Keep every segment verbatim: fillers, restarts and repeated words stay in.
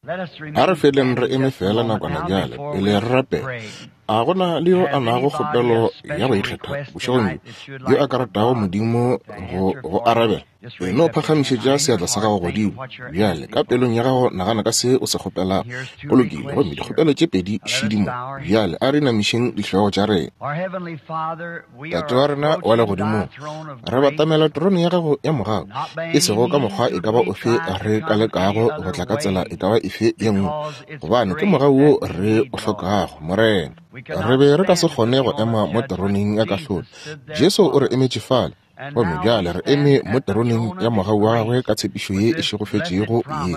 A re feleng re eme fela nakwana bjale pele re rapela. A gona le yo a nago kgopelo ya go ikgetha bošegong bjo, yo a ka ratago Modimo go go arabela? E no phagamišetša seatla sa gago godimo bjale, ka pelong ya gago nagana ka se o se kgopelago. Go lokile, gomme dikgopelo tše pedi šidi mo. Bjale a re inamišeng dihlogo tša rena. Tate wa rena wa legodimong, re batamela terone ya gago ya mogau, e sego ka mokgwa e ka ba ofe re ka lekago go tla ka tsela e ka ba efe ye nngwe, gobane ke mogau wo re o hlokago, Morena. Re be re ka se kgone go ema mo teroneng ya kahlolo. Jesu o re emetše fale, gomme bjale re eme mo teroneng ya mogau wa gagwe ka tshepišo ye e šegofetšego ye,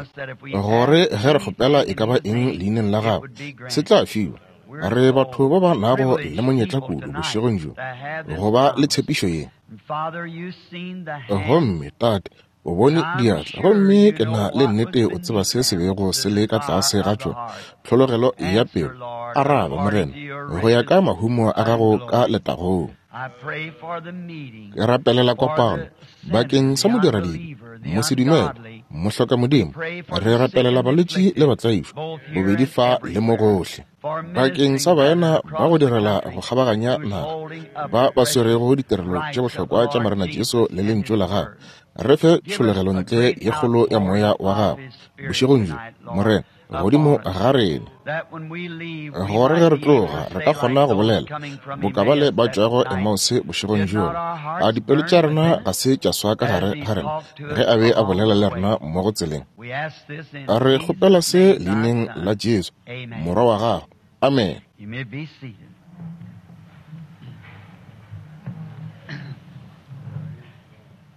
gore ge re kgopela e ka ba eng leineng la gagwe, se tla fiwa. Re batho ba ba nago le monyetla kudu bošegong bjo go ba le tshepišo ye. Gomme Tate, o bone diatla, gomme ke na le nnete o tseba se se bego se le ka tlase ga tšona, tlhologelo ya pelo. Araba, Morena, go ya ka mahumo a gago ka letagong. Ke rapelela kopano bakeng sa modiradibe, mosedumele, mohlokamodimo. Re rapelela balwetši le batlaišwa, bobedi fa le mo gohle, bakeng sa baena ba go direla go kgabaganya naga, ba ba swerego ditirelo tše bohlokwa tša Morena Jesu le lentšu la gagwe. Re fe tšhologelontle ye kgolo ya moya wa gago bošegong bjo, Morena, godimo ga rena, gore ge re tloga re ka kgona go bolela boka bale ba tšwago Emause bošegong bjo. A dipelo tša rena ga se tša swa ka gare ga rena ge a be a bolela le rena mmogo tseleng? Re kgopela se leineng la Jesu, Morwa wa gago. Amen.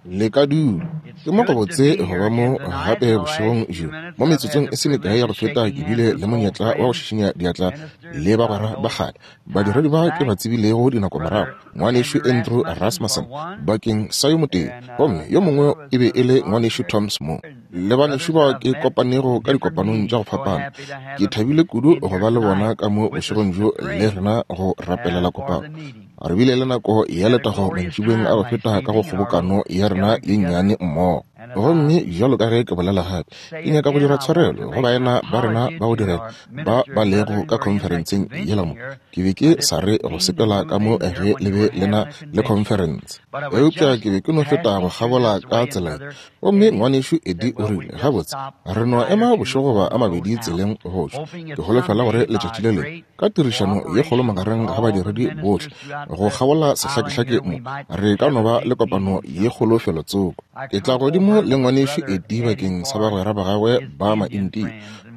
Le ka dula. Ke mo go botse go ba mo gape bošegong bjo. Mo metsotsong e se mekae ya go feta ke bile le monyetla wa go šišinya diatla le bagwera ba kgale, badiredi ba ke ba tsebilego dinako morago, ngwanešu Andrew Rasmussen bakeng sa yo motee, gomme yo mongwe e be e le ngwanešu Toms mo, le banešu bao ke kopanego ka dikopanong tša go fapana. Ke thabile kudu go ba le bona ka mo bošegong bjo le rena go rapelela kopano. Re bile le nako ya letago mantšiboeng a go feta ka go kgobokano ya rena ye nnyane mmogo. Gomme bjalo ka ge ke bolela gape, ke nyaka go dira tshwarelo go baena ba rena ba go direla ba ba lego ka khonferenseng yela mo. Ke be ke sa re go sepela ka mo ge le be le na le khonferense, eupša ke be ke no feta go kgabola ka tsela. Gomme ngwanešu Eddie o rile, gabotse, re no ema bošego goba a mabedi tseleng go tšwa. Ke holofela gore letšatši le lengwe, ka tirišano ye kgolo magareng ga badiredi bohle go kgabola sehlakehlake mo, re ka no ba le kopano ye kgolo felotsoko. Ke tla godimo le ngwanešu Eddie bakeng sa bagwera ba gagwe ba Maindia,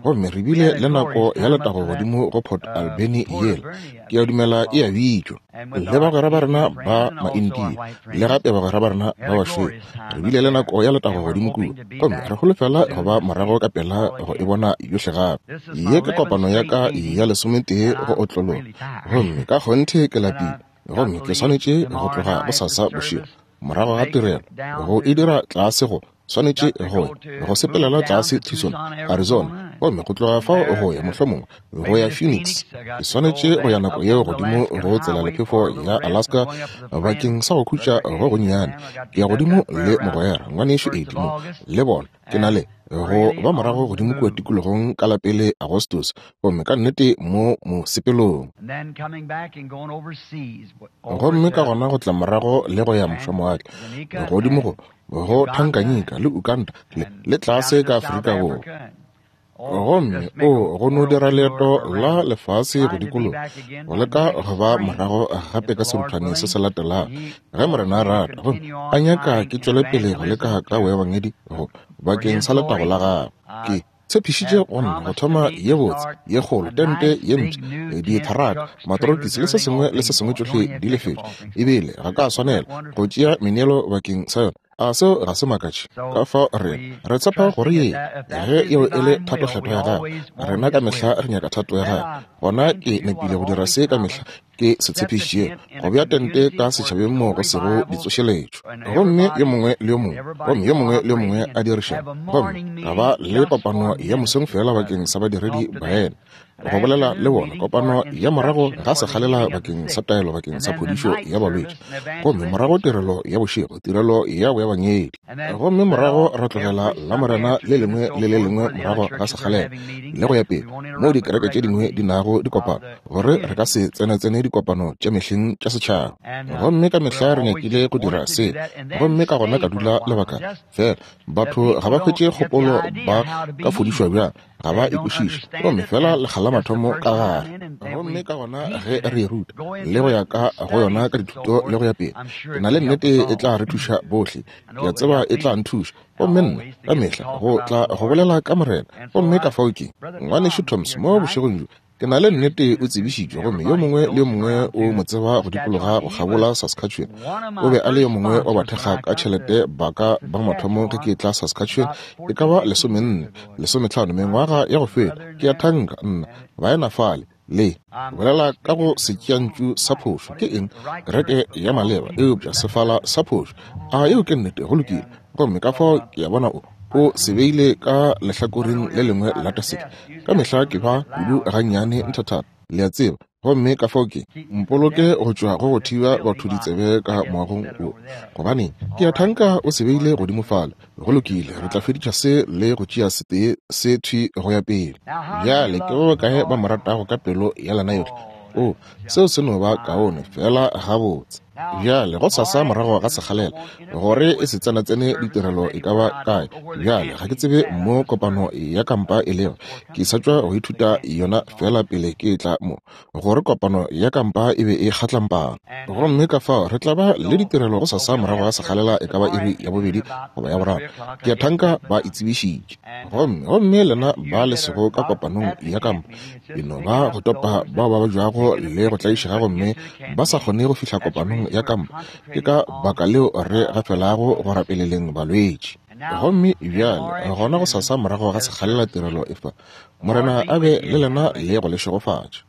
gomme re bile le nako ya letago godimo go Port Alberni yela, ke a dumela e a bitšwa, le bagwera ba rena ba Maindia le gape bagwera ba rena ba bašweu. Re bile le nako ya letago godimo kua, gomme re holofela go ba morago ka pela go e bona yohle gape. Ye ke kopano ya ka ya lesometee go otlologa, gomme ka kgonthe ke lapile, gomme ke swanetše go tloga bosasa bošego morago ga tirelo go e dira tlase go swanetše go go sepelela tlase Tucson, Arizona, gomme go tloga fao go ya mohlomongwe go ya Phoenix. Ke swanetše go ya nako yeo godimo go tsela lephefo ya Alaska bakeng sa go khutša go gonnyane. Ke ya godimo le mogwera ngwanešu Eddie mo le bona. Ke na le go ba morago godimo kua tikologong ka la pele Agostos, gomme ka nnete mo mosepelong. Gomme ka gona go tla morago le go ya mošomowatle godimo go go Tanganyika le Uganda le, le tlase ka Afrika Borwa. Gomme o go no dira leeto la lefase go dikologa, go leka go ba morago gape ka seruthwane se se latelago ge Morena a rata, gomme a nyaka ke tšwele pele go leka ka boebangedi go bakeng sa letago la gagwe. Ke tshepišitše go nna go thoma ye botse ye kgolo tente ye mpsha, ditharaka, matorokisi le se sengwe le se sengwe tšohle di lefetšwe, ebile ga ka swanela go tšea meneelo bakeng sa yona. A seo ga se makatše? Ka fao re re tshepa gore ye ge eo e le thatokgetho ya gagwe, rena ka mehla re nyaka thato ya gagwe, gona ke nepile go dira se ka mehla Ke se tshepišitšego go bea tente ka setšhabeng moo go sego ditsošeletšo, gomme yo mongwe le yo mongwe, gomme yo mongwe le yo mongwe a dirišana, gomme ra ba le kopano ya mosong fela bakeng sa badiredi baena go bolela le bona, kopano ya morago ga sekgalela bakeng sa taelo bakeng sa phodišo ya balwetši, gomme morago tirelo ya bošego, tirelo ya boebangedi, gomme morago ra tlogela la Morena le lengwe le le lengwe morago ga sekgalela le go ya pele moo dikereke tše dingwe di nago dikopano, gore re ka se tsenatsene dikopano tša mehleng tša setšhaba. Gomme ka mehla re nyakile go dira se, gomme ka gona ka dula lebaka fela. Batho ga ba hwetše kgopolo ba ka fodišwa bjang, ga ba e kwešiše, gomme fela lekga la mathomo ka gare. Gomme ka gona ge re e ruta le go ya ka go yona ka dithuto le go ya pele, ke na le nnete e tla re thuša bohle. Ke a tseba e tla nthuša, gomme nna ka mehla go tla go bolela ka Morena. Gomme ka fao ke ngwanešu Thomas mo bošegong bjo, ke na le nnete o tsebišitšwe, gomme yo mongwe le yo mongwe o mo tseba go dikologa go kgabola Saskatchewan. O be a le yo mongwe wa bathekga ka tšhelete ba ka ba mathomo ge ke tla Saskatchewan, e ka ba lesomenne lesometlhano mengwaga ya go feta. Ke a thanka nna baena fale le bolela ka go setšeantšu sa phošo. Ke eng kereke ya maleba eupša sefala sa phošo? A yeo ke nnete? Go lokile. Gomme ka fao ke a bona o o se beile ka lehlakoreng le lengwe la taseke. Ka mehla ke ba kudu gannyane nthathata, le a tseba. Gomme ka fao ke mpoloke go tšwa go go thiba batho ditsebe ka moagong wo, gobane ke a thanka o se beile godimo fale. Go lokile, re tla fediša se le go tšea setee se thwi go ya pele. Bjale ke ba bakae ba mo ratago ka pelo ya lena yohle? O, seo se no ba kaone fela gabotse. Bjale go sasa morago ga sekgalela gore e se tsenatsene ditirelo e ka ba kae. Bjale ga ke tsebe mo kopano ya kampa e lego, ke sa tšwa go ithuta yona fela pele ke tla mo, gore kopano ya kampa e be e kgatlampana. Gomme ka fao re tla ba le ditirelo go sasa morago ga sekgalela e ka ba iri ya bobedi goba ya boraro. Ke a thanka ba e tsebišitše. Gomme gomme lena ba le sego ka kopanong ya kampa, e no ba go topa bao ba bajwago le go tlaišega gomme ba sa kgone go fihla kopanong ya kampa. Ke ka baka leo re gafelago go rapeleleng balwetši. Gomme bjale gona go sasa morago ga sekgalela tirelo e fa. Morena a be le lena le go le šegofatša.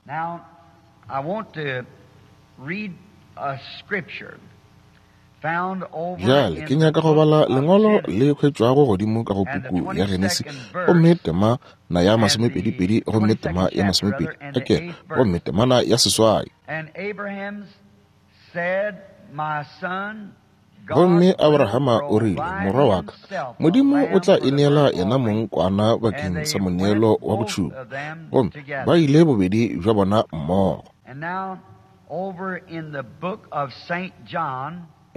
Bjale ke nyaka go bala lengwalo le hwetšwago godimo ka go puku ya Genesi, gomme tema na ya masomepedi-pedi, gomme tema ya masomepedi ake, gomme temana ya seswai. Gomme Abrahama o rile, morwa wa ka, Modimo o tla ineela yena mong kwana bakeng sa moneelo wa go tšhuma. Gomme ba ile bobedi bja bona mmogo.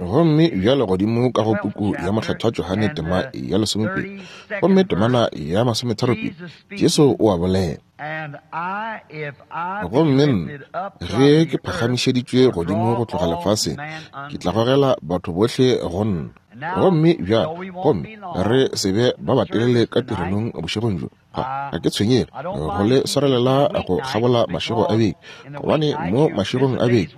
Gomme bjale godimo ka go puku ya Mohlathwa Johane tema ya lesomepedi, gomme temana ya masometharopedi, Jesu o a bolela. Gomme nna, ge ke phagamišeditšwe godimo go tloga lefaseng, ke tla gogela batho bohle go nna. Gomme bjale, gomme re se be ba batelele ka tirelong bošegong bjo. Ga ke tshwenyege go le swarelela go kgabola mašego a beke, gobane mo mašegong a beke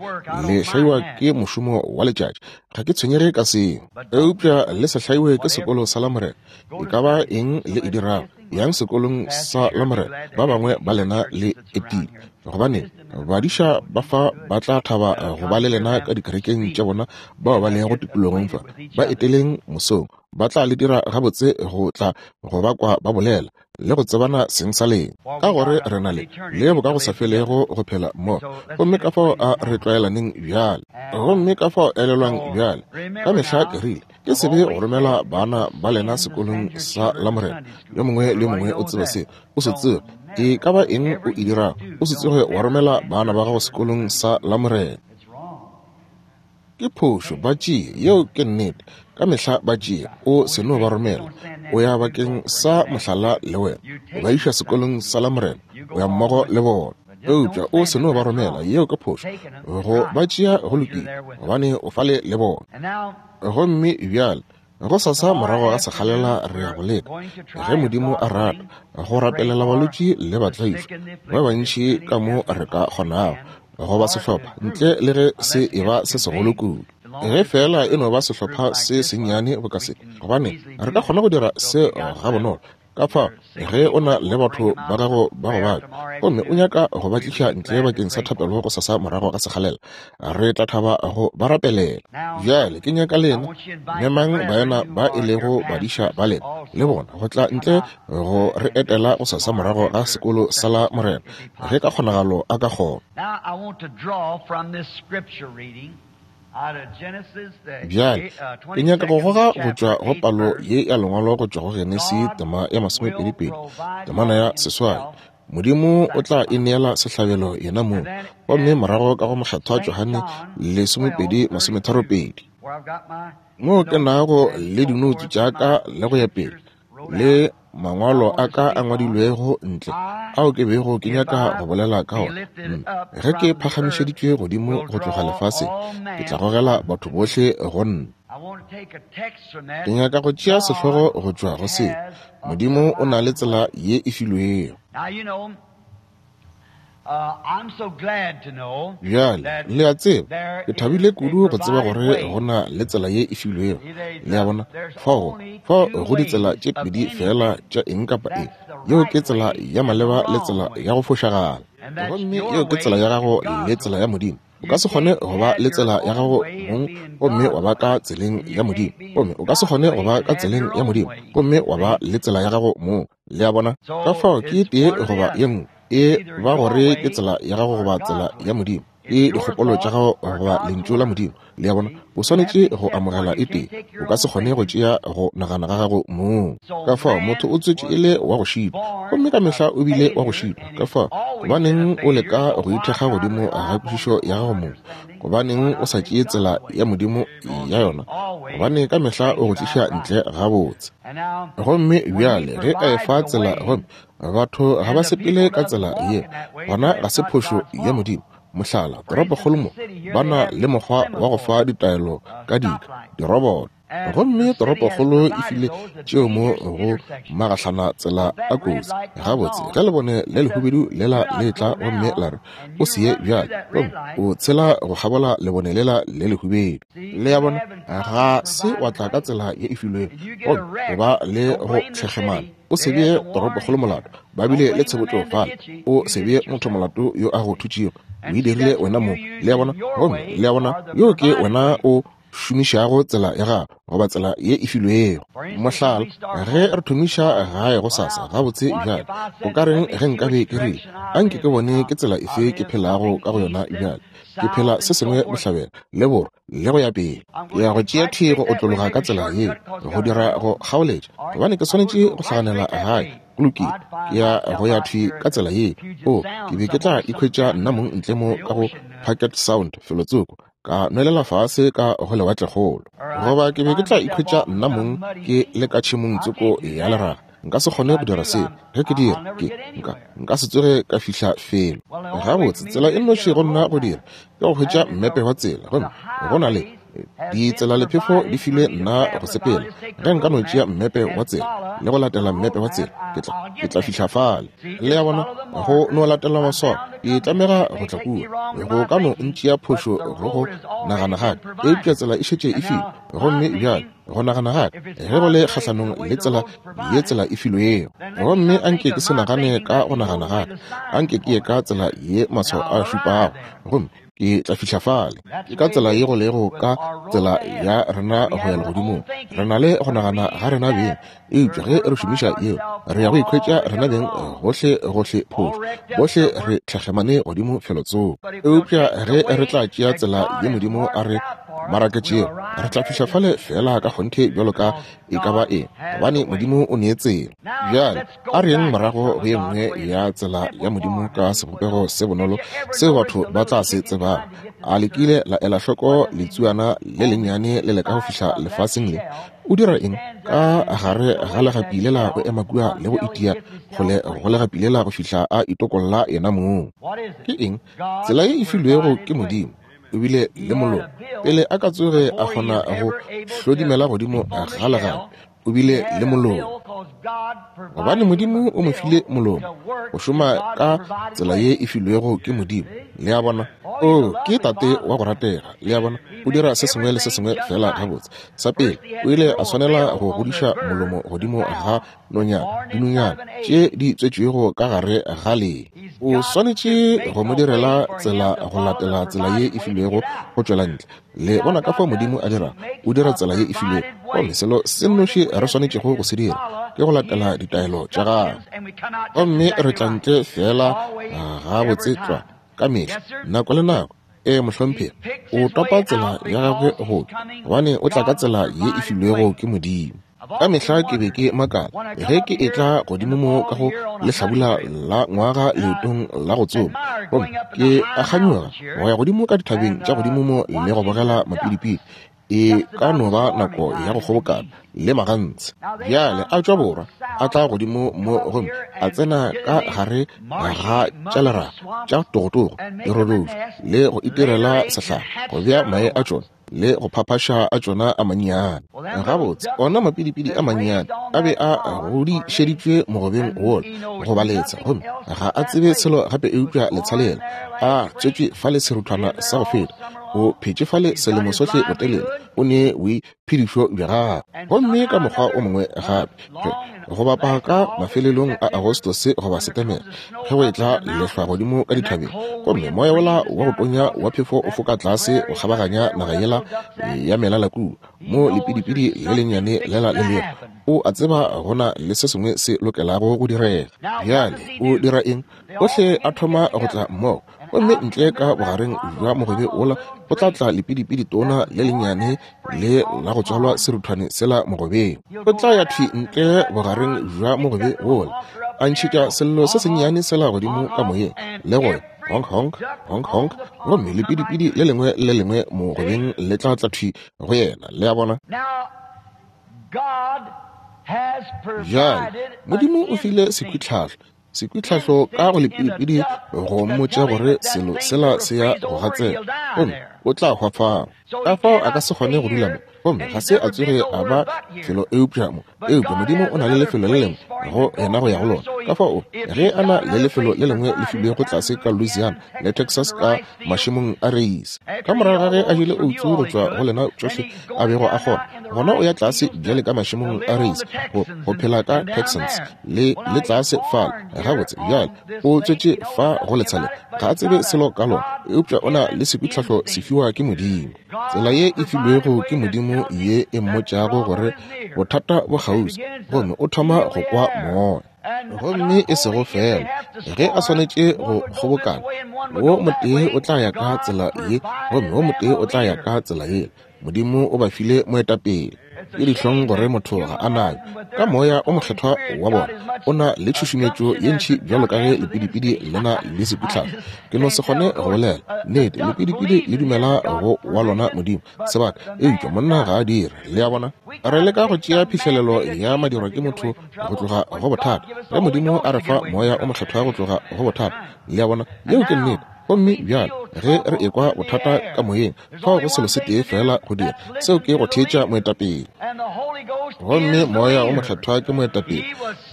le hlaiwa ke mošomo wa letšatši. Ga ke tshwenyege ka seo, eupša le se hlaiwe ke sekolo sa Lamorena. E ka ba eng le e dirago, yang sekolong sa Lamorena, ba bangwe ba lena le etile, gobane badiša ba fa ba tla thaba go ba le lena ka dikerekeng tša bona bao ba lego tikologong fa. Ba eteleng mosong, ba tla le dira gabotse go tla go ba kwa ba bolela le go tsebana seng sa lena, ka gore re na le le boka go sa felego go phela mo. Gomme ka fao a re tlwaelaneng bjale, gomme ka fao elelwang bjale. Ka mehla ke rile ke sebe go romela bana ba lena sekolong sa Lamorena. Yo mongwe le yo mongwe o tseba se, o se tsebe e ka ba eng o e dirago, o se tsoge wa romela bana ba gago sekolong sa Lamorena. Ke phošo, ba tšee, yeo ke nnete. Ka mehla ba tšee, o se no ba romela. O ya bakeng sa mohlala le wena, o ba iša sekolong sa Lamorena, o ya mmogo le bona. Eupša o se no ba romela, yeo ke phošo. Go ba tšea go lokile, gobane o fale le bona. Gomme bjale go sasa morago ga sekgalela re ya go leka, ge Modimo a rata, go rapelela balwetši le batlaišwa ba bantši ka mo re ka kgonago, goba sehlopha ntle le ge se e ba se segolo kudu. Ge fela e no ba sehlopha se sennyane boka se, gobane re ka kgona go dira se gabonolo. Ka fao ge o na le batho ba gago ba go babja gomme o nyaka go ba tliša ntle bakeng sa thapelo go sasa morago ga sekgalela, re tla thaba go ba rapelela. Bjale ke nyaka lena memang baena ba e lego badiša ba lena le bona go tla ntle go re etela go sasa morago ga sekolo sa la Morena, ge ka kgonagalo a ka kgona. Bjale ke nyaka go goga go tšwa go palo ye ya lengwalo go tšwa go Genesi tema ya masomepedipedi temana ya seswai. Modimo o tla e neela sehlabelo yena mong, gomme morago ka go Mokgethwa Johane lesomepedi masometharopedi, moo ke nago le dinoutse tša ka le go ya pele le mangwalo a ka a ngwadilwego ntle ao ke bego ke nyaka go bolela ka ona. Ge ke phagamišeditšwe godimo go tloga lefaseng, ke tla gogela batho bohle go nna. Ke nyaka go tšea sehlogo go tšwa go se, Modimo o na le tsela ye e filwego. Bjale le a tseba, ke thabile kudu go tseba gore go na le tsela ye e filwego. Le a bona, fao fao go ditsela tše pedi fela tša eng kapa eng. Yeo ke tsela ya maleba le tsela ya go fošagala, gomme yeo ke tsela ya gago le tsela ya Modimo. O ka se kgone go ba le tsela ya gago mong gomme wa ba ka tseleng ya Modimo, gomme o ka se kgone go ba ka tseleng ya Modimo gomme wa ba le tsela ya gago mong. Le a bona, ka fao ke tee goba ye nngwe, e ba gore ke tsela ya gago goba tsela ya Modimo, ke dikgopolo tša gago goba lentšu la Modimo. Le a bona, o swanetše go amogela e tee, o ka se kgone go tšea go nagana ga gago mong. Ka fao motho o tswetše e le wa go šitwa, gomme ka mehla o bile wa go šitwa. Ka fao gobaneng o leka go ithekga godimo ga kwešišo ya gago mong? Gobaneng o sa tšee tsela ya Modimo ya yona? Gobane ka mehla o go tliša ntle gabotse. Gomme bjale ge a efa tsela gomme batho ga ba sepele ka tsela ye, gona ga se phošo ya Modimo. Mohlala, toropokgolo mo ba na le mokgwa wa go fa ditaelo ka dika diroboto, gomme toropokgolo e file tšeo mo go magahlana tsela a kotsi. Gabotse ge lebone le lehubedu lela le tla gomme la re o se ye bjale, gomme o tshela go kgabola lebone lela le lehubedu. Le a bona, ga se wa tla ka tsela ye e filwego, gomme o ba le go tlhekgemana. O se bee toropokgolo molato, ba bile le tshebotšo fale. O se bee motho molato yo a go thutšego, o e dirile wena mong. Le a bona, gomme le a bona, yo ke wena o šomišago tsela ya gago goba tsela ye e filwego. Mohlala, ge re thomiša gae go sasa, gabotse bjale o ka reng ge nkabe ke rile anke ke bone ke tsela efe ke phelago ka go yona bjale? Ke phela se sengwe bohlabela le borwa le go ya pele. Ke ya go tšea thwi go otlologa ka tsela yeo, go dira go kgaoletša, gobane ke swanetše go hlaganela gae. Go lokile, ke ya go ya thwi ka tsela ye. O, ke be ke tla ikhwetša nna mong ntle mo ka go Puget Sound felotsoko, ka nwelela fase ka go lewatlekgolo, goba ke be ke tla ikhwetša nna mong ke le ka tšhemong tsoko ya leraga. Nka se kgone go dira seo. Ge ke dira, ke nka nka se tsoge ka fihla felo. Gabotse, tsela e nnoši go nna go dira ke go hwetša mmepe wa tsela, gomme go na le ditsela lephefo di filwe nna go sepela. Ge nka no tšea mmepe wa tsela le go latela mmepe wa tsela, ke tla ke tla fihla fale. Le a bona, go no latela maswao, ke tlamega go tla kua. Go ka no ntšea phošo go go nagana gaka, eupša tsela e šetše e filwe. Gomme bjale go nagana gaka ge go le kgahlanong le tsela ye tsela e filwego, gomme anke ke se nagane ka go nagana gaka, anke ke ye ka tsela ye maswao a šupago, gomme ke tla fihla fale. Ke ka tsela ye go lego ka tsela ya rena go ya legodimong. Re na le go nagana ga rena beng, eupša ge re šomiša yeo, re ya go ikhwetša rena beng gohle gohle phošo, bohle re tlhekgemane godimo felotsoko. Eupša ge re tla tšea tsela ye Modimo a re maraketšego, re tla fihla fale fela ka kgonthe bjalo ka e ka ba eng, gobane Modimo o nee tsela. Bjale a re yeng morago go ye nngwe ya tsela ya Modimo ka sebopego se bonolo seo batho ba tla se tsebago. A le kile la ela hloko letsuana le lennyane le leka go fihla lefaseng le? O dira eng ka gare ga legapi lela go ema kua le go itia kgole go legapi lela go fihla a itokolla yena mong? Ke eng? Tsela ye e filwego ke Modimo. O bile le molomo pele a ka tsoge a kgona go hlodimela godimo ga legapi. O bile le molomo. Gobane Modimo o mo file molomo go šoma ka tsela ye e filwego ke Modimo. Le a bona? O ke tate wa go ratega. Le a bona? O dira se sengwe le se sengwe fela gabotse. Sa pele, o ile a swanela go godiša molomo godimo ga nonyana, dinonyana tše di tswetšwego ka gare ga lee. O swanetše go mo direla tsela go latela tsela ye e filwego go tšwela ntle. Le bona ka fao Modimo a dirago, o dira tsela ye e filwego. Gomme selo se nnoši re swanetšego go se dira ke go latela ditaelo tša gagwe. Gomme re tla ntle fela gabotse tlwa ka mehla, nako le nako. Ee, mohlomphegi, o topa tsela ya gagwe go tšwa, gobane o tla ka tsela ye e filwego ke Modimo. Ka mehla ke be ke makala ge ke etla godimo mo ka go lehlabula la ngwaga leetong la go tsoma, gomme ke a kganyoga go ya godimo ka dithabeng tša godimo mo le go bogela mapidipidi. E ka no ba nako ya go kgobokana le magantshe. Bjale a tšwa borwa, a tla godimo mo gomme a tsena ka gare ga tša leraga tša togotogo, dirodoši, le go itirela sehlare, go bea mae a tšona le go phaphaša a tšona a mannyane. Gabotse, ona mapidipidi a mannyane a be a godišeditšwe mogobeng wola go ba letsha, gomme ga a tsebe selo gape eupša letsha lela. A tswetšwe fale seruthwana sa go feta, o phetše fale selemo sohle botelele, o ne boiphedišo bja gagwe. Gomme ka mokgwa o mongwe gape, go bapa ka mafelelong a Agostose goba Setemere, ge go etla lehlwa godimo ka dithabeng, gomme moya wola wa go tonya wa phefo o foka tlase go kgabaganya naga yela ya melala kua, mo lepidipidi le lennyane lela le lego, o a tseba go na le se sengwe se lokelago go direga. Bjale o dira eng? Ohle a thoma go tla mmogo, gomme ntle ka bogareng bja mogobe wola go tla tla lepidipidi tona le lennyane le la go tswalwa seruthwane sela mogobeng. O tla ya thwi ntle bogareng bja mogobe wola, a ntšhetša sello se sennyane sela godimo ka moyeng, le go honk honk honk honk, gomme lepidipidi le lengwe le lengwe mogobeng le tla tla thwi go yena. Le a bona? Bjale Modimo o file sekhwitlhahlo, sekhwitlhahlo ka go lepidipidi go mmotša gore selo sela se ya go gatsela, gomme o tla hwa fao. Ka fao a ka se kgone go dula mo, gomme ga se a tsoge a ba felo eupša mo. Eupša Modimo o na le lefelo le lengwe go yena go ya go lona. Ka fao ge a na le lefelo le lengwe le filwego tlase ka Louisiana le Texas ka mašemong a reise, ka morago ga ge a jele outsu go tšwa go lena tšohle a bego a kgona, gona o ya tlase bjale ka mašemong a reise go, go phela ka Texans le, le tlase fale. Gabotse, bjale o tswetše fa go letsha le, ga a tsebe selo ka lona, eupša o na le sekhwitlhahlo se fiwa ke Modimo. Tsela ye e filwego ke Modimo ye e mmotšago gore bothata bo kgauswi, gomme o thoma go kwa moya. Gomme e sego fela ge a swanetše go kgobokana, wo motee o tla ya ka tsela ye, gomme wo motee o tla ya ka tsela yela. Modimo o ba file moetapele. Ke dihlong gore motho ga a nayo. Ka moya o mokgethwa wa bona, o na le tšhušumetšo ye ntši bjalo ka ge lepidipidi le na le sekhwitlhahlo. Ke no se kgone go bolela nnete, lepidipidi le dumela go wa lona Modimo sebaka, eupša monna ga a dire. Le a bona? Re leka go tšea phihlelelo ya madirwa ke motho go tloga go bothata, ge Modimo a re fa moya o mokgethwa go tloga go bothata. Le a bona? Yeo ke nnete. Gomme bjale ge re ekwa bothata ka moyeng, fao go selo se tee fela go dira, seo ke go theetša moetapele. Gomme moya o mokgethwa ke moetapele,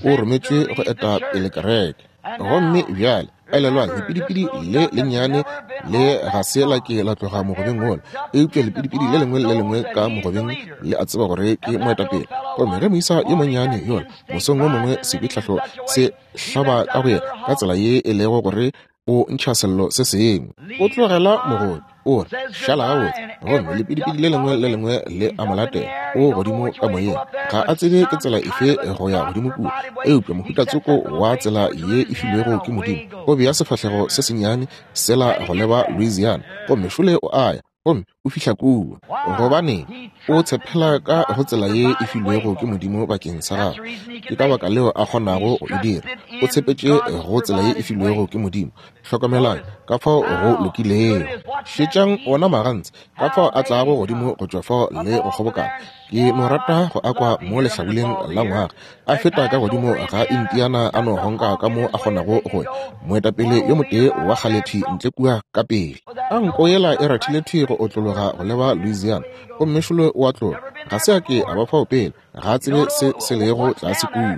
o rometšwe go eta pele kereke. Gomme bjale elelwang, lepidipidi le lennyane le ga se la ke la tloga mogobeng wola, eupša lepidipidi le lengwe le lengwe ka mogobeng le a tseba gore ke moetapele. Gomme ge moisa yo monnyane yola mosong wo mongwe sekhwitlhahlo se hlaba ka go yena ka tsela ye e lego gore o ntšha sello se sengwe, o tlogela mogobe, o re šala gabotse, gomme lepidipidi le lengwe le lengwe le a mo latela. O godimo ka moyeng, ga a tsebe ke tsela efe go ya godimo kua, eupša mohutatsoko wa tsela ye e filwego ke Modimo. O bea sefahlego se sennyane sela go leba Louisiana, gomme šole o a ya, gomme o fihla kua. Gobaneng? O tshepela ka go tsela ye e filwego ke Modimo bakeng sa gagwe. Ke ka baka leo a kgonago go e dira. O tshepetše go tsela ye e filwego ke Modimo. Hlokomelang ka fao go lokilego. Šetšang ona magantse ka fao a tlago godimo go tšwa fao le go kgobokana. Ke no rata go akwa mo lehlabuleng la ngwaga, a feta ka godimo ga Indiana a no honka ka mo a kgonago go ya. Moetapele yo motee wa kgale thwi ntle kua ka pele. A nko yela e rathile thwi go otlologa go leba Louisiana, gomme šolo o a tloga. Ga se a ke a ba fao pele, ga a tsebe se se lego tlase kua.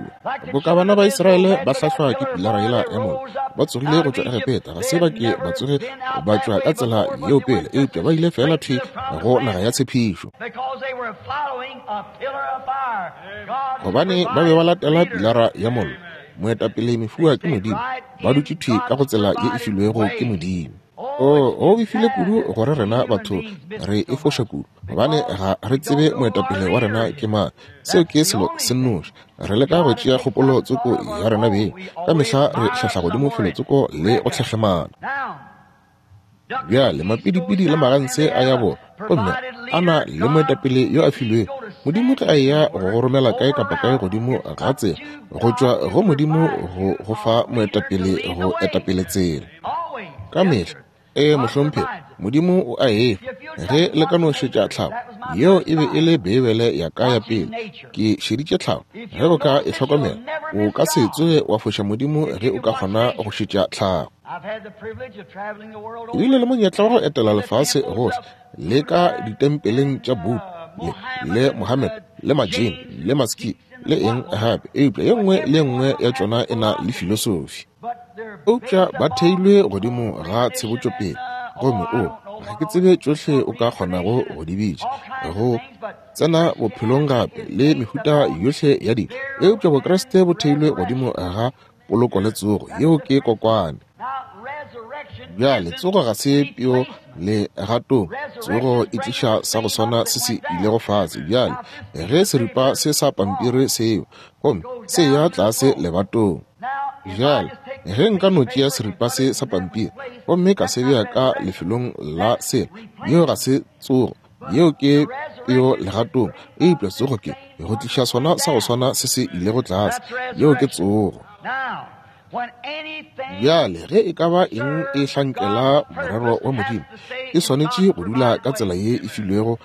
Boka bana ba Israele ba hlahlwa ke pilara yela ya mollo, ba tsogile go tšwa Egepeta, ga se ba ke ba tsoge ba tšwa ka tsela yeo pele, eupša ba ile fela thwi go naga ya tshepišo. Gobane ba be ba latela pilara ya mollo, moetapele mefuwa ke Modimo, ba dutše thwi ka go tsela ye e filwego ke Modimo. O go befile kudu gore rena batho re e foša kudu, gobane ga re tsebe moetapele wa rena ke mang. Seo ke selo se nnoši. Re leka go tšea kgopolo tsoko ya rena beng, ka mehla re hlahla godimo felo tsoko le go tlhehlemana. Bjale mapidipidi le maganse a ya bona, gomme a na le moetapele yo a filwego. Modimo ge a eya go go romela kae kapa kae godimo ga tsela, go tšwa go Modimo go go fa moetapele go etapele tsela. Ka mehla, ee mohlomphegi, Modimo o a efa. Ge le ka no šetša tlhago, yeo e be e le Beibele ya ka ya pele. Ke šeditše tlhago. Ge o ka e hlokomela, o ka se tsoge wa foša Modimo ge o ka kgona go šetša tlhago. Ke bile le monyetla wa go etela lefase gohle, le ka ditempeleng tša Buddha, le, le Mohammed, le Majin, le Maski, le eng gape, eupša ye nngwe le ye nngwe ya tšona e na le filosofi. Eupša ba theilwe godimo ga tshebotšopele, gomme o, ga ke tsebe tšohle o ka kgonago go di bitša, go tsena bophelong gape le mehuta yohle ya dilo. Eupša Bokreste bo theilwe godimo ga poloko le tsogo, yeo ke kokwane. Bjale tsogo ga se peo le gatong, tsogo e tliša sa go swana se se ilego fase. Bjale ge seripa se sa pampiri seo, gomme se ya tlase lebatong. Bjale ge nka no tšea seripa se sa pampiri gomme ka se bea ka lefelong la sela, yeo ga se tsogo, yeo ke peo legatong. Eupša tsogo ke go tliša sona sa go swana se se ilego tlase, yeo ke tsogo. Bjale ge e ka ba eng e hlankela morero wa Modimo, e swanetše go dula ka tsela ye e filwego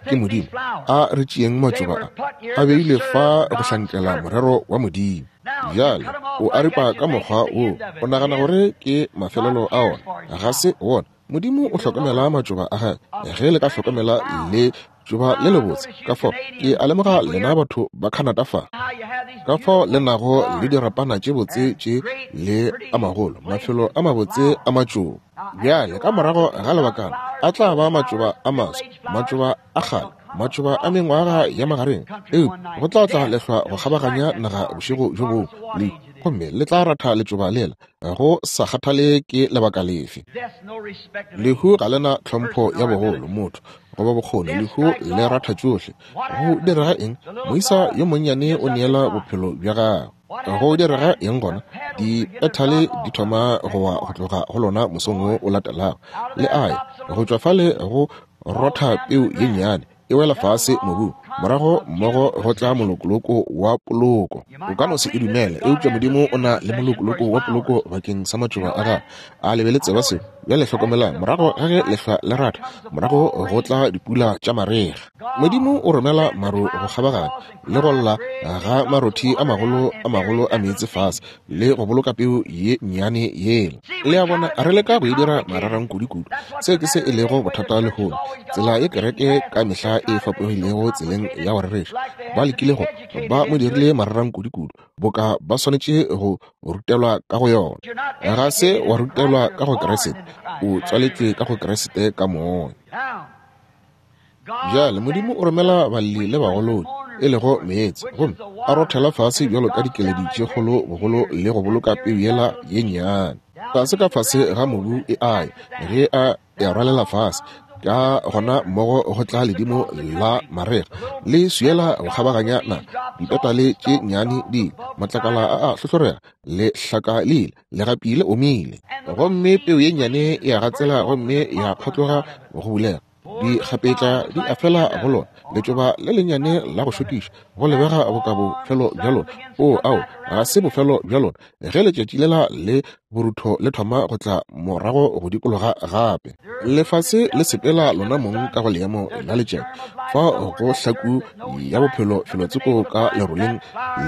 ke Modimo. A re tšeeng matšoba a, a beilwe fa go hlankela morero wa Modimo. Bjale o a ripa ka mokgwa wo, o nagana gore ke mafelelo a ona, ga se wona. Modimo o hlokomela matšoba a gagwe. Ge le ka hlokomela le tšoba le lebotse, ka fao ke a lemoga lena batho ba Canada fa, ka fao le nago le dirapana tše botse tše le a magolo, mafelo a mabotse a matšoba. Bjale ka morago ga lebakana a tla ba matšoba a maswa, matšoba a kgale, matšoba a mengwaga ya magareng, eupša go tla tla lehlwa go kgabaganya naga bošego bjo bongwe le, gomme le tla ratha letšoba lela, go sa kgathale ke lebaka lefe. Lehu ga lena tlhompho ya bogolo, motho goba bokgoni, lehu le ratha tšohle. Go direga eng? Moisa yo monnyane o neela bophelo bja gagwe. Go direga eng gona? Dipethale di thoma go wa go tloga go lona mosong wo o latelago, le aye go tšwa fale go rotha peu ye nnyane e wela fase mobung, morago mmogo go tla molokoloko wa poloko. O ka no se e dumele, eupša Modimo o na le molokoloko wa poloko bakeng sa matšoba a gagwe. A le be le tseba seo? Bjale hlokomelang, morago ga ge lehlwa le ratha, morago go tla dipula tša marega. Modimo o romela maru go kgabaganya le go lla ga marothi a magolo a magolo a meetse fase, le go boloka peu ye nnyane yela. Le a bona, re leka go e dira mararang kudu-kudu. Seo ke se e lego bothata lehono. Tsela ye kereke ka mehla e fapogilego tseleng ya go rereša. Ba lekile go, ba mo dirile mararang kudu-kudu, boka ba swanetše go rutelwa ka go yona. Ga se wa rutelwa ka go Kriste, o tswaletšwe ka go Kriste ka moya. Bjale Modimo o romela balli le bagolodi, e lego meetse, gomme a rothela fase bjalo ka dikeledi tše kgolo bogolo le go boloka peu yela ye nnyane tlase ka fase ga mobu e aye. Ge a e rwalela fase, ka gona mmogo go tla ledimo la marega le swiela go kgabaganya naga, dipetale tše nnyane di matlakala a a hlohlorega, le hlaka le ile, legapi le omile, gomme peu ye nnyane e a gatsela gomme ya phatloga go bulega. Dikgapetla di a fela go lona, letšoba le lennyane la go šokiša, go lebega boka bofelo bja lona. O ao, Ga se bofelo bja lona ge letšatši lela le borutho le thoma go tla morago go dikologa gape. Lefase le sepela lona mong ka go leemo la letšatši, fa go hlaku ya bophelo felotsoko ka leroleng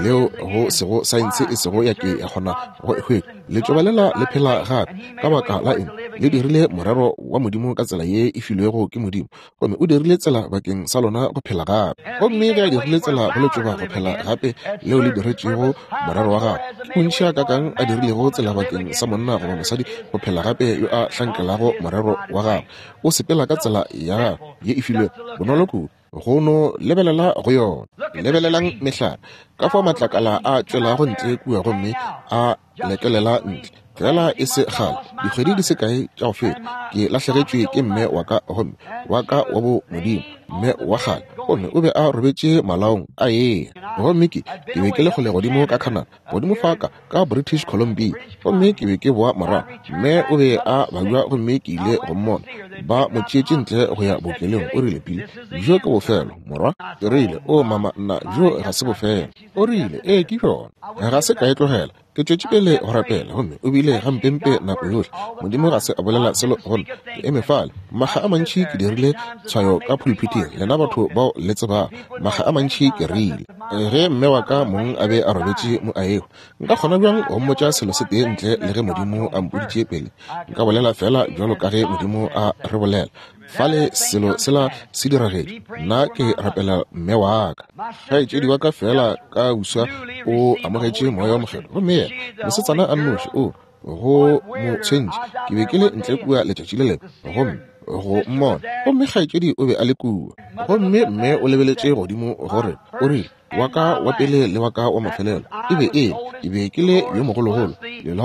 leo go sego saense e sego ya ke ya kgona go e hwetša. Letšoba lela le phela gape. Ka baka la eng? Le dirile morero wa Modimo ka tsela ye e filwego ke Modimo, gomme o dirile tsela bakeng sa lona go phela gape. Gomme ge a dirile tsela go letšoba go phela gape leo le diretšego morero wa gagwe, ke bontši a kakang a dirilego tsela bakeng sa monna goba mosadi go phela gape yo a hlankelago morero wa gagwe. O sepela ka tsela ya gagwe ye e filwego, bonolo kudu go no lebelela go yona. Lebelelang mehlare, ka fao matlakala a tšwelago ntle kua gomme a lekelela ntle. Fela e se kgale, dikgwedi di se kae tša go feta, ke lahlegetšwe ke mme wa ka, gomme wa ka wa bo Modimo, mme wa kgale, gomme o be a robetše malaong a eya. Gomme ke ke be ke le kgole godimo ka Canada, godimo fa ka ka British Columbia, gomme ke be ke boa morago. Mme o be a babja gomme ke ile go mmona. Ba mo tšeetše ntle go ya bookelong. O rile, Pili, bjo ke bofelo, morwa. Ke rile, o mama, nna, bjo ga se bofelo. O rile, ee, ke bjona. Ga se ka e tlogela. Ke tšwetše pele go rapela, gomme o bile gampempe nako yohle. Modimo ga se a bolela selo go nna. Ke eme fale makga a mantši, ke dirile tshwayo ka pulpiteng, lena batho bao le tsebago. Makga a mantši ke rile, ge mme wa ka mong a be a robetše mo a ego, nka kgona bjang go mmotša selo se tee ntle le ge Modimo a mpoditše pele? Nka bolela fela bjalo ka ge Modimo a re bolela. Fale selo sela se diragetše. Nna ke rapela mme wa ka. Kgaetšedi wa ka fela ka uswa o amogetše moya wa Mokgethwa, gomme yena mosetsana a nnoši o go mo tshwentše. Ke be ke le ntle kua letšatši le lengwe gomme go mmona, gomme kgaetšedi o be a le kua. Gomme mme o lebeletše godimo gore o rile, wa ka wa pele le wa ka wa mafelelo e be e ke be ke le yo mogologolo,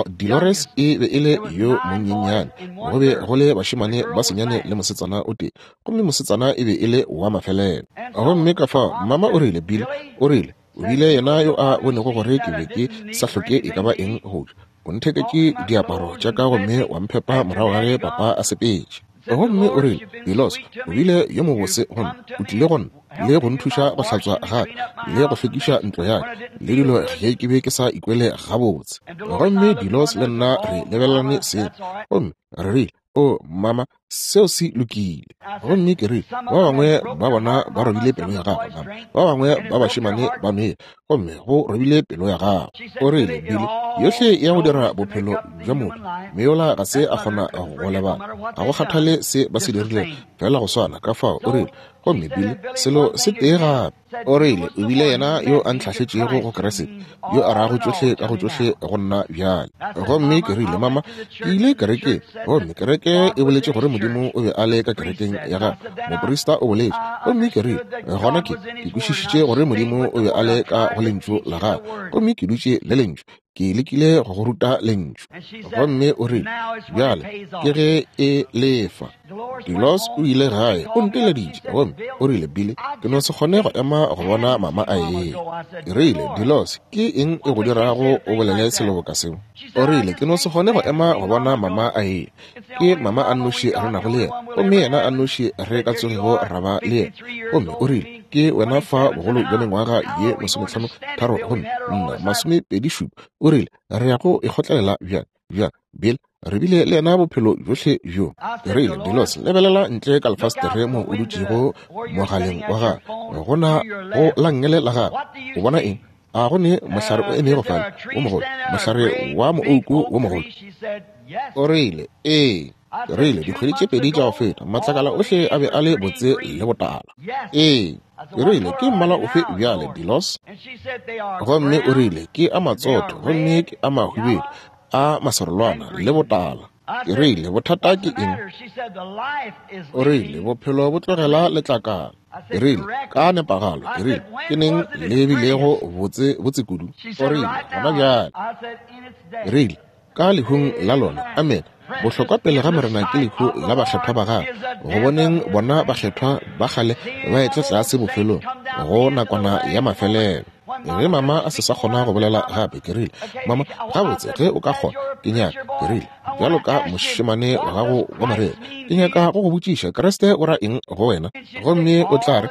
Dolores e be e le yo monyenyane. Go be go le bašemane ba senyane le mosetsana o tee, gomme mosetsana e be e le wa mafelelo. Gomme ka fao mama o rile, Bill, o rile, o bile yena yo a bonego gore ke be ke sa hloke e ka ba eng go ja. O ntheketše diaparo tša ka gomme wa mphepa morago ga ge papa a sepetše. Gomme o rile, Bilos, o bile yo mobose gomme o tlile go nna le go nthuša go hlatswa gape le go hlwekiša ntlo ya ka le dilo ge ke be ke sa ikwele gabotse. Gomme Bilos le nna re lebelelane seng, gomme re rile, o mama, seo se lokile. Gomme ke rile, ba bangwe ba bona ba robile pelo ya gago, mama, ba bangwe ba bašemane ba nwele, gomme go robile pelo ya gago. O rile, Billy, yohle ya go dira bophelo bja motho, meola ga se a kgona go lebala, ga go kgathale se ba se dirilego, fela go swana. Ka fao o rile, gomme Billy, selo se tee gape. O rile, o bile yena yo a ntlhahletšego go Kriste, yo a rago tšohle ka go tšohle go nna bjale. Gomme ke rile, mama, ke ile kerekeng, gomme kereke e boletše gore Modimo o be a le ka kerekeng ya gagwe, moprista o boletše. Gomme ke rile, gona ke ke kwešišitše gore Modimo o be a le ka go lentšu la gagwe, gomme ke dutše le lentšu, ke lekile go go ruta lentšu. Gomme o rile, bjale ke ge e lefa. Dilos o ile gae, o nteleditše, gomme o rile, Billy, ke no se kgone go ema go bona mama a eya. Ke rile, Dilos, ke eng e go dirago o bolele selo boka seo? O rile, ke no se kgone go ema go bona mama a eya. Ke mama a nnoši re nago le yena, gomme yena a nnoši re ka tsogego ra ba le yena. Gomme o rile, ke wena fa bogolo bja mengwaga ye masomehlano tharo gomme nna masomepedi šupa. O rile, re ya go ikgotlelela bjang bjang, Bill? Re bile le yena bophelo bjohle bjo. Ke rile, Dilos, lebelela ntle ka lefastere mo o dutšego mogaleng wa gago, gona go la nngele la gago, o bona eng? A go ne mohlare o emego fale wo mogolo, mohlare wa moouku wo mogolo? O rile, ee. Ke rile, dikgwedi tše pedi tša go feta, matlakala ohle a be a le botse le botala. Ee. Ke rile, ke mmala ofe bjale, Dilos? Gomme o rile, ke a matsotho, gomme ke a mahwibidu, a maserolwana le botala. Ke rile, bothata ke eng? O rile, bophelo bo tlogela letlakala. Ke rile, ka nepagalo. Ke rile, ke neng le bilego botse botse kudu? O rile, gona bjale. Ke rile, ka lehung la lona. Amen. Bohlokwa pele ga Morena ke lehu la bakgethwa ba gagwe, go boneng bona bakgethwa ba kgale ba etla tlase bofelong go nakwana ya mafelelo. Ge mama a se sa kgona go bolela gape, ke rile, mama, gabotse ge o ka kgona, ke nyaka, ke rile, bjalo ka mošemane wa gago wa morero, ke nyaka go go botšiša, Kriste o ra eng go wena? Gomme o tla re,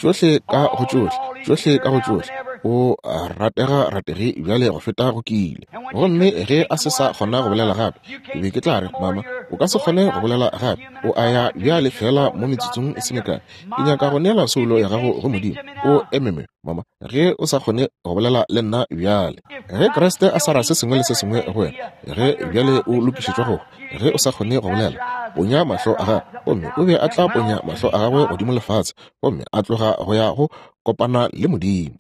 tšohle ka go tšohle, tšohle ka go tšohle. O ratega rategi bjale go feta go kile. Gomme ge a se sa kgona go bolela gape, ke be ke tla re, mama, o ka se kgone go bolela gape, o a ya bjale fela mo metsotsong e se mekae. Ke nyaka go neela soulo ya gago go Modimo. O ememe, mama, ge o sa kgone go bolela le nna bjale. Ge Kriste a sa ra se sengwe le se sengwe go wena, ge bjale o lokišetšwa go, ge o sa kgone go bolela, ponya mahlo a gagwe. Gomme o be a tla ponya mahlo a gagwe godimo lefatshe, gomme a tloga go ya go kopana le Modimo.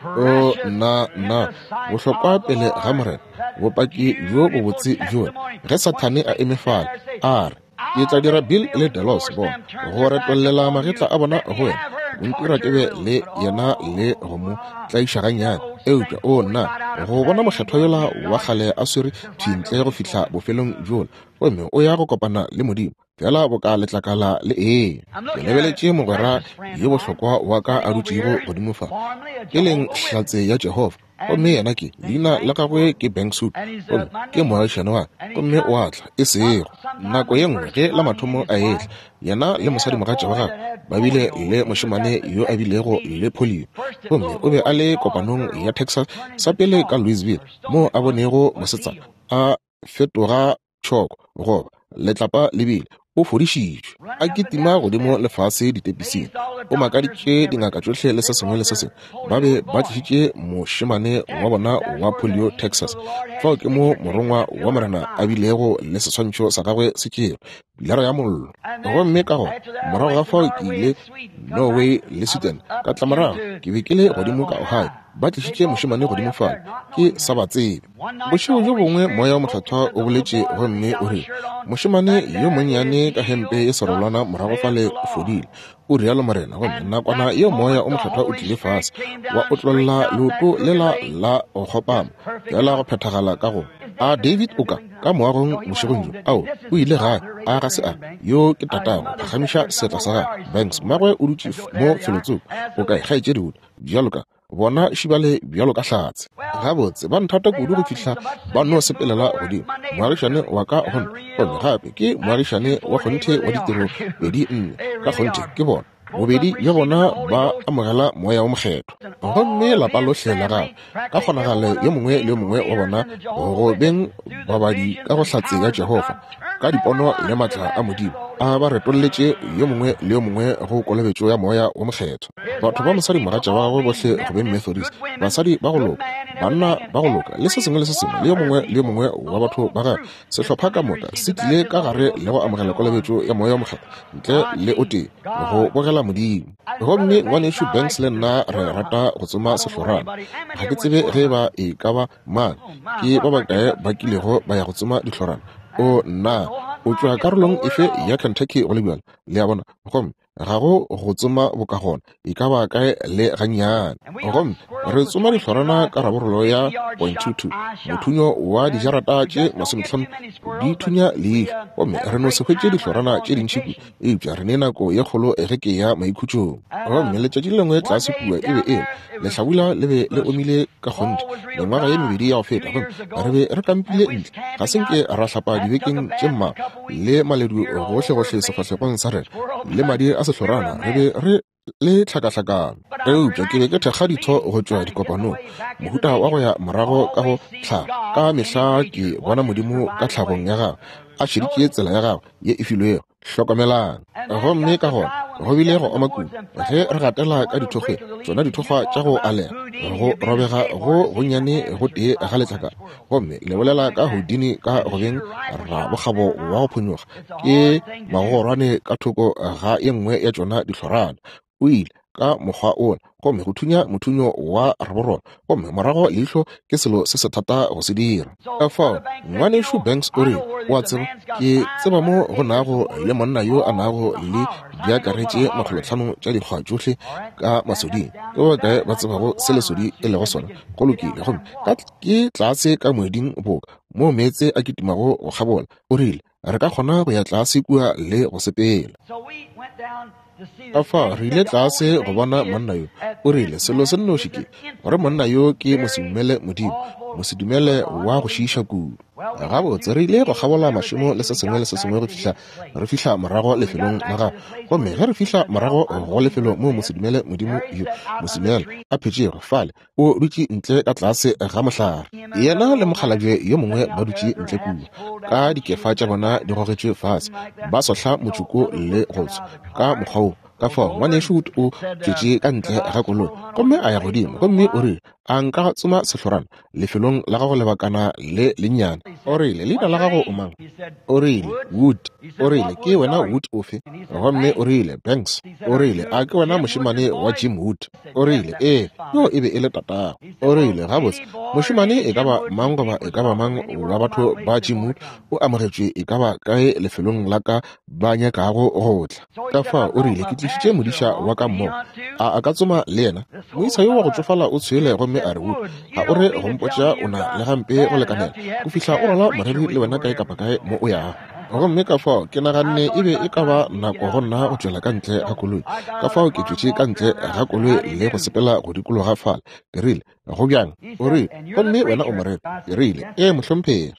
O nna nna bohlokwa pele ga Morena, bopaki bjo bobotse bjola. Ge Sathane a eme fale, a re, ke tla dira Bill le Delos bona go retollela magetla a bona go wena, go ntira ke be le yena le go mo tlaiša gannyane. Eupša o nna go bona mokgethwa yola wa kgale a swere thintle go fihla bofelong bjola, gomme o ya go kopana le Modimo fela boka letlakala le ee. Ke lebeletše mogwera yo bohlokwa wa ka a dutšego godimo fa, ke leng hlatse ya Jehofa, gomme yena ke leina la gagwe ke Banksuit, gomme ke moagišane wa ka, gomme o a tla e sego nako ye nngwe ge la mathomo a etla. Yena le mosadimogatša wa gagwe ba bile le mošemane yo a bilego le polio, gomme o be a le kopanong ya Texas sa pele ka Louisville, moo a bonego mosetsana a fetoga tšhoko goba letlapa le bile o fodišitšwe, a kitima godimo lefase ditepising. O makaditše dingaka tšohle le se sengwe le se sengwe. Ba be ba tlišitše mošemane wa bona wa polio Texas. Fao ke mo morongwa wa Morena a bilego le seswantšho sa gagwe se tšerwe, pilara ya mollo. Gomme ka gona morago ga fao ke ile Norway le Sweden, ka tla morago ke be ke le godimo ka Ohio. Ba tlišitše mošemane godimo fale, ke sa ba tsebe. Bošego bjo bongwe moya wa Mokgethwa o boletše gomme o rile, mošemane yo monnyane ka hempe e serolwana morago fale o fodile, o rialo Morena. Gomme nakwana yeo moya o Mokgethwa o tlile fase, wa otlolla leoto lela la go kgopama, fela go phethagala ka go a David o ka ka moagong bošegong bjo. Ao, o ile gae, a ga se a yo ke tatago, phagamiša seatla sa gagwe. Banks mmagwe o dutše mo felotsoko, o kae kgaetšedi Wood? Bjalo ka bona šibale bjalo ka hlatse. Gabotse ba nthata kudu go fihla ba no sepelela godimo. Moagišane wa ka gona, gomme gape ke moagišane wa kgonthe wa ditiro pedi nne ka kgonthe ke bona. Bobedi bja bona ba amogela moya wa Mokgethwa. Gomme lapa lohle la gagwe, ka kgonagalo yo mongwe le yo mongwe wa bona go beng babadi ka go hlatse ya Jehofa, ka dipono le matla a Modimo, a ba retolletše yo mongwe le yo mongwe go kolobetšo ya moya wa Mokgethwa. Batho ba mosadimogatša wa gagwe bohle go beng Methodist, basadi ba go loka, banna ba go loka, le se sengwe le se sengwe, le yo mongwe le yo mongwe wa batho ba gagwe, sehlopha ka moka se tlile ka gare le go amogela kolobetšo ya moya wa Mokgethwa ntle le o tee go bogela Modimo. Gomme ngwanešu Banks le nna re rata go tsoma sehlorana. Ga ke tsebe ge ba e ka ba mang, ke ba bakae ba kilego ba ya go tsoma dihlorana. O nna, o tšwa karolong efe ya Kentucky go le bjalo? Le a bona? Gomme ga go go tsoma bokagona e ka ba kae le gannyane. Gomme re tsoma dihlorana ka raborolo ya point two two, mothunyo wa dijarata tše masometlhano di thunya leihlo. Gomme re no se hwetše dihlorana tše dintši kudu, eupša re ne nako ye kgolo ge ke ya maikhutšong. Gomme letšatši le lengwe tlase kua e be e le lehlabula le be le omile ka kgonthe mengwaga ye mebedi ya go feta, gomme re be re kampile ntle, ga se nke ra hlapa dibekeng tše mmalwa, le maledu gohlegohle sefahlegong sa rena, le madi a sehlorana, re be re le tlhakahlakano. Eupša ke be ke thekga ditho go tšwa dikopanong, mohuta wa go ya morago ka go tlhago. Ka mehla ke bona Modimo ka tlhagong ya gagwe, a šeditše tsela ya gagwe ye e filwego. Hlokomelang. Gomme ka gona go bile go oma kudu ge re gatela ka dithokgweng, tšona dithokgwa tša go alega, go robega go gonnyane go tee ga letlakala. Gomme le bolela ka Houdini ka go beng rabokgabo wa go phonyokga, ke magogorwane ka thoko ga ye nngwe ya tšona dihlorana. O ile ka mokgwa ona, gomme go thunya mothunyo wa raborolo, gomme morago leihlo ke selo se se thata go se dira. Ka fao ngwanešu Banks o rile, o a tseba, ke tseba mo go nago le monna yo a nago le diakaretše makgolotlhano tša dikgwa tšohle ka masoding. Ke ba bakae ba tsebago se lesodi e lego sona? Go lokile. Gomme ka ke tlase ka moeding boka moo meetse a kitimago go kgabola. O rile, re ka kgona go ya tlase kua le go sepela. Ka fao re ile tlase go bona monna yo. O rile selo se nnoši ke gore monna yo ke mosedumele Modimo, Mosedumele wa go šiiša kudu. Gabotse re ile go kgabola mašemo le se sengwe le se sengwe go fihla re fihla morago lefelong la gagwe. Gomme ge re fihla morago go lefelo moo mosedumele modimo yo mosedumele a phetšego fale, o dutše ntle ka tlase ga mohlare. Yena le mokgalabje yo mongwe ba dutše ntle kua, ka dikefa tša bona di gogetšwe fase, ba sohla motšoko le go tswa ka mokgwa wo. Ka fao ngwanešu Wood o tšwetše ka ntle ga koloi gomme a ya godimo, gomme o rile, a nka tsoma sehlorana lefelong la gago lebakana le lennyane? O rile, leina la gago o mang? O rile, Wood. O rile, ke wena Wood ofe? Gomme o rile, Banks. O rile, a ke wena mošemane wa Jim Wood? O rile, ee, yo e be e le tatago. O rile, gabotse, mošemane e ka ba mang goba e ka ba mang wa batho ba Jim Wood o amogetšwe e ka ba kae lefelong la ka ba nyakago go tla. Ka fao o rile, ke tlišitše modiša wa ka mmogo, a a ka tsoma le yena? Moisa yo wa go tšofala o tshwele gomme a re, Wood, ga o re go mpotša o na le gampe go lekanela go fihla o rwala moreri le wena kae kapa kae mo o yago. Gomme ka fao ke naganne e be e ka ba nako go nna go tšwela ka ntle ga koloi. Ka fao ke tšwetše ka ntle ga koloi le go sepela go dikologa fale. Ke rile, go bjang? O rile, gomme wena o moreri? Ke rile, ee mohlomphegi.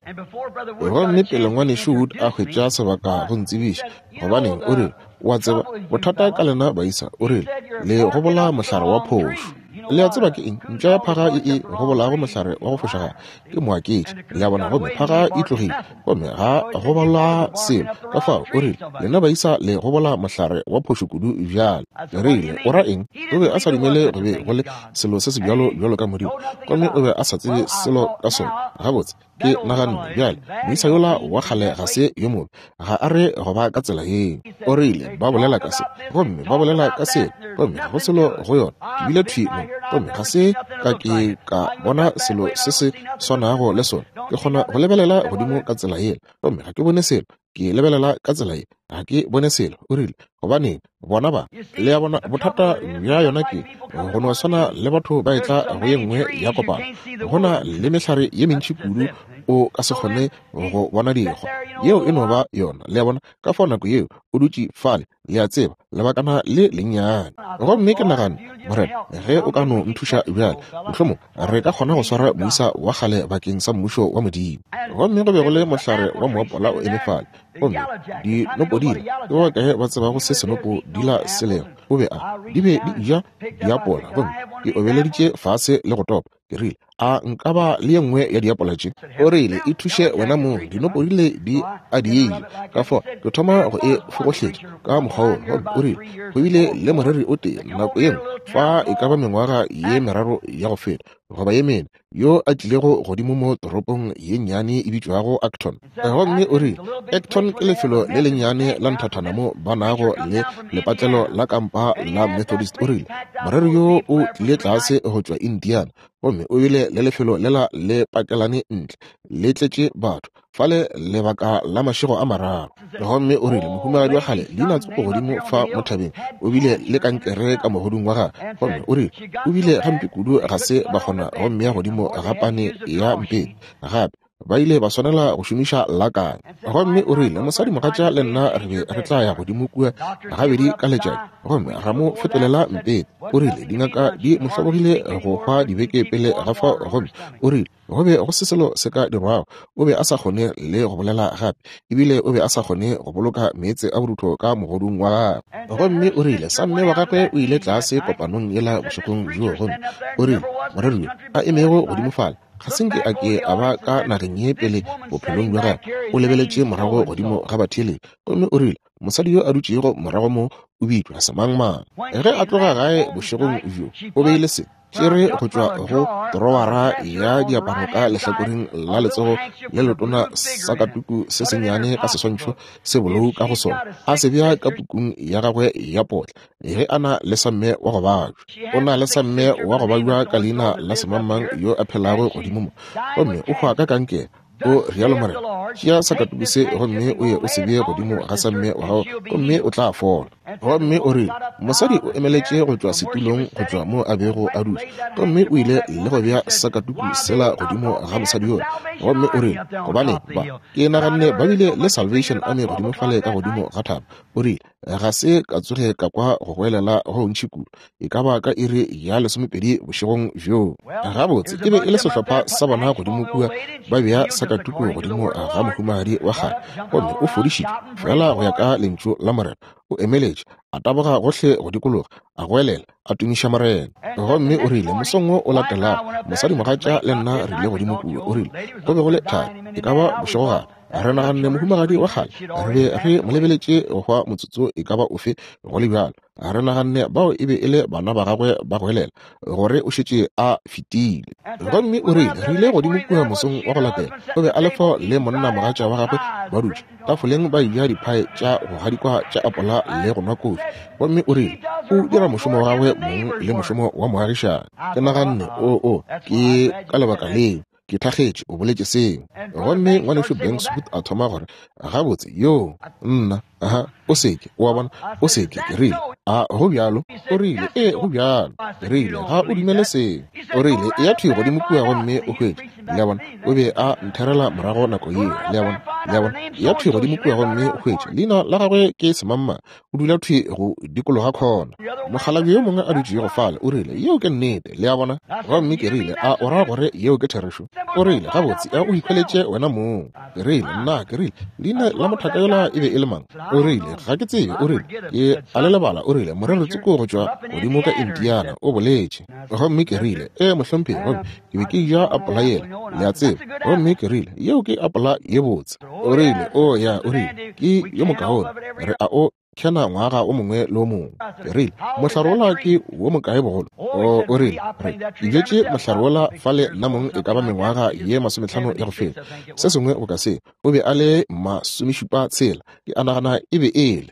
Gomme pele ngwanešu Wood a hwetša sebaka go ntsebiša, gobaneng, o rile, wa tseba bothata ka lena baisa, o rile, le gobola mohlare wa phošo. Le a tseba ke eng? Mpša ya phaga e e gobolago mohlare wa go fošagala ke moaketši. Le a bona? Gomme phaga e tlogile, gomme ga gobola selo. Ka fao o rile, lena baisa le gobola mohlare wa phošo kudu bjale. Ke rile, o ra eng? O be a sa dumele go be go le selo se se bjalo bjalo ka Modimo, gomme o be a sa tsebe selo ka sona. Gabotse, ke naganne bjale, moisa yola wa kgale ga se yo mobe, ga a re go ba ka tsela yeo. O rile, ba bolela ka se, gomme ba bolela ka se, gomme ga go selo go yona. Ke bile thwi mo, gomme ga se ka ke ka bona selo se se swanago le sona. Ke kgona go lebelela godimo ka tsela yela, gomme ga ke bone selo. Ke lebelela ka tsela ye, ga ke bone selo. O rile, gobaneng, bona ba, le a bona, bothata bja yona ke go no swana le batho ba etla go ye nngwe ya kopano. Go na le mehlare ye mentši kudu o ka se kgone go bona dikgwa. Yeo e no ba yona, le a bona. Ka fao nako yeo o dutše fale, le a tseba, lebakana le lennyane. Gomme ke nagane, Morena, ge o ka no nthuša bjale, mohlomong re ka kgona go swara moisa wa kgale bakeng sa mmušo wa Modimo. Gomme go be go le mohlare wa moapola o eme fale, gomme dinopodila, ke ba bakae ba tsebago se senopodila se lego? O be a di be di eja diapola, gomme ke obeleditše fase le go topa. Ke rile, a nka ba le ye nngwe ya diapola tše? O rile, e thuše wena mong, dinopodile di a di eja. Ka fao ke thoma go e fogohletša ka mokgwa wo. Gomme o rile, go bile le moreri o tee nako ye nngwe fa e ka ba mengwaga ye meraro ya go feta goba ye mene, yo a tlilego godimo mo toropong ye nnyane e bitšwago Acton. Gomme o rile, Acton ke lefelo le lennyane la nthathana mo ba nago le lepatlelo la kampa la Methodist. O rile, moreri yo o tlile tlase go tšwa Indiana, gomme o bile le lefelo lela le pakelane ntle le tletše batho fale lebaka la mašego a mararo. Gomme o rile, mohumagadi wa kgale leina tsoko godimo fa mo thabeng o bile le kankere ka mogodung wa gagwe. Gomme o rile, o bile gampe kudu ga se ba kgona go mmea godimo ga pane ya mpete gape, ba ile ba swanela go šomiša lakane. Gomme o rile, mosadimogatša le nna re be re tla ya godimo kua gabedi ka letšatši, gomme ra mo fetolela mpete. O rile, dingaka di mo hlobogile go hwa dibeke pele ga fao. Gomme o rile, go be go se selo se ka dirwago, o be a sa kgone le go bolela gape, ebile o be a sa kgone go boloka meetse a borutho ka mogodung wa gagwe. Gomme o rile, samme wa gagwe o ile tlase kopanong yela bošegong bjoo. Gomme o rile, moreri yo a emego godimo fale ga se nke a ke a ba ka nageng ye pele bophelong bja gagwe, o lebeletše morago godimo ga batheeletši. Gomme o rile, mosadi yo a dutšego morago mo o bitšwa semangmang. Ge a tloga gae bošegong bjo, o beile se tšere go tšwa go trowara ya diaparo ka lehlakoreng la letsogo le letona sakatuku se sennyane ka seswantšho se bolou ka go sona, a se bea ka pukung ya gagwe ya potla. Ge a na le samme wa go babja, o na le samme wa go babja ka leina la semangmang yo a phelago godimo mo, gomme o hwa ka kankere. O rialo Morena, tšea sakatuku se gomme o ye o se bee godimo ga samme wa gago, gomme o tla fola. Gomme o rile, mosadi o emeletše go tšwa setulong go tšwa mo a bego a dutše, gomme o ile le go bea sakatuku sela godimo ga mosadi yola. Gomme o rile, gobane ba ke naganne ba bile le Salvation Army godimo fale ka godimo ga thaba. O rile, Ga se ka tsoge ka kwa go goelela go ntši kudu, e ka ba ka iri ya lesomepedi bošegong bjoo. Gabotse e be e le sehlopha sa bona godimo kua ba bea sakatuku godimo ga mohumagadi wa kgale, gomme o fodišitšwe fela go ya ka lentšu la Morena. O emeletše, a taboga gohle go dikologa, a goelela, a tumiša Morena. Gomme o rile mosong wo o latelago, mosadimogatša le nna re ile godimo kua. O rile go be go le thari, e ka ba bošegogare. Re naganne mohumagadi wa kgale, re be re mo lebeletše go hwa motsotso e ka ba ofe go le bjalo. Re naganne bao e be e le bana ba gagwe ba goelela gore o šetše a fetile. Gomme o rile re ile godimo kua mosong wa go latela, o be a le fao le monna mogatša wa gagwe ba dutše tafoleng ba eja diphae tša go gadikwa tša apola le go nwa kofi. Gomme o rile o dira mošomo wa gagwe mong le mošomo wa moagišani. Ke naganne o o ke ka lebaka leo ke thakgetše o boletše seo. Gomme ngwanešu Banks Wood a thoma gore gabotse yo nna aha o seke o a bona o seke. Ke rile a go bjalo? O rile ee go bjalo. Ke rile ga o dumele seo. O rile e ya thwi godimo kua gomme o hwetše. Le a bona, o be a ntherela morago nako yeo. Le a bona, le a bona, ya thwi godimo kua gomme o hwetše. Leina la gagwe ke semamma, o dula thwi go dikologa khona. Mokgalabje yo mongwe a dutšego fale o rile yeo ke nnete. Le a bona. Gomme ke rile a o ra gore yeo ke therešo? O rile gabotse a o ikhweletše wena mong. Ke rile nna ke rile leina la mothaka yola e be e le mang? O rile ga ke tsebe. O rile ke a le lebala. O rile morero tsoko go tšwa godimo ka Indiana o boletše. Gomme ke rile ee mohlomphegi, gomme ke be ke ja apola yela, le a tseba. Gomme ke rile yeo ke apola ye botse. O rile o ya, o rile ke yo mokaone, re a o kena ngwaga o mongwe le o mongwe. Ke rile mohlare wola ke wo mokae bogolo? O o rile re ke bjetše mohlare wola fale nna mong e ka ba mengwaga ye masometlhano ya go feta, se sengwe go ka se. O be a le masomešupa tshela, ke a nagana e be e le.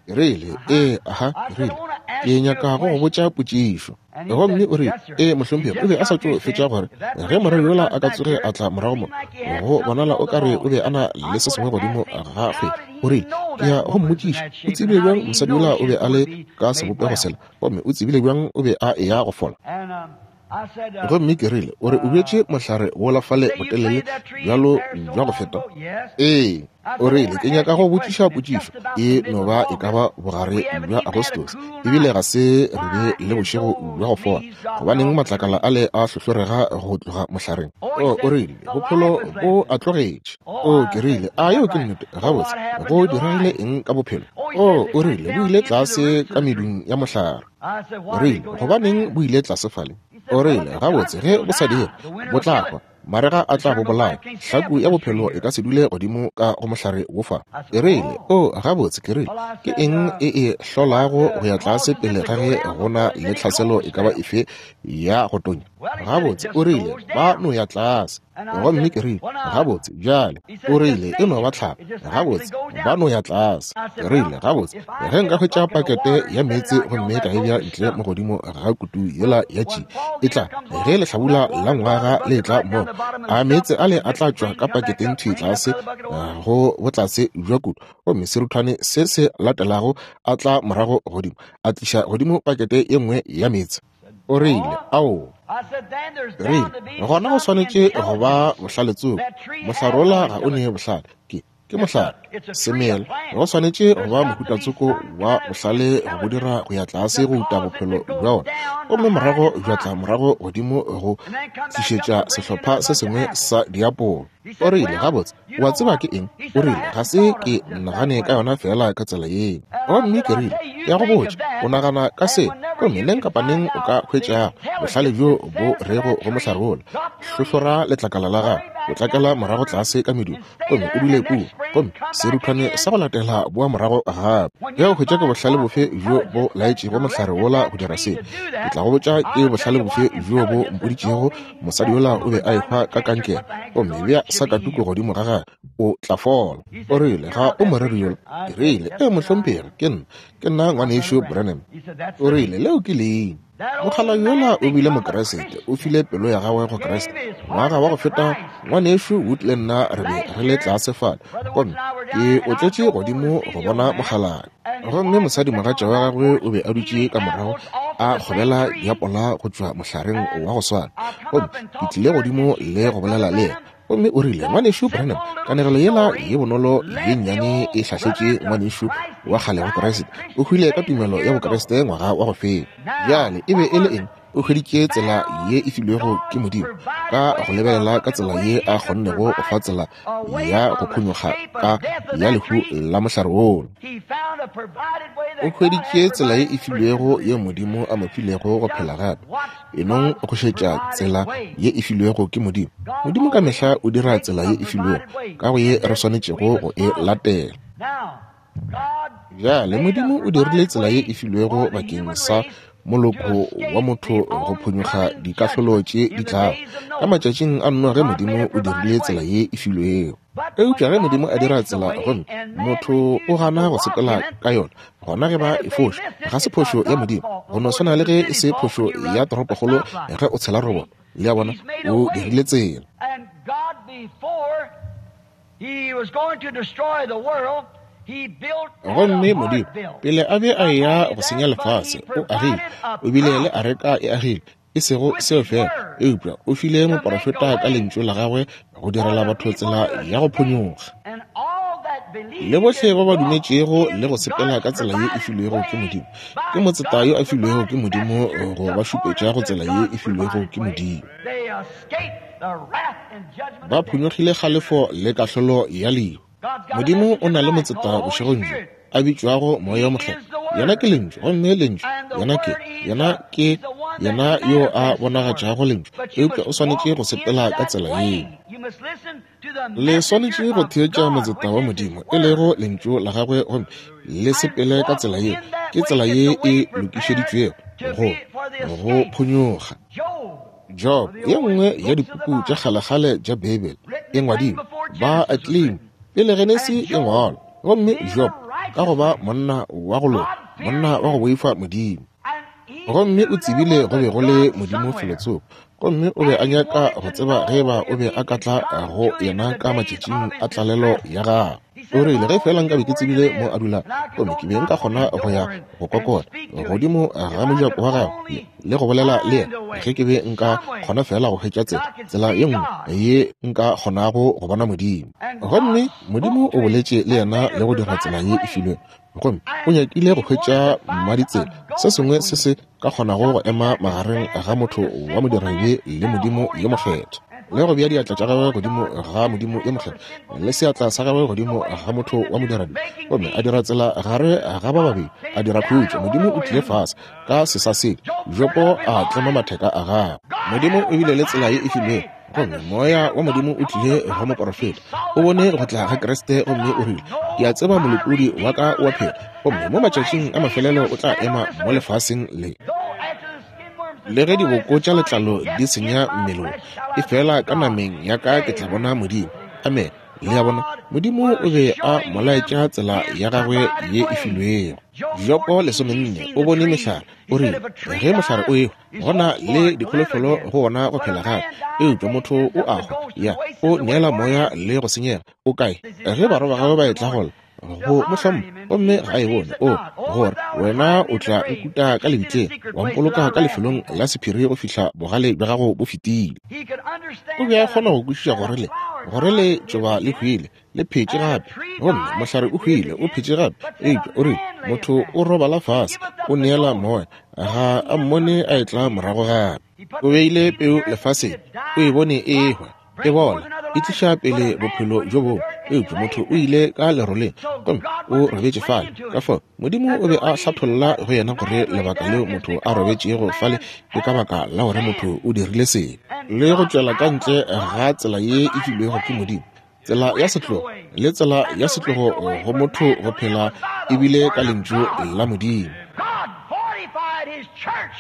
Ke rile ee aha. Ke rile ke nyaka go go botša potšišo. Gomme o rile ee mohlomphegi. O be a sa tšo fetša gore ge moreri yola a ka tsoge a tla morago mo, go bonala o ka re o be a na le se sengwe godimo ga kgwedi. O rile ke ya go mmotšiša o tsebile bjang mosadi yola o be a le ka sebopego sela, gomme o tsebile bjang o be a eya go fola. Gomme ke rile o re o bjetše mohlare wola fale botelele bjalo bja go feta? Ee. O rile ke nyaka go botšiša potšišo, e no ba e ka ba bogare bja Agostose, ebile ga se re be le bošego bja go fola. Gobaneng matlakala ale a hlohlorega go tloga mohlareng? O o rile bophelo bo a tlogetše. O ke rile a yeo ke nnete? Gabotse go diregile eng ka bophelo? O o rile bo ile tlase ka medung ya mohlare. Rile gobaneng bo ile tlase fale? O rile gabotse ge bo sa dire bo tla hwa, marega a tla bo bolaya, hlaku ya bophelo e ka se dule godimo ka go mohlare wo fa. Ke rile o gabotse. Ke rile ke eng e e hlolago go ya tlase pele ga ge go na le tlhaselo e ka ba efe ya go tonya? Gabotse o rile ba no ya tlase. Gomme ke rile gabotse bjale. O rile e no ba tlhapa. Gabotse ba no ya tlase. Ke rile gabotse ge nka hwetša pakete ya meetse gomme ka e bea ntle mo godimo ga kutu yela ya tši, e tla ge lehlabula la ngwaga le tla mo, a meetse ale a tla tšwa ka paketeng thwi tlase go botlase bja kutu, gomme seruthwane se se latelago a tla morago godimo a tliša godimo pakete ye nngwe ya meetse. O rile ao. Rile gona go swanetše go ba bohlale tsoko. Mohlare wola ga o ne bohlale, ke ke mohlare semela. Go swanetše go ba mohutatsoko wa bohlale go bo dira go ya tlase go uta bophelo bja ona, gomme morago bja tla morago godimo go tlišetša sehlopha se sengwe sa diapolo. O rile gabotse o a tseba ke eng? O rile ga se ke nagane ka yona fela ka tsela yeo. Gomme ke rile ke ya go botša o nagana ka se, gomme neng kapa neng o ka hwetšago bohlale bjo bo rego go mohlare wola, hlohlora letlakala la gago, o tlakela morago tlase ka medung, gomme o dule kua, gomme seruthwane sa go latela boa morago gape. Ge o hwetša ke bohlale bofe bjo bo laetšego mohlare wola go dira se, ke tla go botša ke bohlale bofe bjo bo mpoditšego mosadi yola o be a ehwa ka kankere, gomme bea sakatuku godimo ga gagwe, o tla fola. O rile ga o moreri yola? Ke rile ee mohlomphegi, ke nna, ke nna ngwanešu Branham. O rile leo ke leina. Mokgalabje yola o bile mokeresete, o file pelo ya gagwe go Kriste. Ngwaga wa go feta ngwanešu Wood le nna re be re le tlase fale, gomme ke otletše godimo go bona mokgalabje. Gomme mosadimogatša wa gagwe o be a dutše ka morago a kgobela diapola go tšwa mohlareng wa go swana, gomme ke tlile godimo le go bolela le yena. Gomme o rile ngwanešu Branham, kanegelo yela ye bonolo ye nnyane e hlahletše ngwanešu wa kgale wa Kriste. O hwile ka tumelo ya Bokriste ngwaga wa go feta. Bjale e be e le eng? O hweditše tsela ye e filwego ke Modimo, ka go lebelela ka tsela ye a kgonnego go fa tsela ya go phonyokga ka ya lehu la mohlare wola. O hweditše tsela ye e filwego ye Modimo a mo filego go phela gape. Enong go šetša tsela ye e filwego ke Modimo. Modimo ka mehla o dira tsela ye e filwego ka go ye re swanetšego go e latela. Bjale Modimo o dirile tsela ye e filwego bakeng sa moloko wa motho go phonyokga dikahlolo tše di tlago. Ka matšatšing a Noa ge Modimo o dirile tsela ye e filwego. Eupša ge Modimo a dira tsela gomme motho o gana go sepela ka yona, gona ge ba e foša, ga se phošo ya Modimo. Go no swana le ge e se phošo ya toropokgolo ge o tshela roboto. Le a bona, o dirile tsela. Gomme Modimo, pele a be a eya go senya lefase, o agile, o bile le areka e agile, e sego seo fela, eupša o file moprofeta ka lentšu la gagwe go direla batho tsela ya go phonyokga. Le bohle ba ba dumetšego le go sepela ka tsela ye e filwego ke Modimo, ke motseta yo a filwego ke Modimo go ba šupetša go tsela ye e filwego ke Modimo. Ba phonyokgile kgalefo le kahlolo ya lehu. Modimo o na le motseta bošegong bjo a bitšwago Moya wo Mokgethwa. Yena ke Lentšu, gomme Lentšu yena ke yena ke yena yo a bonagatšago Lentšu, eupša o swanetše go sepela ka tsela yeo. Le swanetše go theetša motseta wa Modimo, e lego Lentšu la gagwe, gomme le sepele ka tsela yeo. Ke tsela ye e lokišeditšwego go go phonyokga. Job, ye nngwe ya dipuku tša kgalekgale tša Beibele, e ngwadilwe ba Atlim pele Genesi e ngwalwa. Gomme Job, ka go ba monna wa go loka, monna wa go boifa Modimo, gomme o tsebile go be go le Modimo felotsoko, gomme o be a nyaka go tseba ge ba o be a ka tla go yena ka matšatšing a tlalelo ya gagwe. O rile, ge fela nka be ke tsebile mo a dulago, gomme ke be nka kgona go ya go kokota godimo ga mojako wa gagwe le go bolela le yena, ge ke be nka kgona fela go hwetša tsela, tsela ye nngwe ye nka kgonago go bona Modimo. Gomme Modimo o boletše le yena le go dira tsela ye e filwego, gomme o nyakile go hwetša mmaditsela, se sengwe se se ka kgonago go ema magareng ga motho wa modiradibe le Modimo yo mokgethwa, le go bea diatla tša gagwe godimo ga Modimo yo mokgethwa le seatla sa gagwe godimo ga motho wa modiradibe, gomme a dira tsela gare ga ba babedi, a dira khutšo. Modimo o tlile fase ka sesasedi, Jopo a tlema matheka a gagwe. Modimo o bile le tsela ye e filwego, gomme Moya wa Modimo o tlile go moprofeta. O bone go tla ga Kriste gomme o rile, ke a tseba molopodi wa ka o a phela, gomme mo matšatšing a mafelelo o tla ema mo lefaseng le. Le ge diboko tša letlalo di senya mmele, e fela ka nameng ya ka ke tla bona Modimo. Amen. Le a bona, Modimo o be a mo laetša tsela ya gagwe ye e filwego. Jopo lesomenne o bone mehlare, o rile, ge mohlare o ehwa, gona le dikholofelo go wona go phela gape, eupša motho o a hwa, ya o neela moya le go senyega. O kae ge barwa ba gagwe ba etla gola go mo hlompha, gomme ga a e bone? O gore wena o tla nkuta ka lebitleng, wa mpoloka ka lefelong la sephiri go fihla bogale bja gago bo fetile. O be a kgona go kwešiša gore le gore le tšoba le hwile, le phetše gape, gomme mohlare o hwile, o phetše gape, eupša o rile motho o robala fase, o neela moya, ga a mmone a etla morago gape. O beile peu lefaseng, o e bone e ehwa, e bola, e tliša pele bophelo bjo bongwe, eupša motho o ile ka leroleng gomme o robetše fale. Ka fao Modimo o be a hlatholla go yena gore lebaka leo motho a robetšego fale ke ka baka la gore motho o dirile sebe le go tšwela ka ntle ga tsela ye e filwego ke Modimo, tsela ya setlogo le tsela ya setlogo go motho go phela ebile ka lentšu la Modimo.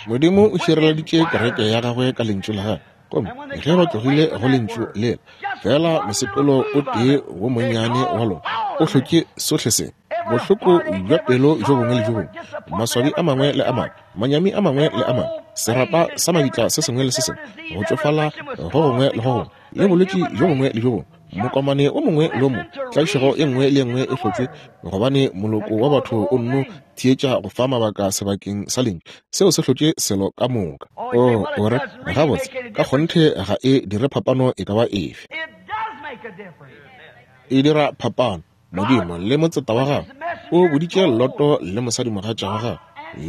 Modimo o šireleditše kereke ya gagwe ka lentšu la gagwe, gomme ge ba tlogile go lentšu lela, fela mosepelo o tee wo monnyane wa lona o hlotše sohle se, bohloko bja pelo bjo bongwe le bjo bongwe, maswabi a mangwe le a mangwe, manyami a mangwe le a mangwe, serapa sa mabitla se sengwe le se sengwe, go tšofala go gongwe le go gongwe, le bolwetši bjo bongwe le bjo bongwe, mokomane o mongwe le o mongwe, tlaišego e nngwe le e nngwe e hlotšwe, gobane moloko wa batho o nno theetša go fa mabaka sebakeng sa lentšu. Seo se hlotše selo ka moka. O o re, gabotse, ka kgonthe ga e dire phapano e ka ba efe. E dira phapano. Modimo le motseta wa gagwe O boditše Loto le mosadimogatša wa gagwe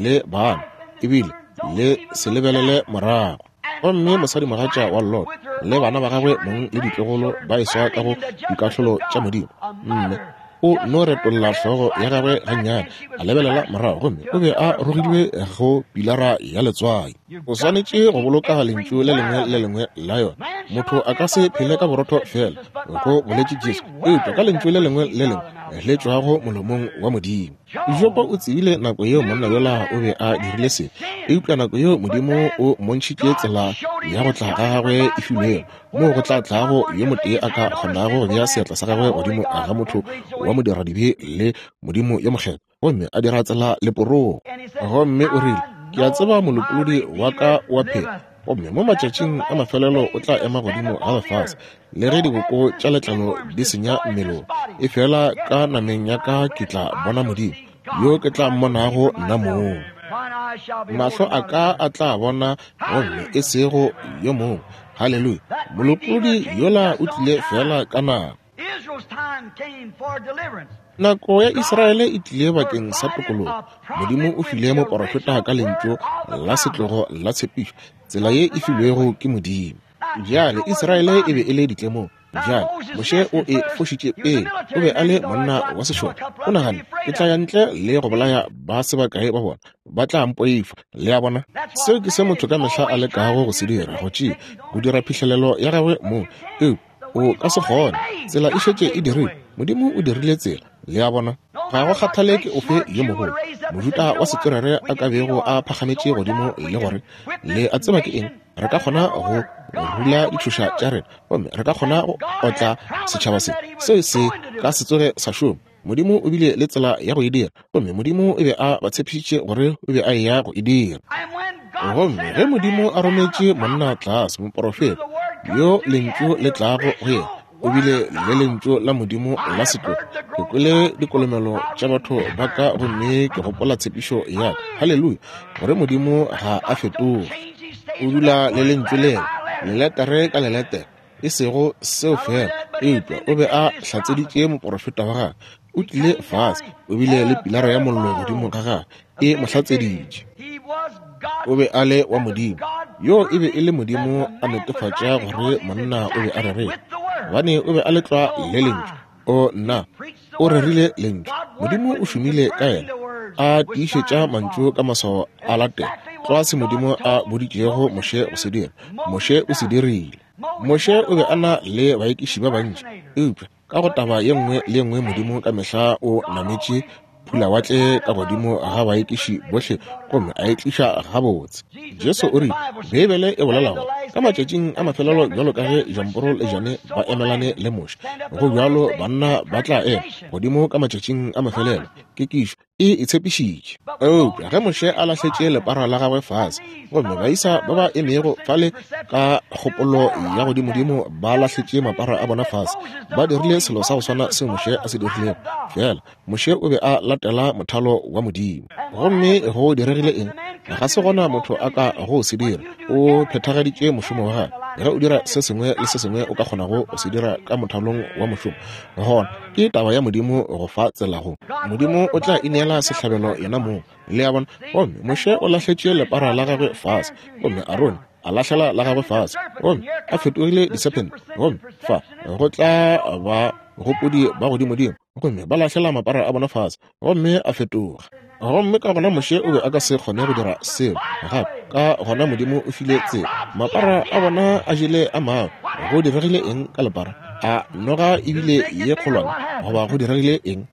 le bana, ebile le se lebelele morago. Gomme mosadimogatša wa Lot le bana ba gagwe mong le ditlogolo ba eswa ka go dikahlolo tša Modimo. Mme o no retolla hlogo ya gagwe gannyane, a lebelela morago, gomme o be a rogilwe go pilara ya letswai. O swanetše go boloka lentšu le lengwe le lengwe la yona. Motho a ka se phele ka borotho fela, go boletše Jesu, eupša ka lentšu le lengwe le lengwe le tšwago molomong wa Modimo. Jobo o tsebile nako yeo monna yola o be a dirile se, eupša nako yeo Modimo o mmontšhitše tsela ya go tla ga gagwe e filwego, moo go tla tlago yo motee a ka kgonago go bea seatla sa gagwe godimo ga motho wa modiradibe le Modimo yo mokgethwa, gomme a dira tsela leporogo. Gomme o rile, ke a tseba molopolodi wa ka wa phela, gomme mo matšatšing a mafelelo o tla ema godimo ga lefase, le ge diboko tša letlalo di senya mmelong, efela ka nameng ya ka ke tla bona Modimo, yo ke tla mmonago nna mong. Mahlo a ka a tla bona, gomme e sego yo mongwe. Haleluya! Molopolodi yola o tlile fela ka nako. Nako ya Israele e tlile bakeng sa tokologo. Modimo o file moporofeta ka lentšu la setlogo la tshepišo, tsela ye e filwego ke Modimo. Bjale Israele e be e le ditlemong. Bjale Moshe o e fošitše pele. O be a le monna wa sešole. O nagane, ke tla ya ntle le go bolaya ba se bakae ba bona, ba tla mpoifa. Le a bona? Seo ke se motho ka mehla a lekago go se dira, go tšea, go dira phihlelelo ya gagwe mong. Eupša o ka se kgone. Tsela e šetše e dirilwe. Modimo o dirile tsela. Le a bona? Ga go kgathale ke ofe yo mogolo mojuta wa setswerere a ka bego a phagametše godimo le gore, le a tseba ke eng, re ka kgona go rula ditšhoša tša rena, gomme re ka kgona go otla setšhaba se. Seo se ka se tsoge sa šoma. Modimo o bile le tsela ya go e dira, gomme Modimo o be a ba tshepišitše gore o be a eya go e dira. Gomme ge Modimo a rometše monna tlase, moporofeta yo lentšu le tlago go yena, o bile le lentšu la Modimo la setlogo. Ke kwele dikolomelo tša batho ba ka, gomme ke gopola tshepišo ya ka, haleluya, gore Modimo ga a fetoge. O dula le lentšu lela, leletere ka leletere. E sego seo fela, eupša o be a hlatseditše moporofeta wa gagwe. O tlile fase, o bile le pilara ya mollo godimo ga gagwe, e mo hlatseditše. O be a le wa Modimo. Yo e be e le Modimo a netefatša gore monna o be a rerile, gobane o be a le tlwa le lentšu. O nna, o rerile lentšu. Modimo o šomile ka yena, a tiišetša mantšu ka maswao a latela tlwa se Modimo a boditšego Moshe go se dira. Moshe o se dirile. Moshe o be a na le baekiši ba bantši, eupša ka go taba ye nngwe le ye nngwe Modimo ka mehla o nametše phulawatle ka godimo ga baekiši bohle, gomme a e tliša gabotse. Jesu o rile, Beibele e bolela gore ka matšatšing a mafelelo, bjalo ka ge Jamporo le Jane ba emelane le Moshe, go bjalo banna ba tla ema godimo ka matšatšing a mafelelo. Kekišo e itshepišitše. Eupša ge Moshe a lahletše lepara la gagwe fase, gomme baisa ba ba emego fale ka kgopolo ya godimodimo ba lahletše mapara a bona fase, ba dirile selo sa go swana seo Moshe a se dirilego. Fela Moshe o be a latela mothalo wa Modimo. Gomme go diregile eng? Ga se gona motho a ka go se dira. O phethagaditše mošomo wa gagwe. Ge o dira se sengwe le se sengwe o ka kgonago go se dira ka mothalong wa mošomo, gona ke taba ya Modimo go fa tsela go. Modimo o tla ineela sehlabelo yena mong. Le a bona? Gomme Moshe o lahletše lepara la gagwe fase, gomme Arone a lahlela la gagwe fase, gomme a fetogile disephente, gomme fa go tla ba gopodi ba godimodimo, gomme ba lahlela mapara a bona fase, gomme a fetoga. Gomme ka gona Moshe o be a ka se kgone go dira seo gape. Ka gona Modimo o file tsela. Mapara a bona a jele a mangwe. Go diregile eng ka lepara? A noga ebile ye kgolwane, goba go diregile eng?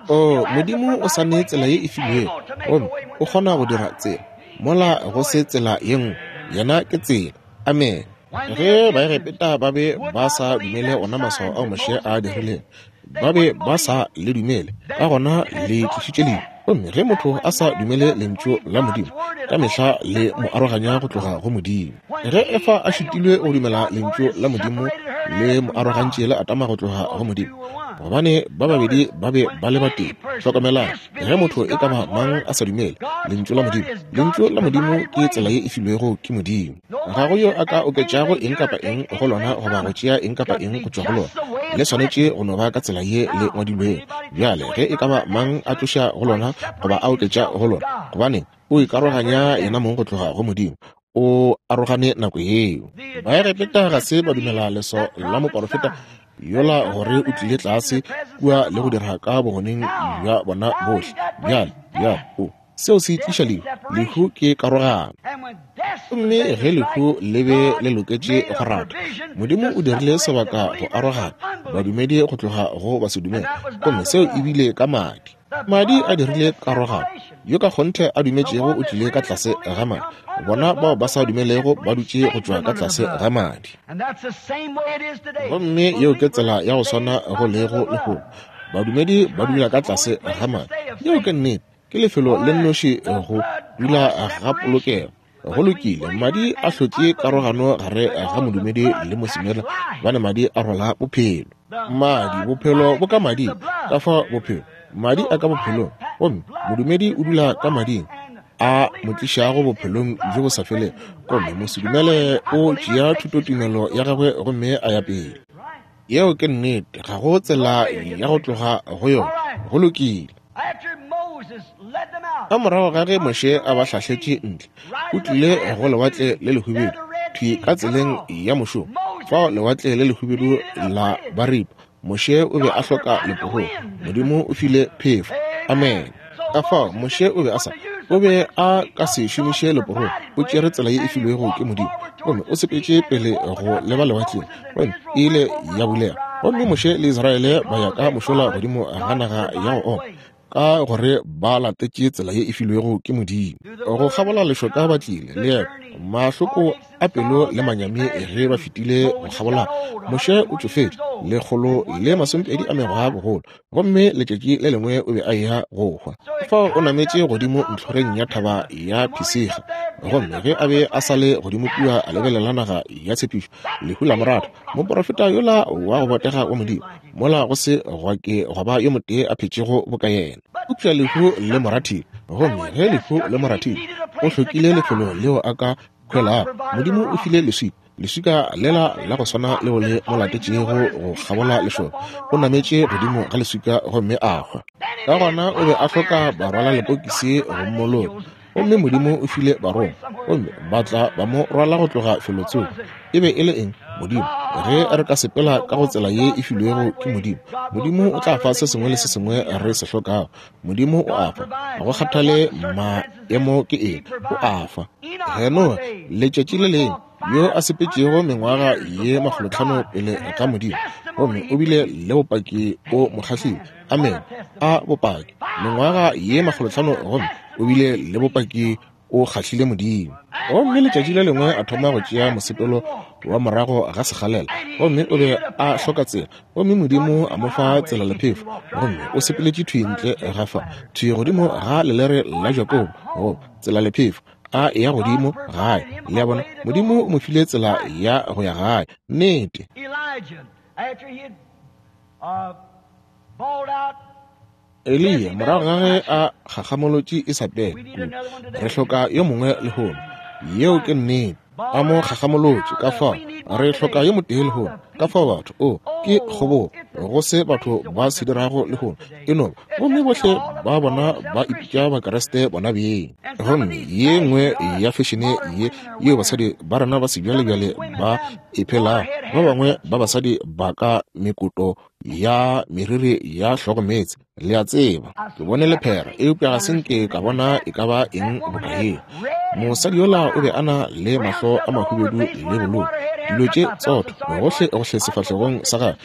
O Modimo o sa ne tsela ye e filwego, gomme o kgona go dira tsela mola go se tsela ye nngwe. Yena ke tsela. Amen. Ge Baegepeta ba be ba sa dumele ona maswao ao Moshe a dirilego, ba be ba sa le dumele, ka gona le tlišitše lehu. Gomme ge motho a sa dumele lentšu la Modimo, ka mehla le mo aroganya go tloga go Modimo. Ge Efa a šitilwe go dumela lentšu la Modimo, le mo arogantše le Adama go tloga go Modimo, gobane ba babedi ba be ba le batee. Hlokomelang, ge motho e ka ba mang a sa dumele lentšu la Modimo, lentšu la Modimo ke tsela ye e filwego ke Modimo. Ga go yo a ka oketšago eng kapa eng go lona, goba go tšea eng kapa eng go tšwa go lona. Le swanetše go no ba ka tsela ye le ngwadilwego. Bjale ge e ka ba mang a tloša go lona goba a oketša go lona, gobaneng, o ikaroganya yena mong go tloga go Modimo. O arogane nako yeo. Baegepeta ga se ba dumela leso la moporofeta yola gore o tlile tlase kua le go dira ka bogoneng bja bona bohle. Bjale, bjale, o seo se tliša lehu. Lehu ke karogano. Gomme ge lehu le be le loketše go rata, Modimo o dirile sebaka go arogana badumedi go tloga go basedumele, gomme seo e bile ka madi. Madi a dirile karogano. Yo ka kgonthe a dumetšego o tlile ka tlase ga madi. Bona bao ba sa dumelego ba dutše go tšwa ka tlase ga madi. Gomme yeo ke tsela ya go swana go lego lehono. Badumedi ba dula ka tlase ga madi. Yeo ke nnete. Ke lefelo le nnoši go dula ga polokego. Go lokile, madi a hlotše karogano gare ga modumedi le mosedumele, gobane madi a rwala bophelo. Madi, bophelo bo ka mading, ka fa bophelo. Madi a ka bophelong, gomme modumedi o dula ka mading a mo tlišago bophelong bjo bo sa felego, gomme mosedumele o tšea thutotumelo ya gagwe gomme a ya pele. Yeo ke nnete, ga go tsela ya go tloga go yona. Go lokile. Ka morago ga ge Moshe a ba hlahletše ntle, o tlile go lewatle le lehubedu, thwi ka tseleng ya mošomo. Fao lewatle le lehubedu la ba ripa. Moshe o be a hloka leporogo. Modimo o file phefo. Amen. Ka fao Moshe o be a sa o be a ka se šomiše leporogo. O tšere tsela ye e filwego ke Modimo, gomme o sepetše pele go leba lewatleng, gomme e ile ya bulega. Gomme Moshe le Israele ba ya ka mošola godimo ga naga ya go oma, ka gore ba latetše tsela ye e filwego ke Modimo. Go kgabola lešoka ba tlile leeto, mahloko a pelo le manyami ge ba fetile go kgabola. Moshe o tšofetše lekgolo le masomepedi a mengwaga bogolo, gomme letšatši le lengwe o be a eya go hwa. Fao o nametše godimo ntlhoreng ya thaba ya Phisiga, gomme ge a be a sa le godimo kua a lebelela naga ya tshepišo, lehu la mo rata. Moporofeta yola wa go botega wa Modimo, mola go se gwa ke gwa ba yo motee a phetšego boka yena. Eupša lehu le mo rathile, gomme ge lehu le mo rathile, o hlokile lefelo leo a ka hwelago. Modimo o file leswika, leswika lela la go swana leo le mo latetšego go kgabola lešoka. O nametše godimo ga leswika gomme a hwa. Ka gona o be a hloka barwala lepokisi go mmoloka, gomme Modimo o file barongwa, gomme ba tla ba mo rwala go tloga felotsoko. E be e le eng? Modimo. Ge re ka sepela ka go tsela ye e filwego ke Modimo, Modimo o tla fa se sengwe le se sengwe re se hlokago. Modimo o a fa, ga go kgathale maemo ke eng, o a fa. Henoge letšatši le lengwe yo a sepetšego mengwaga ye makgolotlhano pele ga Modimo, gomme o bile le bopaki o mo kgahlile. Amen. A bopaki. Mengwaga ye makgolotlhano, gomme o bile le bopaki o kgahlile Modimo. Gomme letšatši le lengwe a thoma go tšea mosepelo wa morago ga sekgalela, gomme o be a hloka tsela, gomme Modimo a mo fa tsela le phefo, gomme o sepeletše thwi ntle ga fa, thwi godimo ga lelere la Jakobo, go tsela le phefo, a eya godimo gae. Le a bona, Modimo o mo file tsela ya go ya gae. Nnete. Eliya, morago ga ge a kgakgamolotše Isabele kudu, re hloka yo mongwe lehono. Yeo ke nnete. A mo kgakgamolotše, ka fao re hloka yo motee lehono. Ka fao batho, o ke kgobogo go se batho ba se dirago lehono, e no ba. Gomme bohle ba bona ba ipitša Bakriste bona beng. Gomme ye nngwe ya fešene ye yeo basadi ba rena ba sebjalebjale ba e phelago, ba bangwe ba basadi ba ka mekoto ya meriri ya hlogomeetse. Le a tseba, ke bone lephera, eupša ga se nke ka bona e ka ba eng boka yeo. Mosadi yola o be a na le mahlo a mahubedu le bolou, dilo tše tsotho gohle gohle sefahlegong sa gagwe,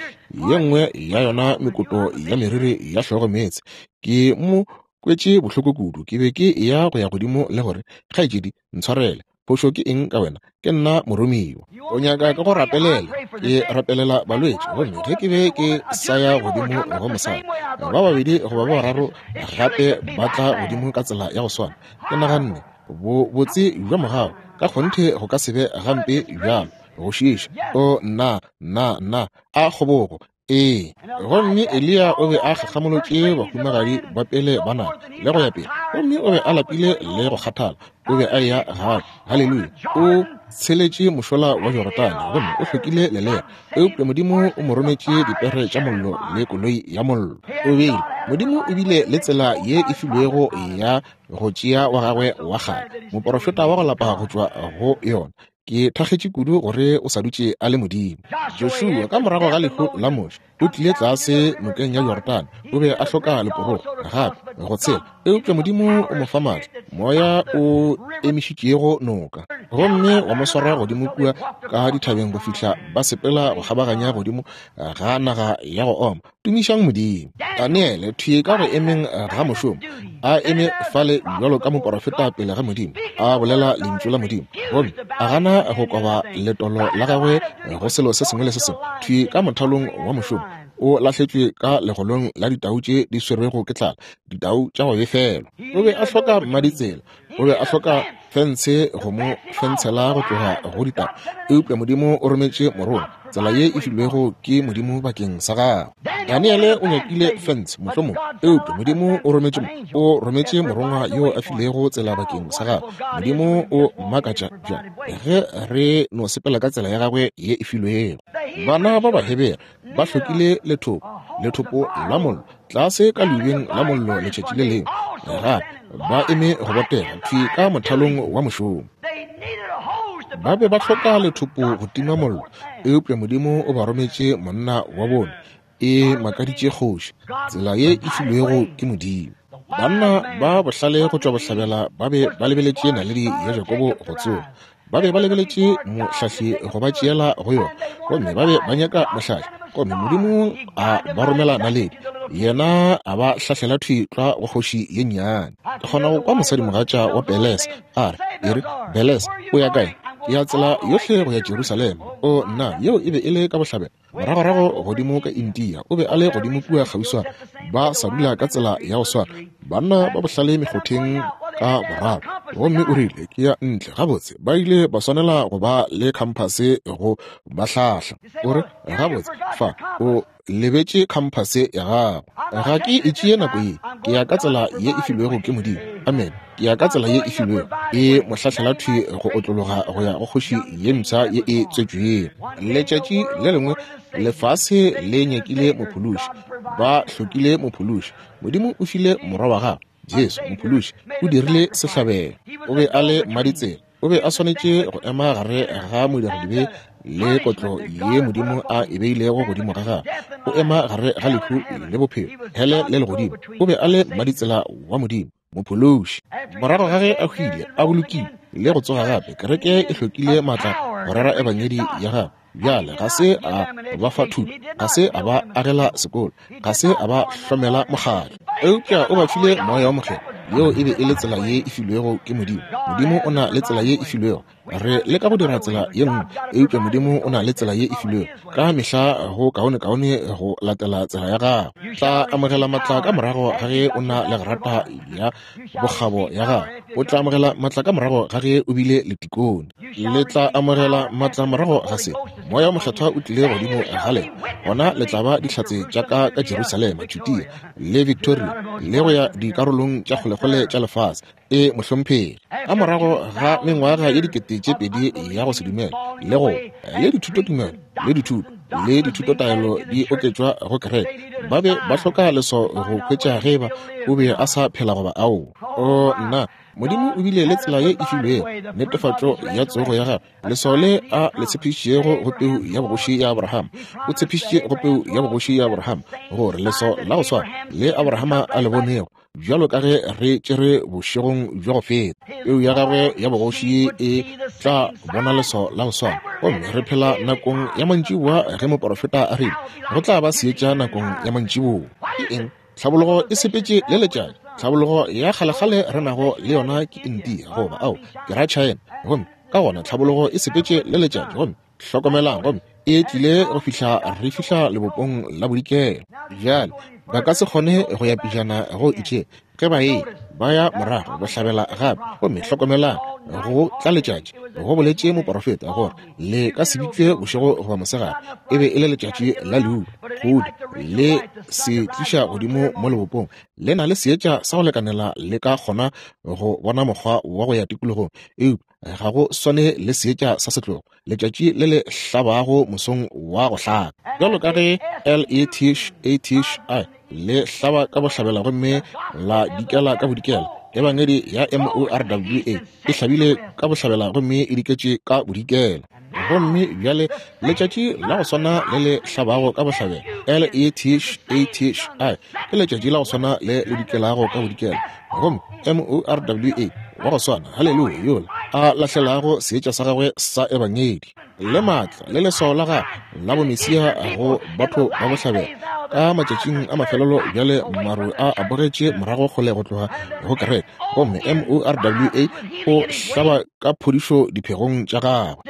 ye nngwe ya yona mekoto ya meriri ya hlogomeetse. Ke mo kwetše bohloko kudu, ke be ke eya go ya godimo le gore, kgaetšedi, ntshwarele, phošo ke eng ka wena? Ke nna moromiwa. O nyaka ka go rapelela? Ke rapelela balwetši. Gomme ge ke be ke sa ya godimo go mosadi, ba babedi goba ba bararo gape ba tla godimo ka tsela ya go swana. Ke naganne, bo botse bja mogau ka kgonthe go ka se be gampe bjalo, go šiiša. O nna, nna, nna, a kgobogo. Ee, gomme Eliya o be a kgakgamolotše bahumagadi ba pele ba naga le go ya pele, gomme o be a lapile le go kgathala. O be a eya gae. Haleluya! O tsheletše mošola wa Jorodane gomme o hlokile lelere, eupša Modimo o mo rometše dipere tša mollo le koloi ya mollo. O beile Modimo o bile le tsela ye e filwego ya go tšea wa gagwe wa kgale, moporofeta wa go lapa go tšwa go yona. Ke thakgetše kudu gore o sa dutše a le Modimo. Joshua ka morago ga lehu la Moshe o tlile tlase nokeng ya Jorodane. O be a hloka leporogo gape go tshela, eupša Modimo o mo fa maatla, moya o emišitšego noka, gomme wa mo swara godimo kua ka dithabeng go fihla ba sepela go kgabaganya godimo ga naga ya go oma. Tumišang Modimo. Daniele thwi ka go emeng ga mošomo, a eme fale bjalo ka moporofeta pele ga Modimo, a bolela lentšu la Modimo, gomme a gana go koba letolo la gagwe go selo se sengwe le se sengwe. Thwi ka mothalong wa mošomo o lahletšwe ka legolong la ditau tše di swerwego ke tlala, ditau tša go befelwa. O be a hloka mmaditsela, o be a hloka fentshe go mo fentshela go tloga go ditau, eupša Modimo o rometše morongwa, tsela ye e filwego ke Modimo bakeng sa gagwe. Daniele o nyakile fentshe mohlomong, eupša Modimo o rometše o rometše morongwa yo a filego tsela bakeng sa gagwe. Modimo o makatša bjang ge re no sepela ka tsela ya gagwe ye e filwego. Bana ba Bahebere ba hlokile lethopo, lethopo la mollo, tlase ka leubeng la mollo letšatši le lengwe, gape ba eme go botega thwi ka mothalong wa mošomo. Ba be ba hloka lethopo go tima mollo, eupša Modimo o ba rometše monna wa bone. E makaditše kgoši, tsela ye e filwego ke Modimo. Banna ba bohlale go tšwa bohlabela ba be ba lebeletše naledi ya Jakobo go tsoga. Ba be ba lebeletše mohlahli go ba tšeela go yona, gomme ba be ba nyaka mohlahli, gomme Modimo a ba romela naledi, yena a ba hlahlela thwi tlwa go kgoši ye nnyane. Ke kgona go kwa mosadimogatša wa Pelese a re, e re, Pelese, o ya kae? Ke ya tsela yohle go ya Jerusalema. O nna, yeo e be e le ka bohlabela, moragorago godimo ka India. O be a le godimo kua kgauswana, ba sa dula ka tsela ya go swana, banna ba bohlale mekgotheng ka boraro. Gomme o rile, ke ya ntle. Gabotse, ba ile ba swanela go ba le khamphase go ba hlahla. O re, gabotse, fa o lebetše khamphase ya gago. Ga ke e tšee nako ye, ke ya ka tsela ye e filwego ke Modimo. Amen. Ke ya ka tsela ye e filwego. E mo hlahlela thwi go otlologa go ya go kgoši ye mpsha ye e tswetšwego. Letšatši le lengwe lefase le nyakile mophološi, ba hlokile mophološi. Modimo o file morwa wa gagwe, Jesu mophološi, o dirile sehlabelo. O be a le mmaditsela, o be a swanetše go ema gare ga modiradibe le kotlo ye Modimo a e beilego godimo ga gagwe. O ema gare ga lehu le bophelo, hele le legodimo. O be a le mmaditsela wa Modimo, mophološi. Morago ga ge a hwile, a bolokilwe le go tsoga gape, kereke e hlokile maatla go rera ebangedi ya gagwe. Bjale ga se a ba fa thuto, ga se a ba agela sekolo, ga se a ba hlomela mokgatlo, eupša o ba file moya wa mokgethwa. Yeo e be e le tsela ye e filwego ke Modimo. Modimo o na le tsela ye e filwego. Re leka go dira tsela ye nngwe, eupša Modimo o na le tsela ye e filwego. Ka mehla go kaonekaone go latela tsela ya gago. Tla amogela matla ka morago ga ge o na le grata ya bokgabo ya gago. O tla amogela matla ka morago ga ge o bile le tikone. Le tla amogela matla morago ga se moya wa mokgethwa o tlile godimo ga lena. Gona le tla ba dihlatse tša ka ka Jerusalema, Judea le Victoria le go ya dikarolong tša kgolekgole tša lefase. E mohlomphegi, ka morago ga mengwaga ye dikete tše pedi ya go se dumele le go le dithutotumelo le dithuto le dithutotaelo di oketšwa go kereke, ba be ba hloka leswao go hwetša ge ba o be a sa phela goba ao. O nna, Modimo o bile le tsela ye e filwego, netefatšo ya tsogo ya gagwe, leswao le a le tshepišitšego go peu ya bogoši ya Abrahama. O tshepišitše go peu ya bogoši ya Abrahama gore leswao la go swana le Abrahama a le bonego, bjalo ka ge re tšere bošegong bja go feta, peu ya gagwe ya bogoši e tla bona leswao la go swana. Gomme re phela nakong ya mantšiboa ge moporofeta a rile go tla ba seetša nakong ya mantšiboa. Ke eng? Tlhabologo e sepetše le letšatši. Tlhabologo ya kgalekgale re nago le yona ke India goba ao ke ra China. Gomme ka gona tlhabologo e sepetše le letšatši. Gomme hlokomelang, gomme e tlile go fihla re fihla lebopong la bodikela. Bjale ba ka se kgone go ya pejana go itše, Ge ba e ba ya morago bohlabela gape, gomme hlokomelang go tla letšatši, go boletše moporofeta gore le ka se bitšwe bošego goba mosegare, e be e le letšatši la leuba, kgodi le se tliša godimo mo lebopong, le na le seetša sa go lekanela le ka kgona go bona mokgwa wa go ya tikologong, eupša ga go swane le seetša sa setlogo, letšatši le le hlabago mosong wa go hlaka. Bjalo ka ge L E T H A T H I le hlaba ka bohlabela gomme la dikela ka bodikela, ebangedi ya M O R W A e hlabile ka bohlabela gomme e diketše ka bodikela. Gomme bjale letšatši la go swana le le hlabago ka bohlabela, L E T H A T H I, ke letšatši la go swana le le dikelago ka bodikela, gomme M O R W A wa go swana, haleluya, yola a lahlelago seetša sa gagwe sa ebangedi le maatla le leswao la gagwe la bomesia go batho ba bohlabela ka matšatšing a mafelelo. Bjale maru a abogetše morago kgole go tloga go kereke, gomme M O R W A o hlaba ka phodišo diphegong tša gagwe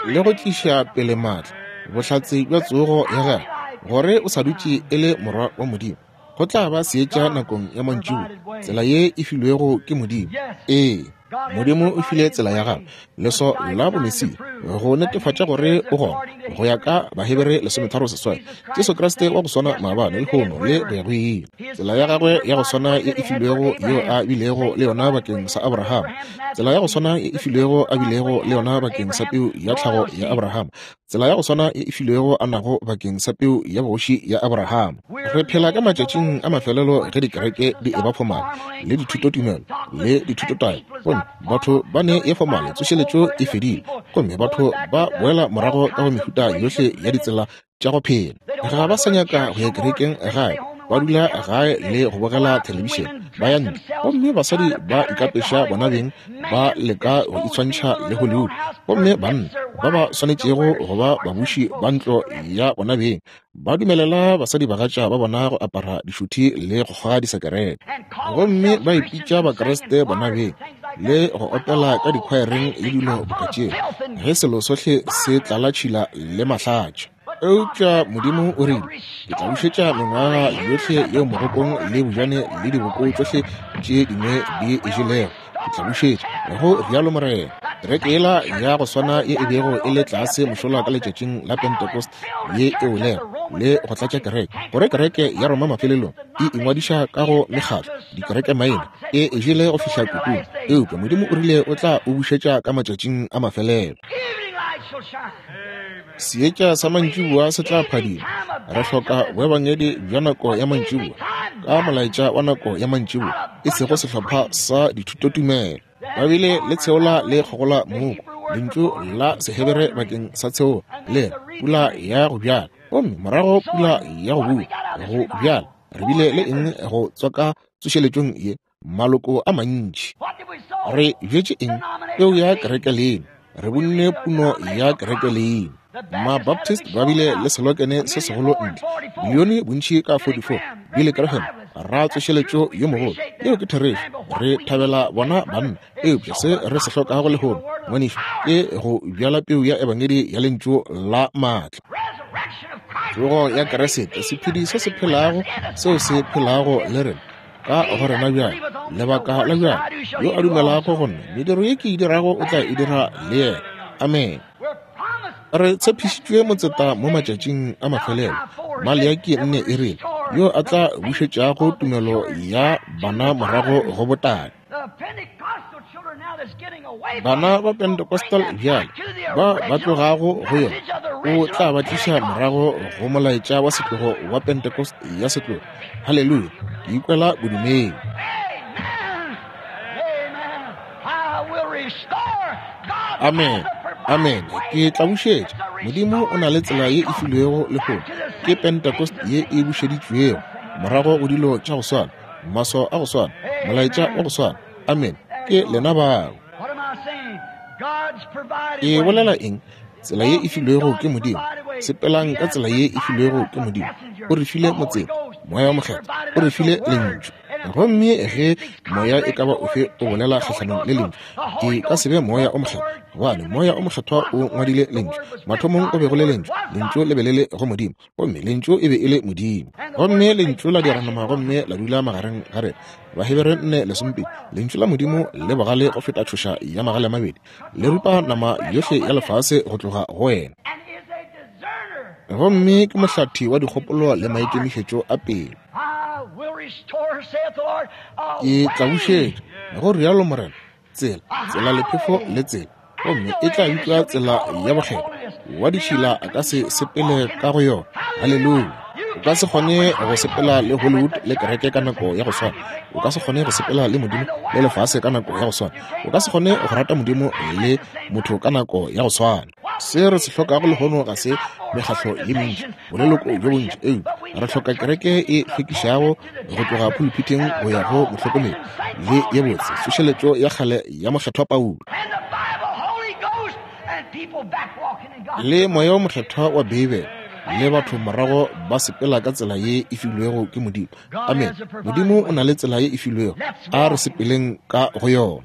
le go tliša pele maatla bohlatse bja tsogo ya gagwe gore o sa dutše e le morwa wa Modimo. Go tla ba seetša nakong ya mantšiboa, tsela ye e filwego ke Modimo. Ee, Modimo o file tsela ya gagwe, leswao la bomesia, go netefatša gore o gona, go ya ka Bahebere lesometharo seswai, Jesu Kriste wa go swana maabane, lehono le go ya go ile. Tsela ya gagwe ya go swana ye e filwego yeo a bilego le yona bakeng sa Abraham, tsela ya go swana ye e filwego a bilego le yona bakeng sa peu ya tlhago ya Abraham, tsela ya go swana ye e filwego a nago bakeng sa peu ya bogoši ya Abraham. Re phela ka matšatšing a mafelelo ge dikereke di eba fomale le dithutotumelo le dithutotaelo, gomme batho ba ne ye fomale, tsošeletšo e fedile, gomme batho ba boela morago ka go mehuta yohle ya ditsela tša go phela. Ga ba sa nyaka go ya kerekeng gae, ba dula gae le go bogela thelebišene, ba ya ntle, gomme basadi ba ikapeša bona beng, ba leka go itshwantšha le Hollywood, gomme banna ba ba swanetšego go ba babuši ba ntlo ya bona beng ba dumelela basadi bagatša ba bona go apara dišuthi le go kgoga disekerete, gomme ba ipitša Bakriste bona beng le go opela ka dikhwaereng le dilo boka tšeo, ge selo sohle se tlala tšhila le mahlatša. Eupša Modimo o rile, ke tla bušetša mengwaga yohle yeo mogokong le bojane le diboko tšohle tše dingwe di e jelego, ke tla bušetša, go rialo Morena. Kereke yela ya go swana ye e bego e le tlase mošola ka letšatšing la Pentecost ye e welego le go tlatša kereke, gore kereke ya Roma mafelelong e ingwadiša ka go mekgatlo dikereke maina, e e jele go fihla kutung. Eupša Modimo o rile o tla o bušetša ka matšatšing a mafelelo. Seetša sa mantšiboa se tla phadima. Re hloka boebangedi bja nako ya mantšiboa ka molaetša wa nako ya mantšiboa, e sego sehlopha sa dithutotumelo. Ba bile le tsheola le kgogola mooko, lentšu la Sehebere bakeng sa tsheola le pula ya go bjala, gomme morago pula ya go bua go bjala. Re bile le eng go tswaka tsošeletšong ye? Maloko a mantši. Re bjetše eng? Peu ya kereke leno. Re bunne puno ya kereke leno. Ma-Baptist ba bile le selokene se segolo ntle, bilione bontši ka forty-four, Billy Graham ra tsošeletšo yo mogolo. Yeo ke therešo, re thabela bona banna, eupša se re se hlokago lehono, ngwanešu, ke go bjala peu ya ebangedi ya lentšu la maatla. Tsogo ya Kriste, sephedi se se phelago seo se phelago le rena ka go rena bjale, lebaka la bjale, yo a dumelago go nna, mediro ye ke e dirago o tla e dira le yena. Amen. Re tshepišitšwe motseta mo matšatšing a mafelelo, Maleaki nne e rile, yo a tla bušetšago tumelo ya bana morago go botate. Bana ba Pentecostal bjale ba ba tlogago go yona, o tla ba tliša morago go molaetša wa setlogo wa Pentecost ya setlogo. Haleluya, ke ikwela bodumedi. Amen. Amen. Ke tla bušetša. Modimo o na le tsela ye e filwego lehono, ke Pentecost ye e bušeditšwego morago go dilo tša go swana, maswao a go swana, molaetša wa go swana. Amen. Ke lena bao. Ke bolela eng? Tsela ye e filwego ke Modimo. Sepelang ka tsela ye e filwego ke Modimo. O re file motseta, Moya wa Mokgethwa, o re file lentšu. Gomme ge moya e ka ba ofe o bolela kgahlanong le lentšu, e ka se be moya o mokgethwa, gobane moya o mokgethwa o ngwadile lentšu. Mathomong o be go le lentšu, lentšu le be le le go Modimo, gomme lentšu e be e le Modimo. Gomme lentšu la dira nama gomme la dula magareng ga rena. Bahebere nne lesomepedi, lentšu la Modimo le bogale go feta tšhoša ya magale a mabedi, le rupa nama yohle ya lefase go tloga go wena. Gomme ke mohlathi wa dikgopolo le maikemišetšo a pelo. Ke tla bušetša, go rialo Morena, tsela, tsela lephefo le tsela, gomme e tla bitšwa tsela ya bokgethwa. Wa ditšhila a ka se sepele ka go yona. Haleluya! O ka se kgone go sepela le Hollywood le kereke ka nako ya go swana. O ka se kgone go sepela le Modimo le lefase ka nako ya go swana. O ka se kgone go rata Modimo le motho ka nako ya go swana. Se re se hlokago lehono ga se mekgahlo ye mentši, boleloko bjo bontši, eupša re hloka kereke e hlwekišago go tloga pulpiteng go ya go mohlokomedi, le ye botse tsošeletšo ya kgale ya mokgethwa Paulo, le moya o mokgethwa wa Beibele, le batho morago ba sepela ka tsela ye e filwego ke Modimo. Amen. Modimo o na le tsela ye e filwego, a re sepeleng ka go yona.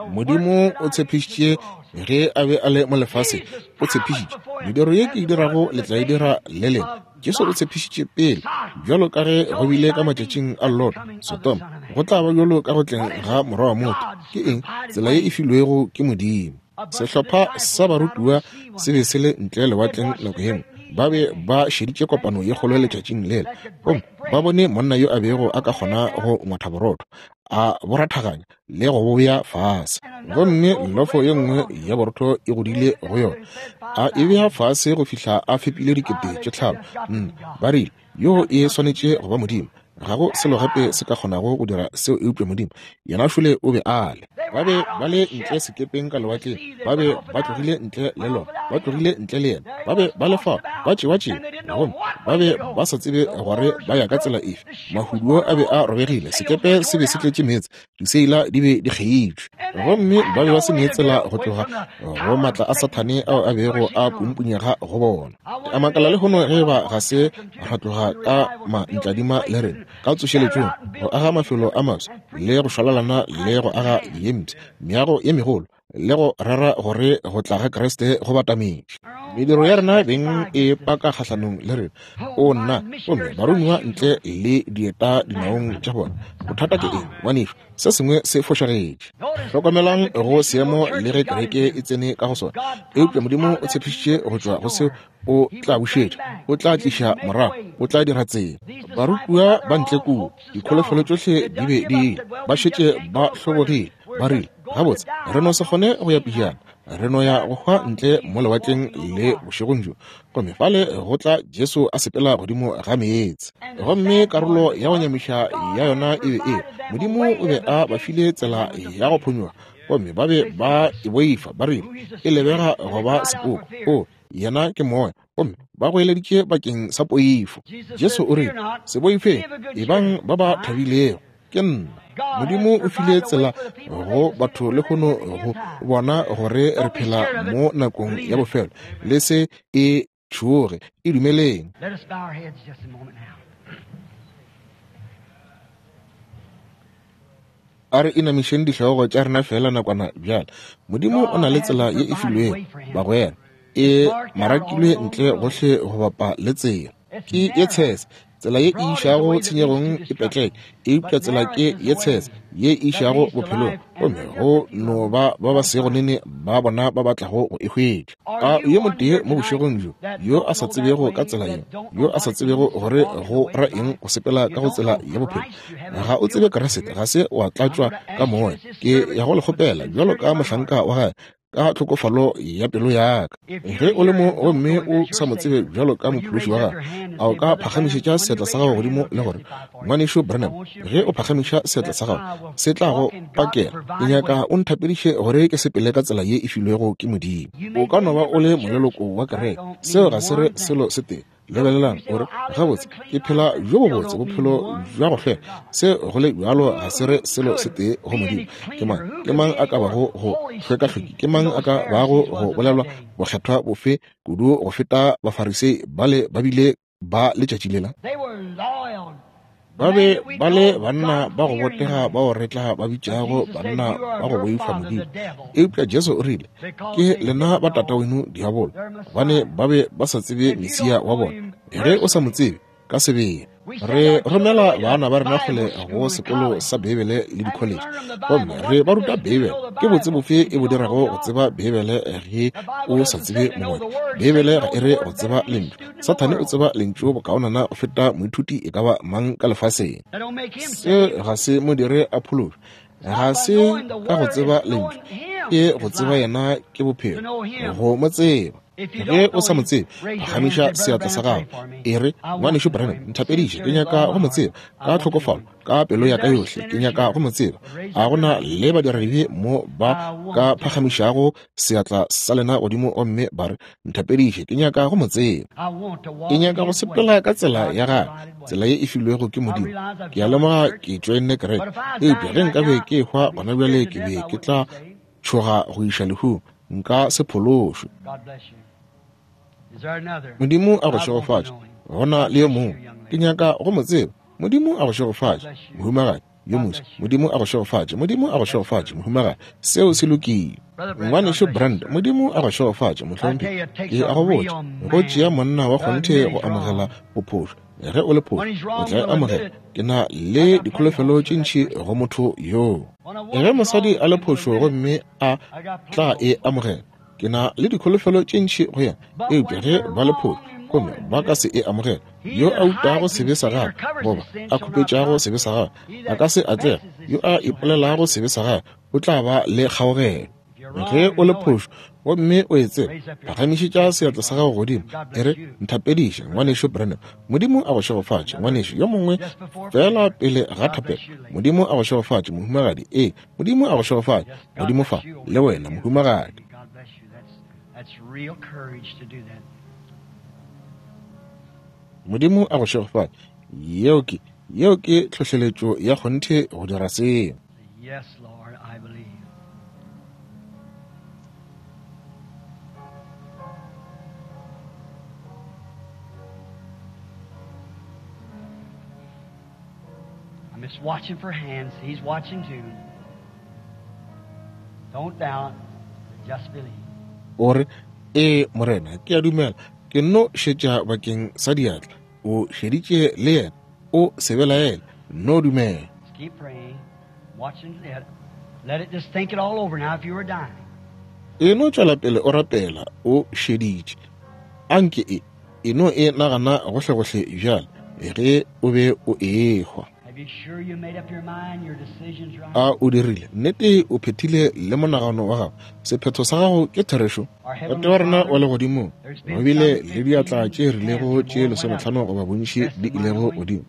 Modimo o tshepišitše ge a be a le mo lefaseng, o tshepišitše mediro ye ke e dirago le tla e dira le lena. Jesu o tshepišitše pele, bjalo ka ge go bile ka matšatšing a Lot, Sodoma, go tla ba bjalo ka go tleng ga morwa wa motho. Ke eng? Tsela ye e filwego ke Modimo. Sehlopha sa barutiwa se be se le ntle lewatleng nako ye nngwe. Ba be ba šeditše kopano ye kgolo letšatšing lela, gomme ba bone monna yo a bego a ka kgona go ngwatha borotho, a bo rathaganya le go bo bea fase. Gomme lofo ye nngwe ya borotho e godile go yona, a e bea fase go fihla a fepile dikete tše tlhano. Nna, ba rile, yo e swanetše go ba Modimo. Ga go selo gape se ka kgonago go dira seo eupša Modimo. Yena šole o be a le. Ba be ba le ntle sekepeng ka lewatleng, ba be ba tlogile ntle le lona, ba tlogile ntle le yena, ba be ba le fao, ba tšewa-tšewa, gomme ba be ba sa tsebe gore ba ya ka tsela efe. Mahuduo a be a robegile, sekepe se be se tletše meetse, diseila di be di kgeitšwe, gomme ba be ba se ne tsela go tloga go matla a Sathane ao a bego a pumpunyega go bona. A makala lehono ge ba ga se ra tloga ka mantladima le rena ka tsošeletšong, go aga mafelo a maswa le go šwalalana le go aga ye mpsha, meago ye megolo, le go rera gore go tla ga Kriste go batametše. Mediro ya rena beng e paka kgahlanong le rena. O nna, gomme baromiwa ntle le dieta dinaong tša bona. Bothata ke eng, ngwanešu? Se sengwe se fošagetše. Hlokomelang go seemo le ge kereke e tsene ka go sona, eupša Modimo o tshepišitše go tšwa go seo o tla bušetša, o tla tliša morago, o tla dira tsela. Barutiwa ba ntle kua, dikholofelo tšohle di be di ile, ba šetše ba hlobogile, ba rile, gabotse re no se kgone go ya pejana, re no ya go hwa ntle mo lewatleng le bošegong bjo. Gomme fale go tla Jesu a sepela godimo ga meetse. Gomme karolo ya go nyamiša ya yona e be e, Modimo o be a ba file tsela ya go phonyokga, gomme ba be ba e boifa, ba rile e lebega go ba sepoko. O, yena ke moya, gomme ba goeleditše bakeng sa poifo. Jesu o rile, se boifeng, ebang ba ba thabilego, ke nna. Modimo o file tsela go batho lehono go bona gore re phela mo nakong ya bofelo. Le se e tšhoge, e dumeleng. A re inamišeng dihlogo tša rena fela nakwana bjale. Modimo o na le tsela ye e filwego, bagwera, e marakilwe ntle gohle go bapa le tsela. Ke ye tshese, tsela ye e išago tshenyegong e petleke, eupša tsela ke ye tshese ye e išago bophelong, gomme go no ba ba ba sego nene ba bona ba ba tlago go e hwetša. A yo motee mo bošegong bjo yo a sa tsebego ka tsela yeo, yo a sa tsebego gore go ra eng go sepela ka go tsela ya bophelo, ga o tsebe Kriste, ga se wa tlatšwa ka moya, ke ya go le kgopela bjalo ka mohlanka wa gagwe ka tlhokofalo ya pelo ya ka. Ge o le mo gomme o sa mo tsebe bjalo ka mophološi wa gago, a o ka phagamišetša seatla sa gago godimo le gore, ngwanešu Branham, ge o phagamiša seatla sa gago, se tla go pakela. Ke nyaka o nthapediše gore ke sepele ka tsela ye e filwego ke Modimo. O ka no ba o le moleloko wa kereke, seo ga se re selo se tee. Lebelelang, o re, gabotse, ke phela bjo bobotse bophelo bja go hlweka. Se go le bjalo ga se re selo se tee go Modimo. Ke mang? Ke mang a ka bago go hlwekahlweki? Ke mang a ka bago go bolelwa bokgethwa bofe kudu go feta Bafarisei bale ba bile ba letšatši lela? Ba be ba le banna ba go botega bao re tla ba bitšago banna ba go boifa Modimo. Eupša Jesu o rile, ke lena ba tataweno diabolo, gobane ba be ba sa tsebe Mesia wa bona. Ge o sa mo tsebe ka sebele. Re romela bana ba rena kgole go sekolo sa Beibele le dikholetše, gomme re ba ruta Beibele. Ke botse bofe e bo dirago go tseba Beibele ge o sa tsebe mongwadi? Beibele ga e re go tseba lentšu. Sathane o tseba lentšu bokaonana go feta moithuti e ka ba mang ka lefaseng. Se ga se mo dire a phološwe. Ga se ka go tseba lentšu, ke go tseba yena ke bophelo, go mo tseba. Ge o sa mo tsebe, phagamiša seatla sa gago. E re, ngwanešu Branham, nthapediše, ke nyaka go mo tseba ka tlhokofalo, ka pelo ya ka yohle, ke nyaka go mo tseba. A gona le badiradibe mo ba ka phagamišago seatla sa lena godimo gomme ba re, nthapediše, ke nyaka go mo tseba. Ke nyaka go sepela ka tsela ya gagwe, tsela ye e filwego ke Modimo. Ke a lemoga ke tšoenne kereke, eupša ge nkabe ke ehwa gona bjale ke be ke tla tšhoga go iša lehung, nka se phološwe. Modimo a go šegofatše. Gona le yo mongwe, ke nyaka go mo tseba. Modimo a go šegofatše, mohumagadi yo moswa. Modimo a go šegofatše. Modimo a go šegofatše, mohumagadi. Seo se lokile. Ngwanešu Brand, Modimo a go šegofatše, mohlomphegi. Ke a go botša, go tšea monna wa kgonthe go amogela bophošo. Ge o le phošo, o tla e amogela. Ke na le dikholofelo tše ntši go motho yoo. Ge mosadi a le phošo gomme a tla e amogela, ke na le dikholofelo tše ntši go yena. Eupša ge ba le phošo gomme ba ka se e amogela, yo a utago sebe sa gagwe goba a khupetšago sebe sa gagwe a ka se atlege. Yo a ipolelago sebe sa gagwe o tla ba le kgaogelo. Ge o le phošo gomme o e tseba, phagamišetša seatla sa gago godimo, e re, nthapediše, ngwanešu Branham. Modimo a go šegofatše, ngwanešu. Yo mongwe fela pele ga thapelo. Modimo a go šegofatše, mohumagadi. Ee, Modimo a go šegofatše. Modimo fa le wena, mohumagadi. Modimo a go šegofatše. Yeo ke, yeo ke tlhohleletšo ya kgonthe go dira seo. Yes, Lord, I believe. I'm just watching for hands. He's watching too. Don't doubt, just believe. O re, ee, Morena, ke a dumela. Ke nno šetša bakeng sa diatla. O šeditše le yena. O se belaele. No dumela. Just keep praying, watching it. Let it just think it all over now if you were dying. E no tšwela pele o rapela, o šeditše. Anke e, e no e nagana gohlegohle bjale, ge o be o ehwa. Have you sure you made up your mind, your decision's right? A o dirile nnete, o phethile le monagano wa gago, sephetho sa gago ke therešo. Tate wa rena wa legodimong, go bile le diatla tše rilego tše lesometlhano goba bontši di ilego godimo.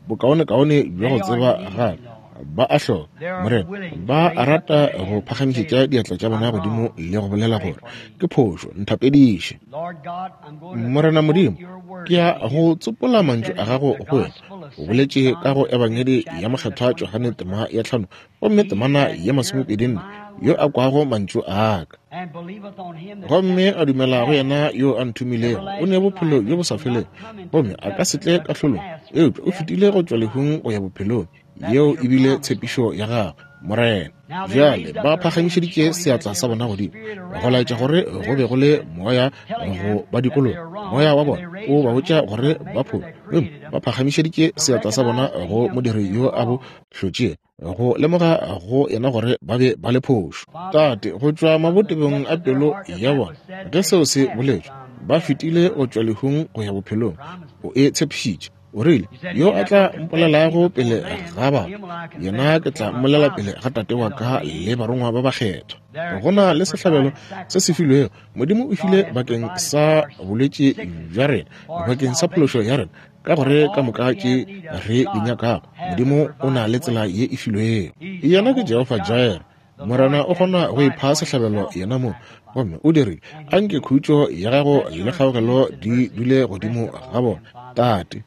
Bokaonekaone bja go tseba gape ba a hloka, Morena, ba a rata go phagamišetša diatla tša bona godimo le go bolela gore ke phošo, nthapediše. Lord God, I'm going to Morena Modimo, quote your word ke ya to you. go tsopola You mantšu said a in gago the go wena. Gospel of O Saint boletše John, ka go the Ebangedi twenty-fourth ya chapter, the Mokgethwa Johane twenty-fourth tema verse. ya tlhano gomme He temana that ya heareth masomepedi nne, my yo a word kwago mantšu a ka and believeth on him that gomme sent a me dumela go hath yena yo a nthomilego, o ne everlasting bophelo life bjo bo and sa shall not felego, come into gomme a ka se tle judgment, but kahlolong, passed from eupša o death fetile go unto tšwa life. lehung go ya bophelong. That Yeo was e your bile promise, Lord. tshepišo ya gagwe, Morena. Now they Bjale raised up ba their hands, phagamišeditše showing that seatla there sa was bona a godimo, spirit go around laetša them, gore go their be go le spirit, moya telling go them ba that they dikologa. are wrong, Moya wa and bona they o raised ba their botša hands to gore the ba Maker phošo, that gomme created ba them, phagamišeditše to seatla sa bona recognize to go him that modiri they yo were a bo wrong. hlotšego, go lemoga go yena gore ba be ba le phošo. Father, Tate, go tšwa from the mabotebong depths a of their pelo heart that ya that bona, was said, ge they seo se passed boletšwe, from ba death fetile to go life. tšwa lehung go ya bophelong. Promised O it. e tshepišitše. O rile, You said, yo He a that tla will confess me mpolelago before pele man, ga batho, him will I confess yena ke before tla my mmolela Father pele ga Tate wa and the ka holy le angels. barongwa ba bakgethwa. There Go is na a le sehlabelo provided se se sacrifice. filwego. Modimo o God file has bakeng provided sa for our bolwetši sickness, bja rena, for our bakeng sa phološo salvation, ya rena, ka for gore ka all moka we tše have need of, re di God nyakago, has Modimo o na provided le tsela way. ye e filwego. He's Yena ke Jehovah Jehofa Jireh, Jireh, Morena o kgona go ipha sehlabelo yena mo, gomme o dirile. Anke khutšo ya gago le kgaogelo di dule godimo ga bona, Tate.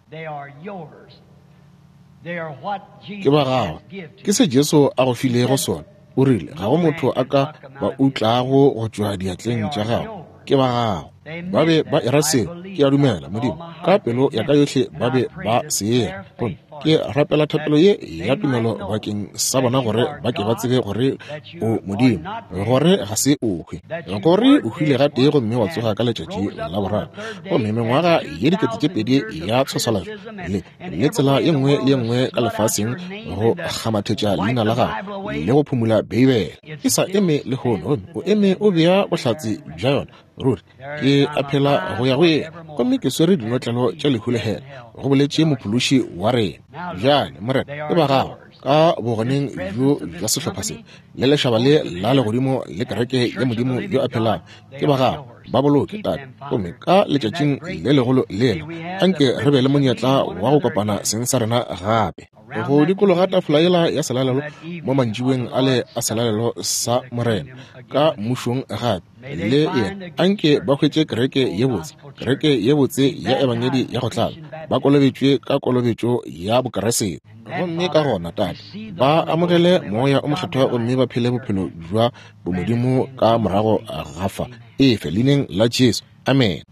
Ke ba gago. Ke se Jesu a go filego sona. O rile ga go motho a ka ba utlago go tšwa diatleng tša gago. Ke ba gago. Ba be ba era seo. Ke a dumela, Modimo, ka pelo ya ka yohle ba be ba se era. Gomme ke rapela thapelo ye ya tumelo bakeng sa bona gore ba ke ba tsebe gore o Modimo, gore ga se o hwe, gore o hwile gatee gomme wa tsoga ka letšatši la boraro, gomme mengwaga ye dikete tše pedi ya tshwaswalatšo le le tsela ye nngwe le ye nngwe ka lefaseng go kgamathetša leina la gago le go phumula Beibele e sa eme lehono, gomme o eme o bea bohlatse bja yona. Ruri ke a phela go ya go ye, gomme ke swere dinotlelo tša lehu le hela, go boletše mophološi wa rena. Bjale, Morena, ke ba gago ka bogoneng bjo bja sehlopha se le lešaba le la legodimo le kereke ya Modimo yo a phelago. Ke ba gago, ba boloke, Tate. Gomme ka letšatšing le legolo lela, anke re be le monyetla wa go kopana seng sa rena gape go dikologa tafola yela ya selalelo mo mantšiboeng ale a selalelo sa Morena ka mmušong gape le yena. Anke ba hwetše kereke ye botse, kereke ye botse ya ebangedi ya go tlala, ba kolobetšwe ka kolobetšo ya Bokeresete. Gomme ka gona, Tate, ba amogele Moya o Mokgethwa gomme ba phele bophelo bja bomodimo ka morago ga fa. Efe leineng la Jesu. Amen.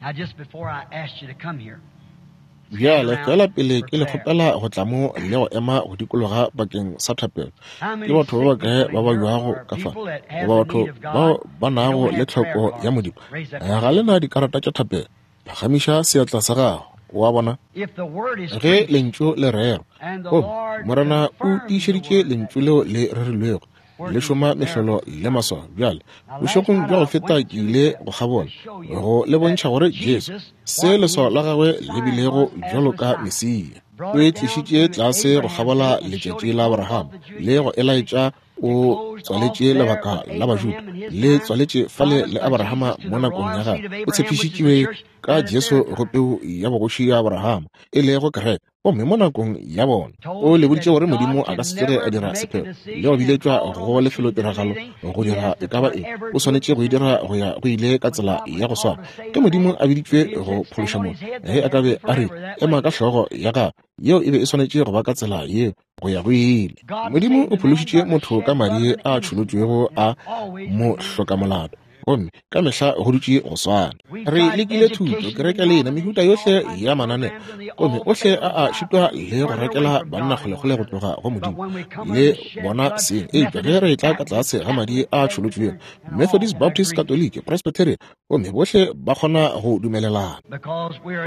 Bjale fela pele ke le kgopela go tla mo le go ema go dikologa bakeng sa thapelo. Ke batho ba bakae ba ba jwago ka fa, goba batho bao ba nago le tlhoko ya Modimo? Ga le na dikarata tša thapelo? Phagamiša seatla sa gago. Wa bona, ge lentšu le rerwa, gomme Morena o tiišeditše lentšu leo le rerilwego, le šoma mehlolo le maswao. Bjale bošegong bja go feta ke ile go kgabola go le bontšha gore Jesu, se leswao la gagwe le bilego bjalo ka Mesia, o e tlišitše tlase go kgabola letšatši la Abraham le go elaetša o tswaletše lebaka la Bajuda, le tswaletše fale le Abrahama mo nakong ya gagwe. O tshepišitšwe ka Jesu go peu ya bogoši ya Abrahama, e lego kereke. Gomme mo nakong ya bona o le boditše gore Modimo a ka se tsoge a dira sepheo le go biletšwa go lefelotiragalo go dira e ka ba eng. O swanetše go e dira go ya go ile ka tsela ya go swana. Ke Modimo a biditšwe go phološa motho. Ge a ka be a re ema ka hlogo ya gagwe, yeo e be e swanetše go ba ka tsela yeo go ya go ile. Modimo o phološitše motho ka madi a tšholotšwego a mohlokamolato, gomme ka mehla go dutše go swana. Re lekile thuto, kereke lena, mehuta yohle ya mananeo, gomme ohle a a šitwa le go rekela banna kgolekgole go tloga go Modimo le bona seng. Eupša ge re tla ka tlase ga madi a tšholotšwego, Methodist, Baptist, Catholic, Presbyterian, gomme bohle ba kgona go dumelelana,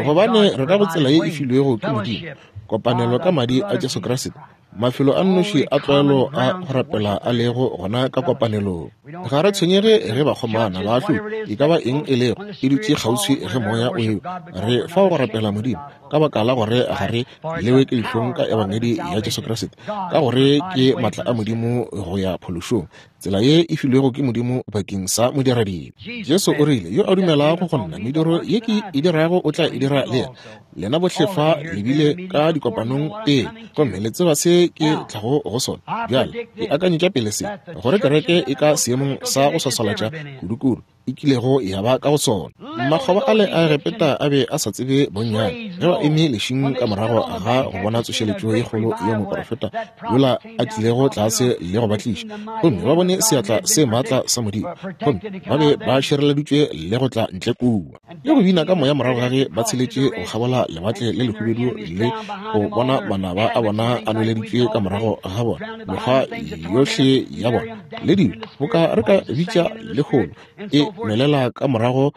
gobane re ka go tsela ye e filwego ke Modimo, kopanelo ka madi a Jesu Kriste. Mafelo a nnoši a tlwaelo a go rapela a lego gona ka kopanelong. Ga re tshwenyege ge bakgomana ba ahlodi e ka ba eng e lego e dutše kgauswi ge moya o ewa. Re fao go rapela Modimo ka baka la gore ga re lewe ke dihlong ka ebangedi ya Jesu Kriste, ka gore ke matla a Modimo go ya phološong, tsela ye e filwego ke Modimo bakeng sa modiradibe. Jesu o rile, yo a dumelago go nna, mediro ye ke e dirago o tla e dira le yena. Lena bohle fa le bile ka dikopanong pele, gomme le tseba se ke tlago go sona. Bjale ke akanyetša pele se, gore kereke e ka seemong sa go swaswalatša kudukudu e kilego ya ba ka go sona. Makgoba ale a Egepeta a be a sa tsebe bonnyane ge ba eme lešing ka morago ga go bona tsošeletšo ye kgolo yo moprofeta yola a tlilego tlase le go ba tliša, gomme ba bone seatla se maatla sa Modimo, gomme ba be ba šireleditšwe le go tla ntle kua le go bina ka moya morago ga ge ba tsheletše go kgabola lewatle le lehubedu le go bona manaba a bona a nweleditšwe ka morago ga bona, mekgwa yohle ya bona le dilo boka re ka bitša lehono e nwelela ka morago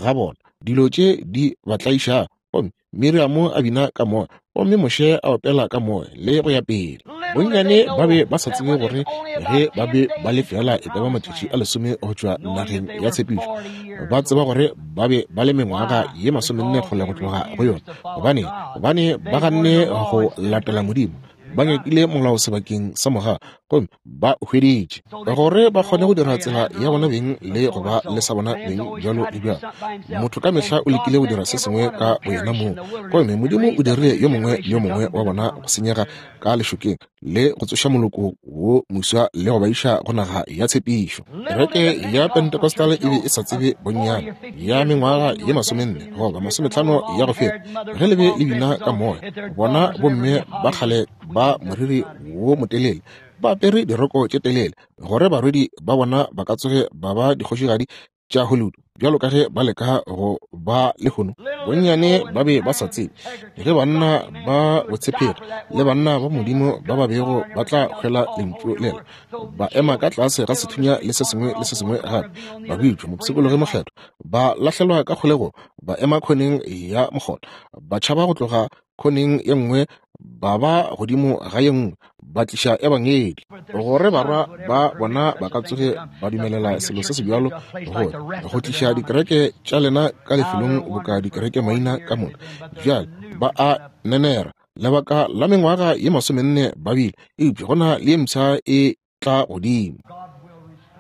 ga bona, dilo tše di ba tlaišago. Gomme Miriamo a bina ka moya, gomme Moshe a opela ka moya, le go ya pele. Bonnyane ba be ba sa tsebe gore ge ba be ba le fela e ka ba matšatši a lesome go tšwa nageng ya tshepišo, ba tseba gore ba be ba le mengwaga ye masomenne kgole go tloga go yona. Gobane gobane ba ganne go latela Modimo, ba nyakile molao sebakeng sa moga, gomme ba hweditše gore ba kgone go dira tsela ya bona beng le go ba le sa bona beng bjalo le bjalo. Motho ka mehla o lekile go dira se sengwe ka boyena mong, gomme Modimo o dirile yo mongwe le yo mongwe wa bona go senyega ka lešokeng le go tsoša moloko wo moswa le go ba iša go naga ya tshepišo. Kereke ya Pentecostal e be e sa tsebe bonnyane ya mengwaga ye masomenne goba masometlhano ya go feta ge le be le bina ka moya. Bona bomme ba kgale ba moriri wo motelele ba apere diroko tše telele gore barwedi ba bona ba ka tsoge ba ba dikgošigadi tša Hollywood bjalo ka ge ba leka go ba lehono. Bonnyane ba be ba sa tsebe ge banna ba botshepegi le banna ba Modimo ba ba bego ba tla hwela lentšu lela, ba ema ka tlase ga sethunya le se sengwe le se sengwe gape, ba bitšwa mopshikologi mokgethwa, ba lahlelwa ka kgolegong, ba ema khoneng ya mokgotha, ba tšhaba go tloga khoneng ye nngwe ba ba godimo ga ye nngwe, ba tliša ebangedi gore barwa ba bona ba ka tsoge ba dumelela selo se se bjalo gore go tliša dikereke tša lena ka lefelong boka dikereke maina ka moka. Bjale ba a nenera lebaka la mengwaga ye masomenne ba bile, eupša go na le ye mpsha e tla godimo.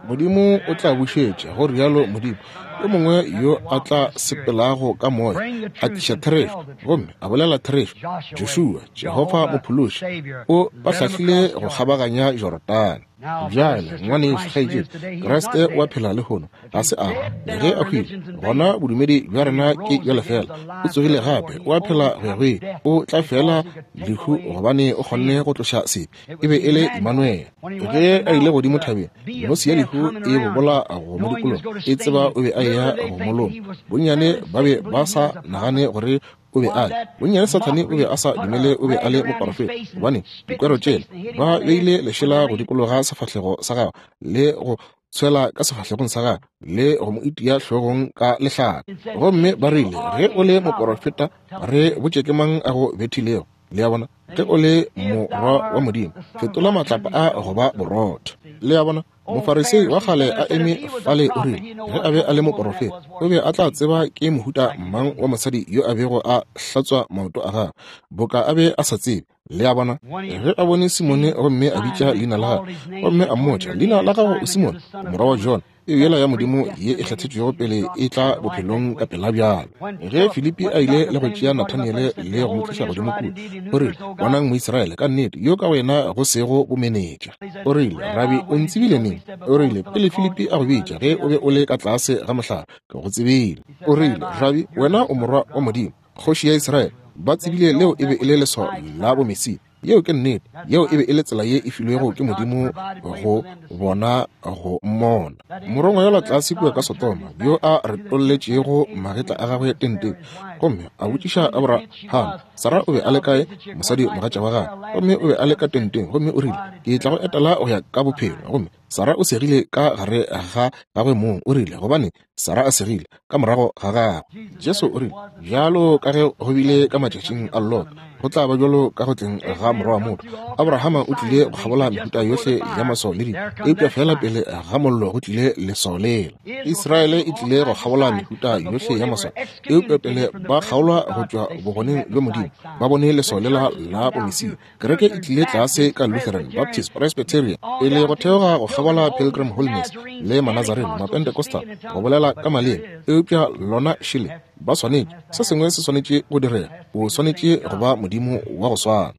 Modimo o tla bušetša, go rialo Modimo, yo mongwe yo a tla sepelago ka moya, a tliša therešo gomme a bolela therešo. Joshua, Jehofa mophološi, o ba hlahlile go kgabaganya Jorodane. Bjale ngwanešu kgaetšedi, Kriste o a phela lehono, ga se a hwa. Ge a hwile, gona bodumedi bja rena ke bja lefela. O tsogile gape, o a phela go ya go ile. O tla fela lehu gobane o kgonne go tloša sebe. E be e le Emmanuel. Ge a ile godimo thabeng, nosi ya lehu e bobola go mo dikologa, e tseba o be a eya go moloma. Bonnyane ba be ba sa nagane gore o be a le. Bonnyane Sathane o be a sa dumele o be a le moporofeta, gobane dikwero tšela ba beile lešela go dikologa sefahlego sa gagwe le go tshwela ka sefahlegong sa gagwe le go mo itia hlogong ka lehlaka. Gomme ba rile, ge o le moporofeta, re botše ke mang a go bethilego. Le a bona, ge o le morwa wa Modimo, fetola matlapa a go ba borotho. Le a bona, Mofarisei wa kgale a eme fale o rile, ge a be a le moporofeta, o be a tla tseba ke mohuta mang wa mosadi yo a bego a hlatswa maoto a gagwe, boka a be a sa tsebe. Le a bona, ge a bone Simone gomme a bitša leina la gagwe, gomme a mmotša, leina la gago o Simone, morwa wa Jona, e yela ya Modimo ye e kgethetšwego pele e tla bophelong ka pela bjalo. Ge Filipi a ile le go tšea Nathaniele le go mo tliša godimo kua, o rile, bonang Moisraele ka nnete yo ka wena go sego bomenetša. O rile, Rabi, o ntsebile neng? O rile, pele Filipi a go bitša, ge o be o le ka tlase ga mohlare, ke go tsebile. O rile, Rabi, wena o morwa wa Modimo, kgoši ya Israele. Ba tsebile leo e be e le leswao la bomesia. Yeo ke nnete. Yeo e be e le tsela ye e filwego ke Modimo go bona go mmona. Morongwa yola tlase kua ka Sodoma, yo a retolletšego magetla a gagwe tenteng, gomme a botšiša Abraham, Sara o be a le kae, mosadi mogatša wa gagwe, gomme o be a le ka tenteng, gomme o rile, ke tla go etela go ya ka bophelo. Gomme Sara o segile ka gare ga gagwe mong. O rile, gobane Sara a segile ka morago ga gagwe. Jesu o rile, bjalo ka ge go bile ka matšatšing a Lot, go tla ba bjalo ka go tleng ga morwa wa motho. Abrahama o tlile go kgabola mehuta yohle ya maswao le dilo, eupša fela pele ga mollo go tlile leswao lela. Israele e tlile go kgabola mehuta yohle ya maswao, eupša pele ba kgaolwa go tšwa bogoneng bja Modimo, ba bone leswao lela la bomesia. Kereke e tlile tlase ka Lutheran, Baptist, Presbyterian, pele go theoga go kgabola Pilgrim Holiness le Manazarene, Mapentecostal, go bolela ka maleme, eupša lona šele ba swanetše, se sengwe se swanetše go direga. O swanetše go ba Modimo wa go swana.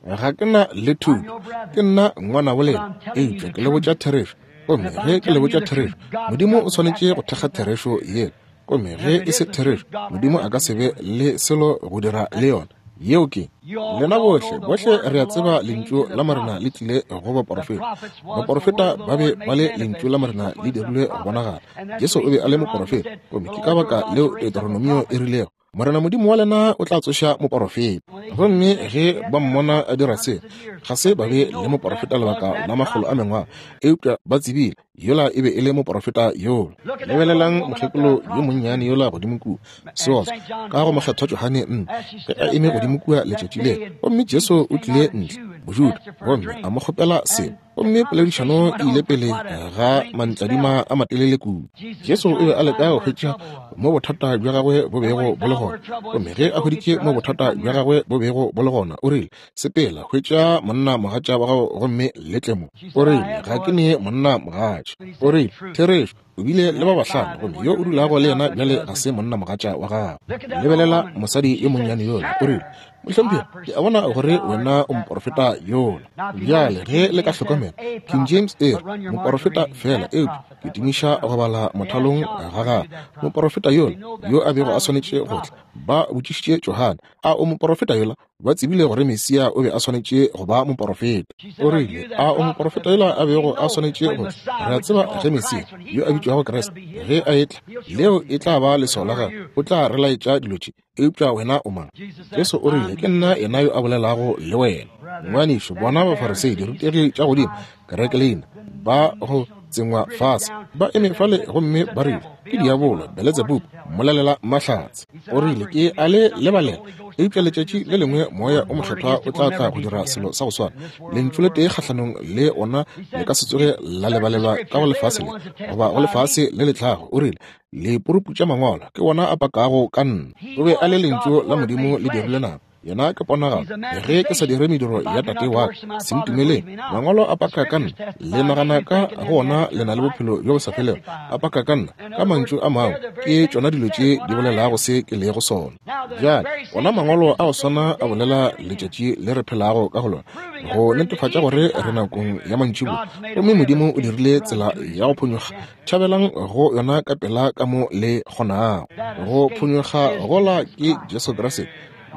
Ga ke na le thuto, ke nna ngwana bolena, eupša ke le botša therešo. Gomme ge ke le botša therešo, Modimo o swanetše go thekga therešo yela. Gomme ge e se therešo, Modimo a ka se be le selo go dira le yona. Yeo ke lena bohle, bohle re a tseba lentšu la Morena le tlile go baporofeta. Baporofeta ba be ba le lentšu la Morena le dirilwe go bonagala. Jesu o be a le moporofeta, gomme ke ka baka leo Deuteronomio e rilego, Morena Modimo wa lena o tla tsoša moporofeta. Gomme ge ba mmona a dira se, ga se ba be le moporofeta lebaka la makgolo a mengwaga, eupša ba tsebile yola e be e le moporofeta yola. Lebelelang mokgekolo yo monnyane yola godimo kua, seotswa, ka go mokgethwa Johane nne, ge a eme godimo kua letšatši lela, gomme Jesu o tlile ntle, Mojuda, gomme a mo kgopela selo. Gomme poledišano e ile pele ga mantladima a matelele kudu. Jesu o be a leka go hwetša mo bothata bja gagwe bo bego bo le gona. Gomme ge a hweditše mo bothata bja gagwe bo bego bo le gona, o rile, sepela, hwetša monna mogatša wa gago gomme le tle mo. O rile, ga ke ne monna mogatša. O rile, therešo, o bile le ba bahlano, gomme yo o dulago le yena bjale ga se monna mogatša wa gago. Lebelela mosadi yo monnyane yola. O rile, Mohlomphegi, ke a bona gore wena o moporofeta yola. Bjale ge le ka hlokomela, King James e re moporofeta fela, eupša ke tumiša go bala mothalong ga gagwe. Moporofeta yola yo a bego a swanetše go tla. Ba botšišitše Johane, a o moporofeta yola? Ba tsebile gore Mesia o be a swanetše go ba moporofeta. O rile, a o moporofeta yola a bego a swanetše go tla? Re a tseba ge Mesia yo a bitšwago Kriste ge a etla, leo e tla ba leswao la gagwe, o tla re laetša dilo tše. Eupša wena o mang? Jesu o rile, ke nna yena yo a bolelago le wena. Ngwanešu, bona Bafarisei, dirutegi tša godimo, kereke leina, ba go tsengwa fase, ba eme fale gomme ba rile, ke diabolo, Beletsebubu, mmolelela mahlatse. O rile, ke a le lebalela, eupša letšatši le lengwe moya o mokgethwa o tla tla go dira selo sa go swana. Lentšu le tee kgahlanong le ona le ka se tsoge la lebalelwa ka go lefase le goba go lefase le le tlago. O rile, le puruputša mangwalo, ke wona a pakago ka nna. O be a le lentšu la Modimo le dirile nama. Yena ke ponagalo. Ge ke sa dire mediro ya tate wa ka, se ntumeleng. Mangwalo a paka ka nna, le nagana ka go ona le na le bophelo bjo bo sa felego. A paka ka nna, ka mantšu a mangwe, ke tšona dilo tše di bolelago se ke lego sona. Bjale ona mangwalo a go swana a bolela letšatši le re phelago ka go lona, go netefatša gore re nakong ya mantšiboa, gomme Modimo o dirile tsela ya go phonyokga. Tšhabelang go yona ka pela ka mo le kgonago. Go phonyokga gola ke Jesu Kriste,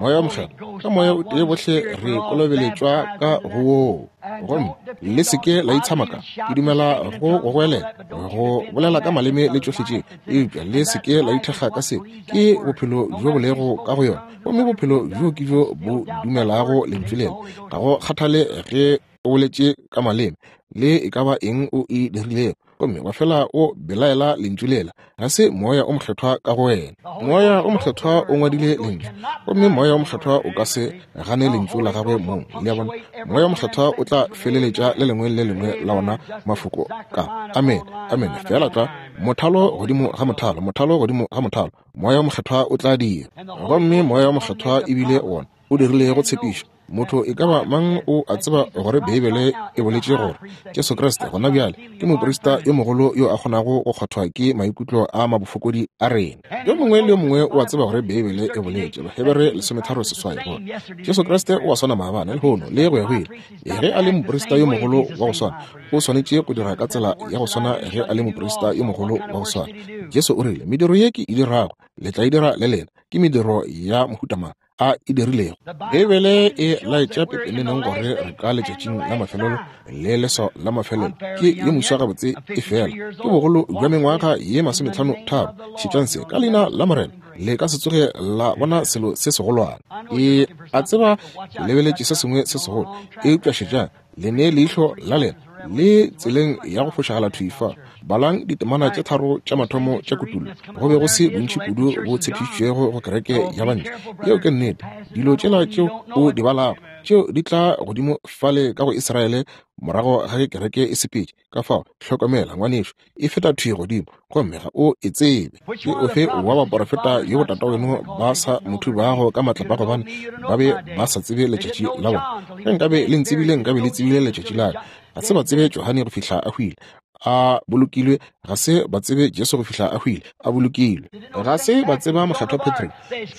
Moya o Mokgethwa. Ka moya o tee bohle re kolobeletšwa ka go woo. Gomme le se ke la itshamaka. Ke dumela go go goelela, go bolela ka maleme le tšohle tše, eupša le se ke la ithekga ka se. Ke bophelo bjo bo lego ka go yona, gomme bophelo bjo ke bjo bo dumelago lentšu lela. Ga go kgathale ge o boletše ka maleme le e ka ba eng o e dirilego, gomme wa fela o belaela lentšu lela, ga se moya o mokgethwa ka go wena. Moya o mokgethwa o ngwadile lentšu, gomme moya o mokgethwa o ka se gane lentšu la gagwe mong. Le a bona? Moya o mokgethwa o tla feleletša le lengwe le lengwe la ona mafoko ka amen, amen, fela tlwa mothalo godimo ga mothalo, mothalo godimo ga mothalo. Moya o mokgethwa o tla dira, gomme moya o mokgethwa ebile wona o dirilego tshepišo. Motho e ka ba mang o a tseba gore Beibele e boletše gore Jesu Kriste gona bjale ke moprista yo mogolo yo a kgonago go kgwathwa ke maikutlo a mabofokodi a rena. Yo mongwe le yo mongwe o a tseba gore Beibele e boletše, Bahebere lesometharo seswai, gore Jesu Kriste o a swana maabane, lehono le go ya go ile. Ge a le moprista yo mogolo wa go swana, o swanetše go dira ka tsela ya go swana ge a le moprista yo mogolo wa go swana. Jesu o rile, mediro ye ke e dirago le tla e dira le lena, ke mediro ya mohuta mang a e dirilego. Beibele e laetša pepeneneng gore re ka letšatšing la mafelelo le leswao la mafelelo ke ye moswa gabotse, e fela ke bogolo bja mengwaga ye masometlhano tharo. Šetšang se, ka leina la Morena le ka se tsoge la bona selo se segolwane. E a tseba ke lebeletše se sengwe se segolo, eupša šetšang, le ne leihlo la lena le tseleng ya go fošagala thwi fa. Balang ditemana tše tharo tša mathomo tša Kutullo. Go be go se bontši kudu bo tshepišitšwego go kereke ya bantle. Yeo ke nnete. Dilo tšela tšeo o di balago tšeo di tla godimo fale ka go Israele morago ga ge kereke e sepetše. Ka fao hlokomela ngwanešu, e feta thwi godimo gomme ga o e tsebe. Ke ofe wa baporofeta yo botataweno ba sa mo thubago ka matlapa gobane ba be ba sa tsebe letšatši la bona? Ge nkabe le ntsebile, nkabe le tsebile letšatši la ka. Ga se ba tsebe Johane go fihla a hwile, a bolokilwe. Ga se ba tsebe Jesu go fihla a hwile, a bolokilwe. Ga se ba tseba mokgethwa Patrick,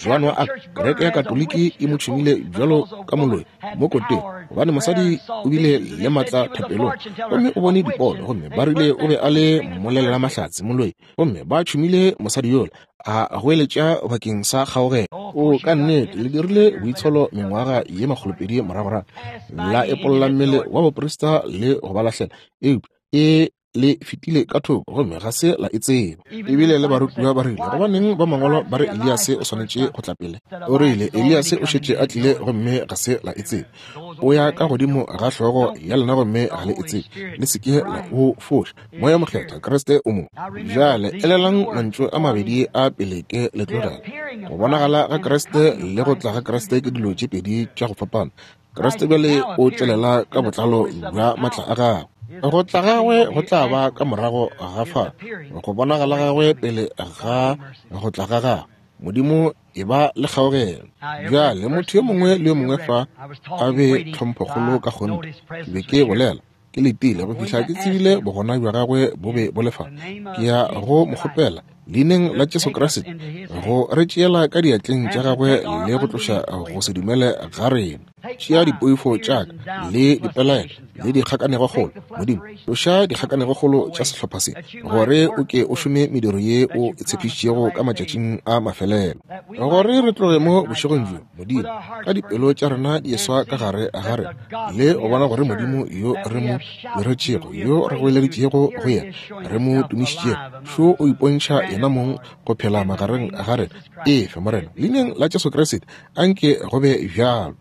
Joan wa Arc. Kereke ya Katoliki e mo tšhumile bjalo ka moloi mo koteng, gobane mosadi o bile le matla thapelong gomme o bone dipono, gomme ba rile o be a le mmolelela mahlatse moloi, gomme ba tšhumile mosadi yola a goeletša bakeng sa kgaogelo. O ka nnete le dirile boitsholo mengwaga ye makgolopedi moragorago, la epolla mmele wa boprista le go ba lahlela, eupša e le fetile ka thoko gomme ga se la e tseba. Ebile le barutiwa ba rile, gobaneng ba mangwalo ba re Eliase o swanetše go tla pele? O rile Eliase o šetše a tlile gomme ga se la e tseba. O ya ka godimo ga hlogo ya lena gomme ga le e tsebe. Le se ke la o foša. Moya Mokgethwa Kriste o mo. Bjale elelang mantšu a mabedi a pele ke le tlogela. Go bonagala ga Kriste le go tla ga Kriste ke dilo tše pedi tša go fapana. Kriste bjale o tšwelela ka botlalo bja matla a gagwe. Go tla gagwe go tla ba ka morago ga fa, go bonagala gagwe pele ga go tla ga gagwe. Modimo e ba le kgaogelo. Bjale motho yo mongwe le yo mongwe fa a be tlhomphokgolo ka kgonthe. Ke be ke bolela ke letile go fihla ke tsebile bogona bja gagwe bo be bo le fa. Ke ya go mo kgopela Leineng la Jesu Kriste, go re tšeela ka diatleng tša gagwe le go tloša go se dumele ga rena. Tšea dipoifo tša ka le dipelaelo le dikgakanegokgolo, Modimo, tloša dikgakanegokgolo tša sehlopha se, gore o ke o šome mediro ye o e tshepišitšego ka matšatšing a mafelelo. Gore re tloge mo bošegong bjo, Modimo, ka dipelo tša rena di eswa ka gare ga rena, le go bona gore Modimo yo re mo diretšego, yo re goeleditšego go yena, re mo tumišitšego, šo o ipontšha yena mong go phela magareng ga rena. Efe, Morena, leineng la Jesu Kriste, anke go be bjalo.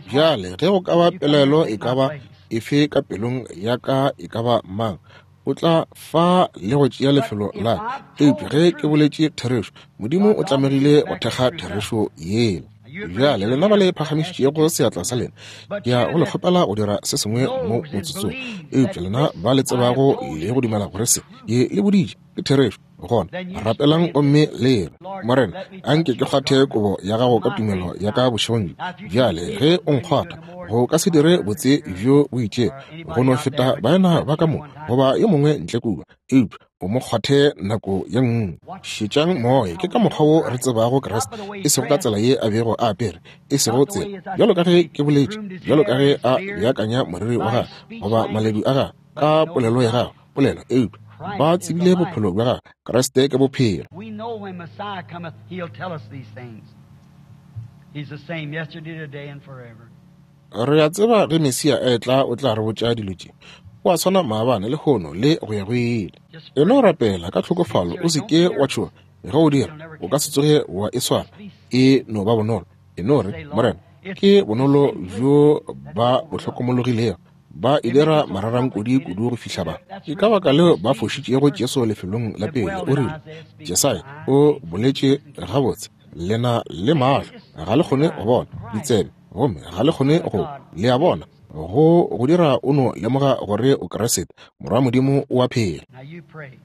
Bjale ge go ka ba pelaelo e ka ba efe ka pelong ya ka e ka ba mang, o tla fa le go tšea lefelo la ka. Eupša ge ke boletše therešo, Modimo o tlamegile go thekga therešo yela. Bjale lena ba le phagamišitšego seatla sa lena, ke ya go le kgopela go dira se sengwe mo motsotsong. Eupša lena ba le tsebago le go dumela gore se ke le boditše ke therešo, gona rapelang gomme le re, Morena, anke ke kgwathe kobo ya gago ka tumelo ya ka bošegong bjo. Bjale ge o nkgwatha, go ka se dire botse bjo bo itšego go no feta baena ba ka mo goba yo mongwe ntle kua, eupša o mo kgwathe nako ye nngwe. Šetšang moya, ke ka mokgwa wo re tsebago Kriste, e sego ka tsela ye a bego a apere, e sego tsela bjalo ka ge ke boletše, bjalo ka ge a beakanya moriri wa gagwe goba maledu a gagwe ka polelo ya gagwe, polelo, eupša ba tsebile bophelo bja gagwe. Kriste ke bophelo. We know when Messiah cometh, he'll tell us these things. He's the same yesterday, today, and forever. Re a tseba ge Mesia a etla o tla re botša dilo tše. O a swana maabane, lehono le go ya go ile. E no rapela ka tlhokofalo, o se ke wa tšhoga. Ge o dira, o ka se tsoge wa e swara. E no ba bonolo. E no re, Morena, ke bonolo bjo ba bo hlokomologilego. Ba e dira mararankodi kudu go fihla ba. Ke ka baka leo ba fošitšego Jesu lefelong la pele. O rile, Jesaya o boletše gabotse, lena le mahlo ga le kgone go bona, ditsebe gomme ga le kgone go, le a bona, go go dira o no lemoga gore o Kriste, Morwa Modimo o a phela. Now you pray.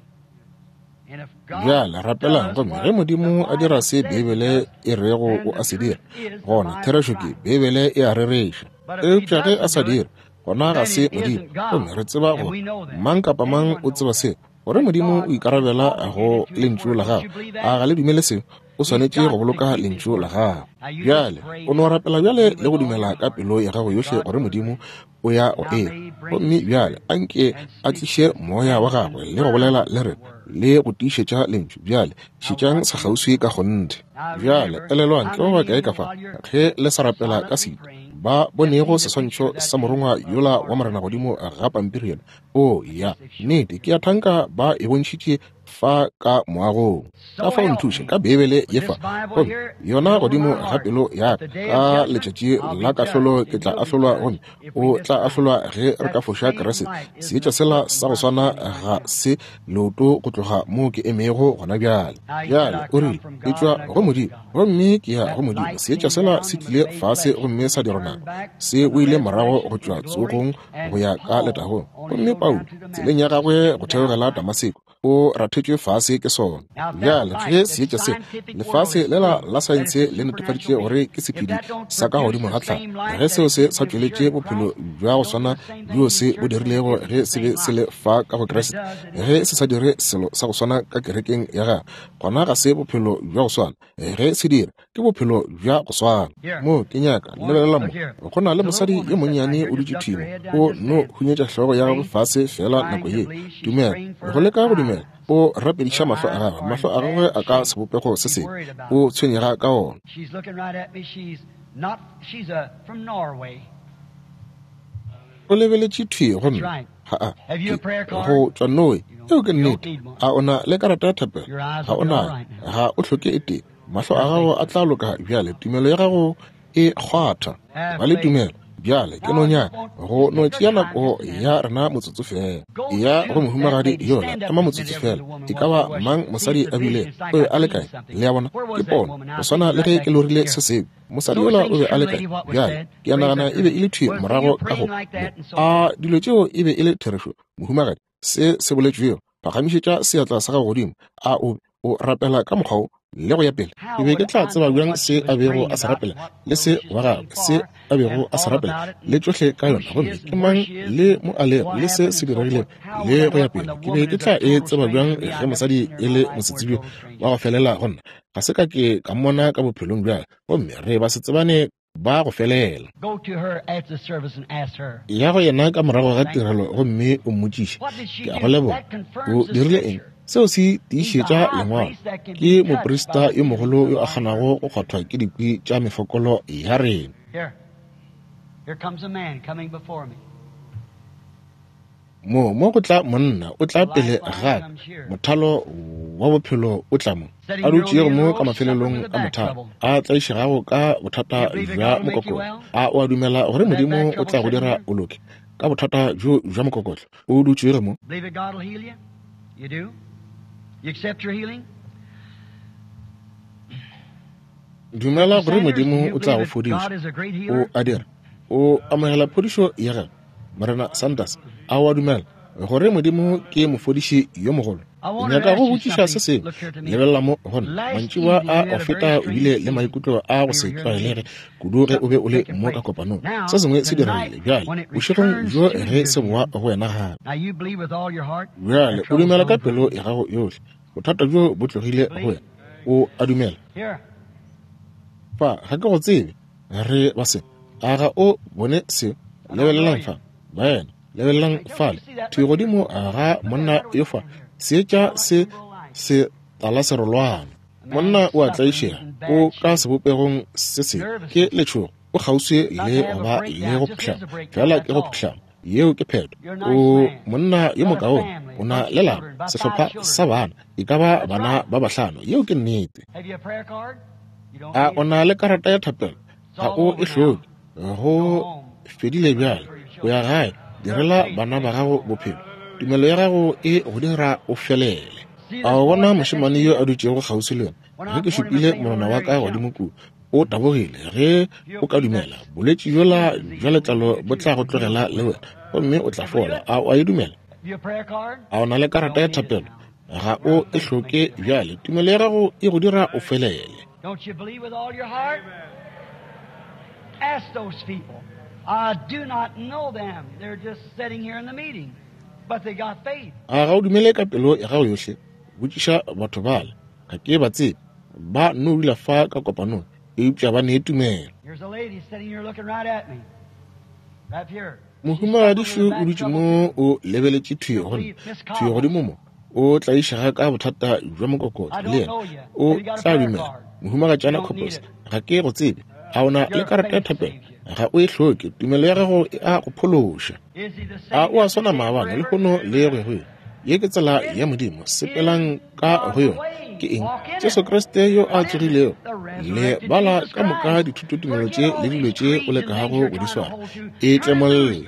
And if God Bjale rapelang does gomme what ge Modimo the a dira Bible se says he Beibele does, e rego then o the a se truth dira, is the gona Bible therešo is ke right. Beibele e a rereša. But if he Eupša ge a doesn't sa do it, dire, gona ga then se it Modimo. isn't God. Gomme re tseba And gore we know that. mang kapa mang Everyone o knows tseba that. se, gore That Modimo God o is ikarabela go obligated to his lentšu word. la Don't you gagwe. believe A that? ga le dumele seo? O He's swanetše go got to boloka keep his lentšu la word. gagwe. Now you just Bjale pray o no now rapela and bjale believe le go with all dumela your ka heart pelo ya gago that yohle God gore will Modimo do it. o ya go Now e. may he bring Gomme his bjale spirit anke and a speak tliše to us moya wa and gagwe le go confirm bolela le the rena word. le go tiišetša lentšu. Bjale Now šetšang watch sa you. kgauswi ka kgonthe. Now Bjale remember, elelwang how ke ba many bakae of ka you fa while you're ge le sa rapela ka silently setu praying ba have bonego seen the picture seswantšho of that sa morongwa angel of yola the wa Lord Morena that godimo appeared? ga pampiri yela? O I ya guess they've showed nnete, you. ke a thanka ba e bontšhitše fa ka moagong. Ka So fao help nthuše me. ka Beibele With ye this fa, Bible gomme here yona is over godimo my ga heart. pelo ya At ka the day of ka judgment, letšatši I'll la be kahlolo judged, ke and tla you'll be ahlolwa, judged gomme if we o tla miss ahlolwa Christ. ge re ka That foša same Kriste. light isn't Seetša a sela foot sa from go where I'm swana standing right ga now. se leoto go tloga mo ke emego gona bjale. Now he said, Bjale I o come rile, from ke God tšwa and I go go to Modimo God. gomme ke ya That go Modimo. light Seetša came sela down se and was tlile made fase flesh gomme and sa dirwa turned nama, back se from the boile morago resurrection go into tšwa glory, tsogong and go ya ka Paul letagong. on his Gomme way Paulo down to tseleng ya Damascus was gagwe go beaten down theogela by it. Damaseko o rathetšwe fase ke sona. Now, if that Bjale ge light, that seetša se scientific world lefase has lela proved la that it's saense a le netefaditše supernatural gore being, ke if sephedi that don't sa ka produce godimo the ga tlhago, same light ge that seo it se did sa when it was tšweletše here in bophelo Christ, bja go don't do swana the same thing bjo in the se bo church, then it dirilego isn't ge the se be same se light. le fa ka go If it Kriste, does, it ge isn't se sa God. dire selo sa go swana ka kerekeng ya gagwe, gona ga se bophelo bja go swana. Ge se dira, ke bophelo bja go swana. Here, Mo ke nyaka one, lebelela mo, look here. go na le There's a little mosadi woman yo sitting right monnyane here, o just dutše ducked her thimo, head down, o just no saying, hunyetša hlogo ya gagwe faith, fase fela trying nako to ye. believe. She's Dumela, praying for go her leka go eyes. dumela. O rapediša Her mahlo a eyes gagwe, are in mahlo a gagwe bad a ka shape. sebopego se She's sengwe, worried about o them. tshwenyega ka ona. She's looking right at me. She's not, she's a, from Norway. O lebeletše thwi That's gomme right. ga a Have you a ke prayer card? go tšwa Norway. You Eo don't, ke you don't nnete. need one. A o na le karata ya thapelo? Your eyes Ga will o be all nayo. right now. Ga o hloke e tee. Mahlo a Have gago faith. a tla loka bjale. Tumelo ya gago e kgwatha. Have Ba le faith. tumelo. Bjale ke Now no I just nyaka want go just no take your tšea time nako just a minute. ya rena motsotso fela. Go Ya go to that mohumagadi lady. yola, Stand up ema a minute motsotso there where fela. the woman E was ka there ba was. mang See, mosadi it's a a bile vision. It's like o be I a le dreamed kae? something. Le a bona Where ke was that pono woman? go Now I swana think le right ge back ke lorile here. se sebe. Mosadi Those yola o things be a true, le kae? lady, what was Bjale said? ke a Raise nagana up e your be hand. e le thwi Was you morago ka go praying mo. like that and so A forth? dilo tšeo e be e le therešo, mohumagadi? Se se boletšwego, phagamišetša seatla sa gago godimo. A o O rapela ka mokgwa wo le go ya pele. Ke be ke tla tseba bjang se a bego a se rapela le se wa gagwe, se a bego a se rapela le tšohle ka yona, gomme ke mang le mo a lego le se se diregilego le go ya pele. Ke be ke tla e tseba bjang ge mosadi e le mosetsebje wa go felela go nna? Ga se ka ke ka mmona ka bophelong bja ka, gomme re ba se tsebane ba go felela. Ya go yena ka morago ga tirelo gomme o mmotšiše. Ke a go leboga. O dirile eng? Seo se tiišetša lengwalo. Ke moprista yo mogolo yo a kgonago go kgwathwa ke dikwi tša mefokolo ya rena. Mo mo go tla monna, o tla pele ga ka. Mothalo wa bophelo o tla mo. A dutšego mo ka mafelelong a mothalo, a tlaišegago ka bothata bja mokokotlo. A o a dumela gore Modimo o tla go dira o loke ka bothata bjo bja mokokotlo? O dutšego mo. Dumela gore Modimo o tla go fodiša. O a dira. O amogela phodišo ya gagwe. Morena Sanders, a o a dumela gore Modimo ke mofodiši yo mogolo? Ke nyaka go botšiša se sengwe. Lebelela mo go nna. Mantšiboa a go feta o bile le maikutlo a go se tlwaelege kudu ge o be o le mo ka kopanong. Se sengwe se diregile bjale bošegong bjo ge se boa go wena gape. Bjale o dumela ka pelo ya gago yohle. Bothata bjo bo tlogile go wena. O a dumela. Fa ga ke go tsebe, re ba se. A ga o bone se? Lebelelang fa, baena. Lebelelang fale. Thwi godimo ga monna yo fa. Seetša se se talaserolwana. Monna o a tlaišega, o ka sebopegong se sengwe ke letšhogo, o kgauswi le go ba le go phuhlama, fela ke go phuhlama. Yeo ke phetho. O monna yo mokaone, o na le lapa, sehlopha sa bana, e ka ba bana ba bahlano. Yeo ke nnete. A o na le karata ya thapelo? Ga o e hloke. Go fedile bjale. O ya gae, direla bana ba gago bophelo. Tumelo ya gago e go dira o felele. A o bona mošemane yo a dutšego kgauswi le yona? Ge ke šupile monwana wa ka godimo kua, o tabogile. Ge o ka dumela, bolwetši bjola bja letlalo bo tla go tlogela le wena, gomme o tla fola. A o a e dumela? A o na le karata ya thapelo? Ga o e hloke bjale. Tumelo ya gago e go dira o felele. A ga o dumele ka pelo ya gago yohle? Botšiša batho bale. Ga ke ba tsebe. Ba no dula fa ka kopanong, eupša ba ne tumelo. Mohumagadišu o dutše mo o lebeletše thwi go nna, thwi godimo mo. O tlaišega ka bothata bja mokokotlo le yena. O tla dumela. Mohumagatšana Copples, ga ke go tsebe. A o na le karata ya thapelo? Ga o e hloke. Tumelo ya gago e a go phološa. A o a swana maabane, lehono le go ya go ile? Ye ke tsela ya Modimo. Sepelang ka go yona. Ke eng? Jesu Kriste yo a tsogilego. Le bala ka moka dithutotumelo tše le dilo tše o lekago go di swara. E tlemolle.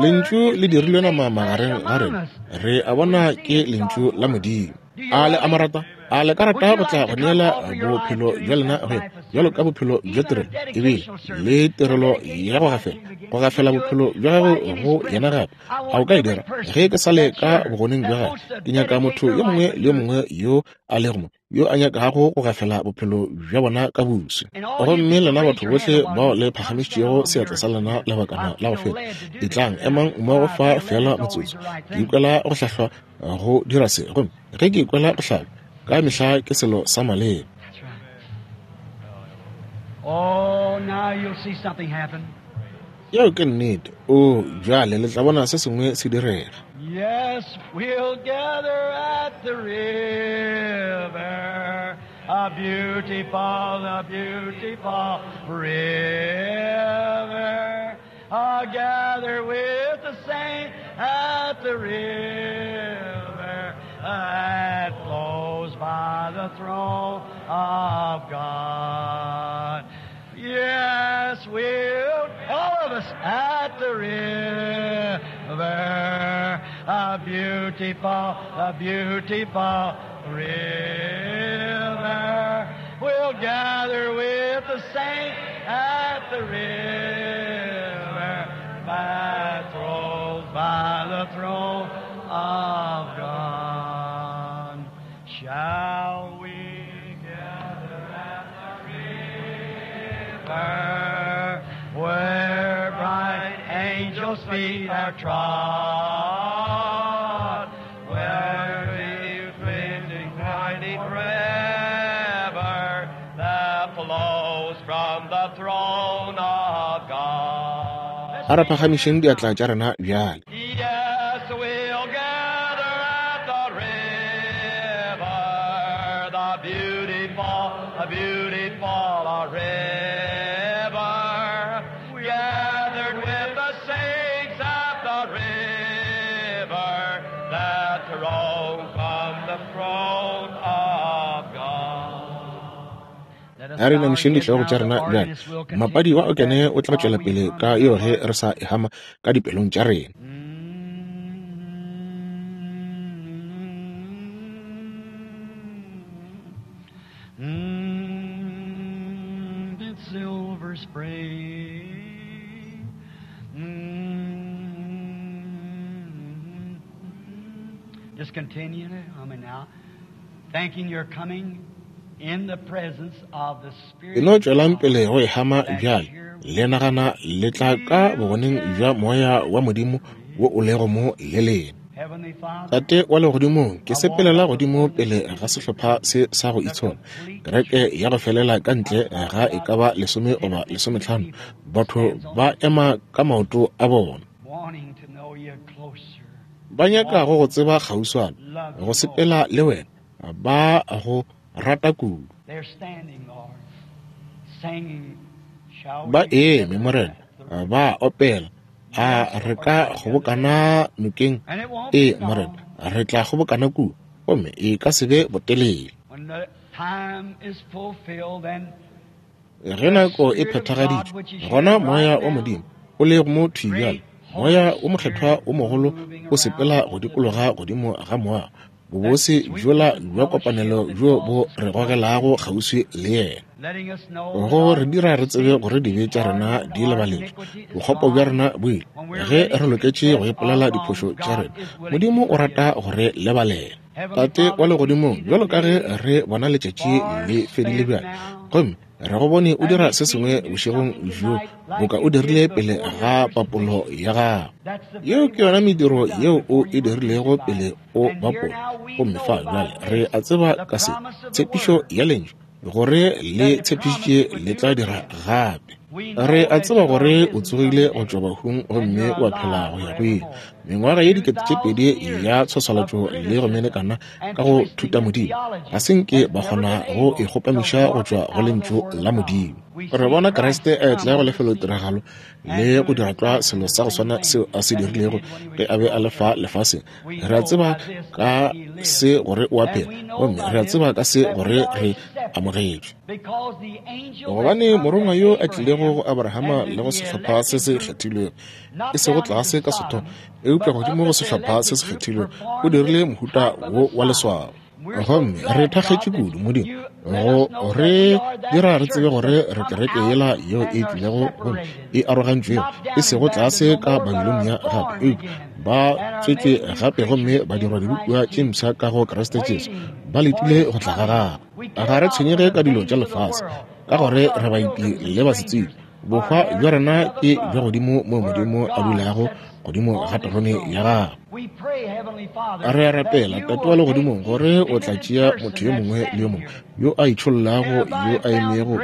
Lentšu le dirilwe nama magareng ga rena. Re a bona ke lentšu la Modimo. A le a mo rata? A le ka rata go tla go neela bophelo bja lena go yena bjalo ka bophelo bja tirelo, ebile le tirelo ya go gafela, go gafela bophelo bja gago go yena gape? A o ka e dira? Ge ke sa le ka bogoneng bja gagwe, ke nyaka motho yo mongwe le yo mongwe yo a lego mo yo a nyakago go gafela bophelo bja bona ka boswi. Gomme lena batho bohle bao le phagamišitšego seatla sa lena lebakana la go feta, etlang emang mmogo fa fela motsotso. Ke ikwela go hlahlwa go dira se, gomme ge ke ikwela go hlaba ka mehla ke selo sa maleba. Yeo ke nnete. O bjale le tla bona se sengwe se direga. Yes, we'll gather at the river, a beautiful, a beautiful river. I'll gather with the saints at the river that flows by the throne of God. Yes, we'll, all of us at the river, a beautiful, a beautiful river. We'll gather with the saints at the river that flows by the throne of God. Shall feet have trod, where we the mighty river that flows from the throne of God. A re phagamišeng diatla tša rena bjale. Yes, we'll gather at the river, the beautiful, beautiful river. Gathered with the saints at the river that roll from the throne of God. A re namišeng dihlogo tša rena bjale. Mapadi wa okene o tla tšwela pele ka eo ge re sa e hama ka dipelong tša rena. Mm, it's silver spray. Mm. Just continue I mean now, thanking your coming in the presence of the Spirit. E no tšwelang pele go e hama bjale. Le nagana le tla ka bogoneng bja moya wa Modimo wo o lego mo le lena. Heavenly Father, Tate wa legodimong, ke sepelela godimo pele ga sehlopha se sa go itshola. Kereke ya go felela ka ntle ga e ka ba lesome goba lesometlhano. Batho ba ema ka maoto a bona. wanting to know you closer. Ba nyaka go go tseba kgauswana, go sepela le wena, ba go rata kudu. They're standing, Lord, singing, shall we Ba eme, Morena, ba opela. A re ka kgobokana nokeng? And it won't Ee, be long Morena, re tla kgobokana kua, gomme e ka se be botelele. when the time is fulfilled and Ge nako e phethagaditšwe, gona moya wa Modimo o lego mo thwi bjale, moya o mokgethwa o mogolo o sepela go dikologa godimo ga moago, bobose bjola bja kopanelo bjo bo re gogelago kgauswi le yena, letting us know go re dira re tsebe gore dibe tša rena di lebaletšwe, bokgopo bja rena bo ile. Ge re loketše go ipolela diphošo tša rena, Modimo o rata go re lebalela. Tate wa legodimong, bjalo ka ge re bona letšatši le fedile bjale, gomme re go bone o dira se sengwe bošegong bjo boka o dirile pele ga papolo ya gago. that's the Yeo ke yona mediro yeo o e dirilego pele o bapola. Gomme fa bjale re a tseba ka se tshepišo ya lentšu gore le tshepišitše le tla dira gape. Re a tseba gore o tsogile go tšwa bahung gomme wa phela go ya go ile. Mengwaga ye dikete tše pedi ya tshwaswalatšo le go menekana ka go thuta Modimo ga se nke ba kgona go e kgopamiša go tšwa go lentšu la Modimo. Re bona Kriste a etla go lefelotiragalo le go dira tlwa selo sa go swana seo a se dirilego ge a be a le fa lefaseng. Re a tseba ka se gore o a phela, gomme re a tseba ka se gore re amogetšwe. because the angel Gobane morongwa yo a tlilego go Abrahama le go sehlopha se se kgethilwego, e sego tlase ka Sodoma, eupša godimo go sehlopha se se kgethilwego, o dirile mohuta wo wa leswao. Gomme re thakgetše kudu, Modimo, go re dira re tsebe gore re kereke yela yeo e tlilego gomme e arogantšwego, e sego tlase ka Babilonia gape, eupša ba tswetšwe gape gomme ba dirwa dibopiwa tše mpsha ka go Kriste Jesu, ba letile go tla ga gagwe. Ga re tshwenyege ka dilo tša lefase, ka gore re baeti le basetsebje. Bohwa bja rena ke bja godimo moo Modimo a dulago godimo ga terone ya gagwe. we pray, Heavenly Father, Re a rapela, that Tate you wa will legodimong, take gore each o tla and tšea person motho yo that's mongwe le yo standing mongwe here. yo a itšhollago, yo a emego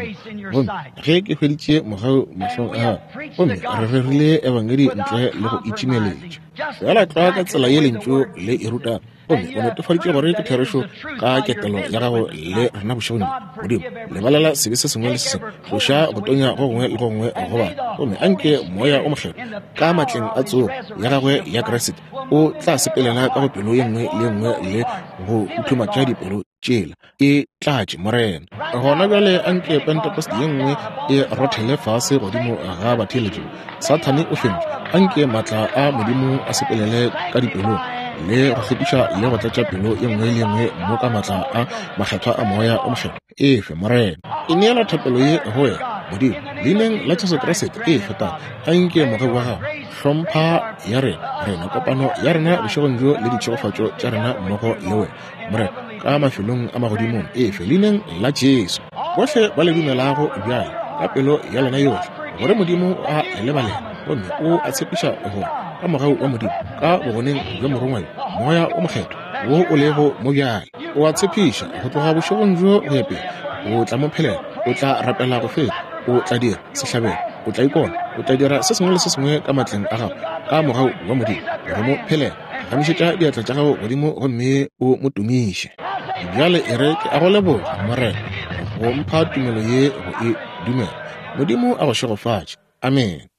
gomme ge ke hweditše mogau mahlong a gago, gomme re rerile ebangedi ntle le go itšimeletša. Fela tlwa ka tsela ye lentšu le e rutago, gomme o netefaditše gore ke therešo ka ketelo ya gago le rena bošegong bjo. Modimo, lebalela sebe se sengwe le se sengwe, tloša go tonya go gongwe le go gongwe go bana, gomme anke moya o mokgethwa ka matleng a tsogo ya gagwe ya Kriste o tla sepelela ka go pelo ye nngwe le ye nngwe le go futhumatša dipelo tšela. E tlatše, Morena. Gona bjale anke Pentecost ye nngwe e rothele fase godimo ga batheeletši. Sathane o fentšwe. Anke maatla a Modimo a sepelele ka dipelong le go hlwekiša le go tlatša pelo ye nngwe le ye nngwe mo ka maatla a makgethwa a moya o mokgethwa. Efe, Morena. E neela thapelo ye go wena, Modimo, leineng la Jesu Kriste. Efe, Tate, anke mogau wa gago, hlompha ya rena, rena kopano ya rena bošegong bjo le ditšhegofatšo tša rena mmogo le wena, Morena, ka mafelong a magodimong. Efe, leineng la Jesu. Bohle ba le dumelago bjale ka pelo ya lena yohle gore Modimo a le lebalela, gomme o a tshepiša gore ka mogau wa Modimo, ka bogoneng bja Morongwa yo, Moya wo Mokgethwa wo o lego mo bjale. O a tshepiša go tloga bošegong bjo go ya pele, o tla mo phelela, o tla rapela go feta, o tla dira sehlabelo, o tla ikona, o tla dira se sengwe le se sengwe ka matleng a gago, ka mogau wa Modimo, go mo phelela. Phagamišetša diatla tša gago godimo gomme o mo tumiše. Bjale e re ke a go leboga, Morena, go mpha tumelo ye go e dumela. Modimo a go šegofatše. Amene.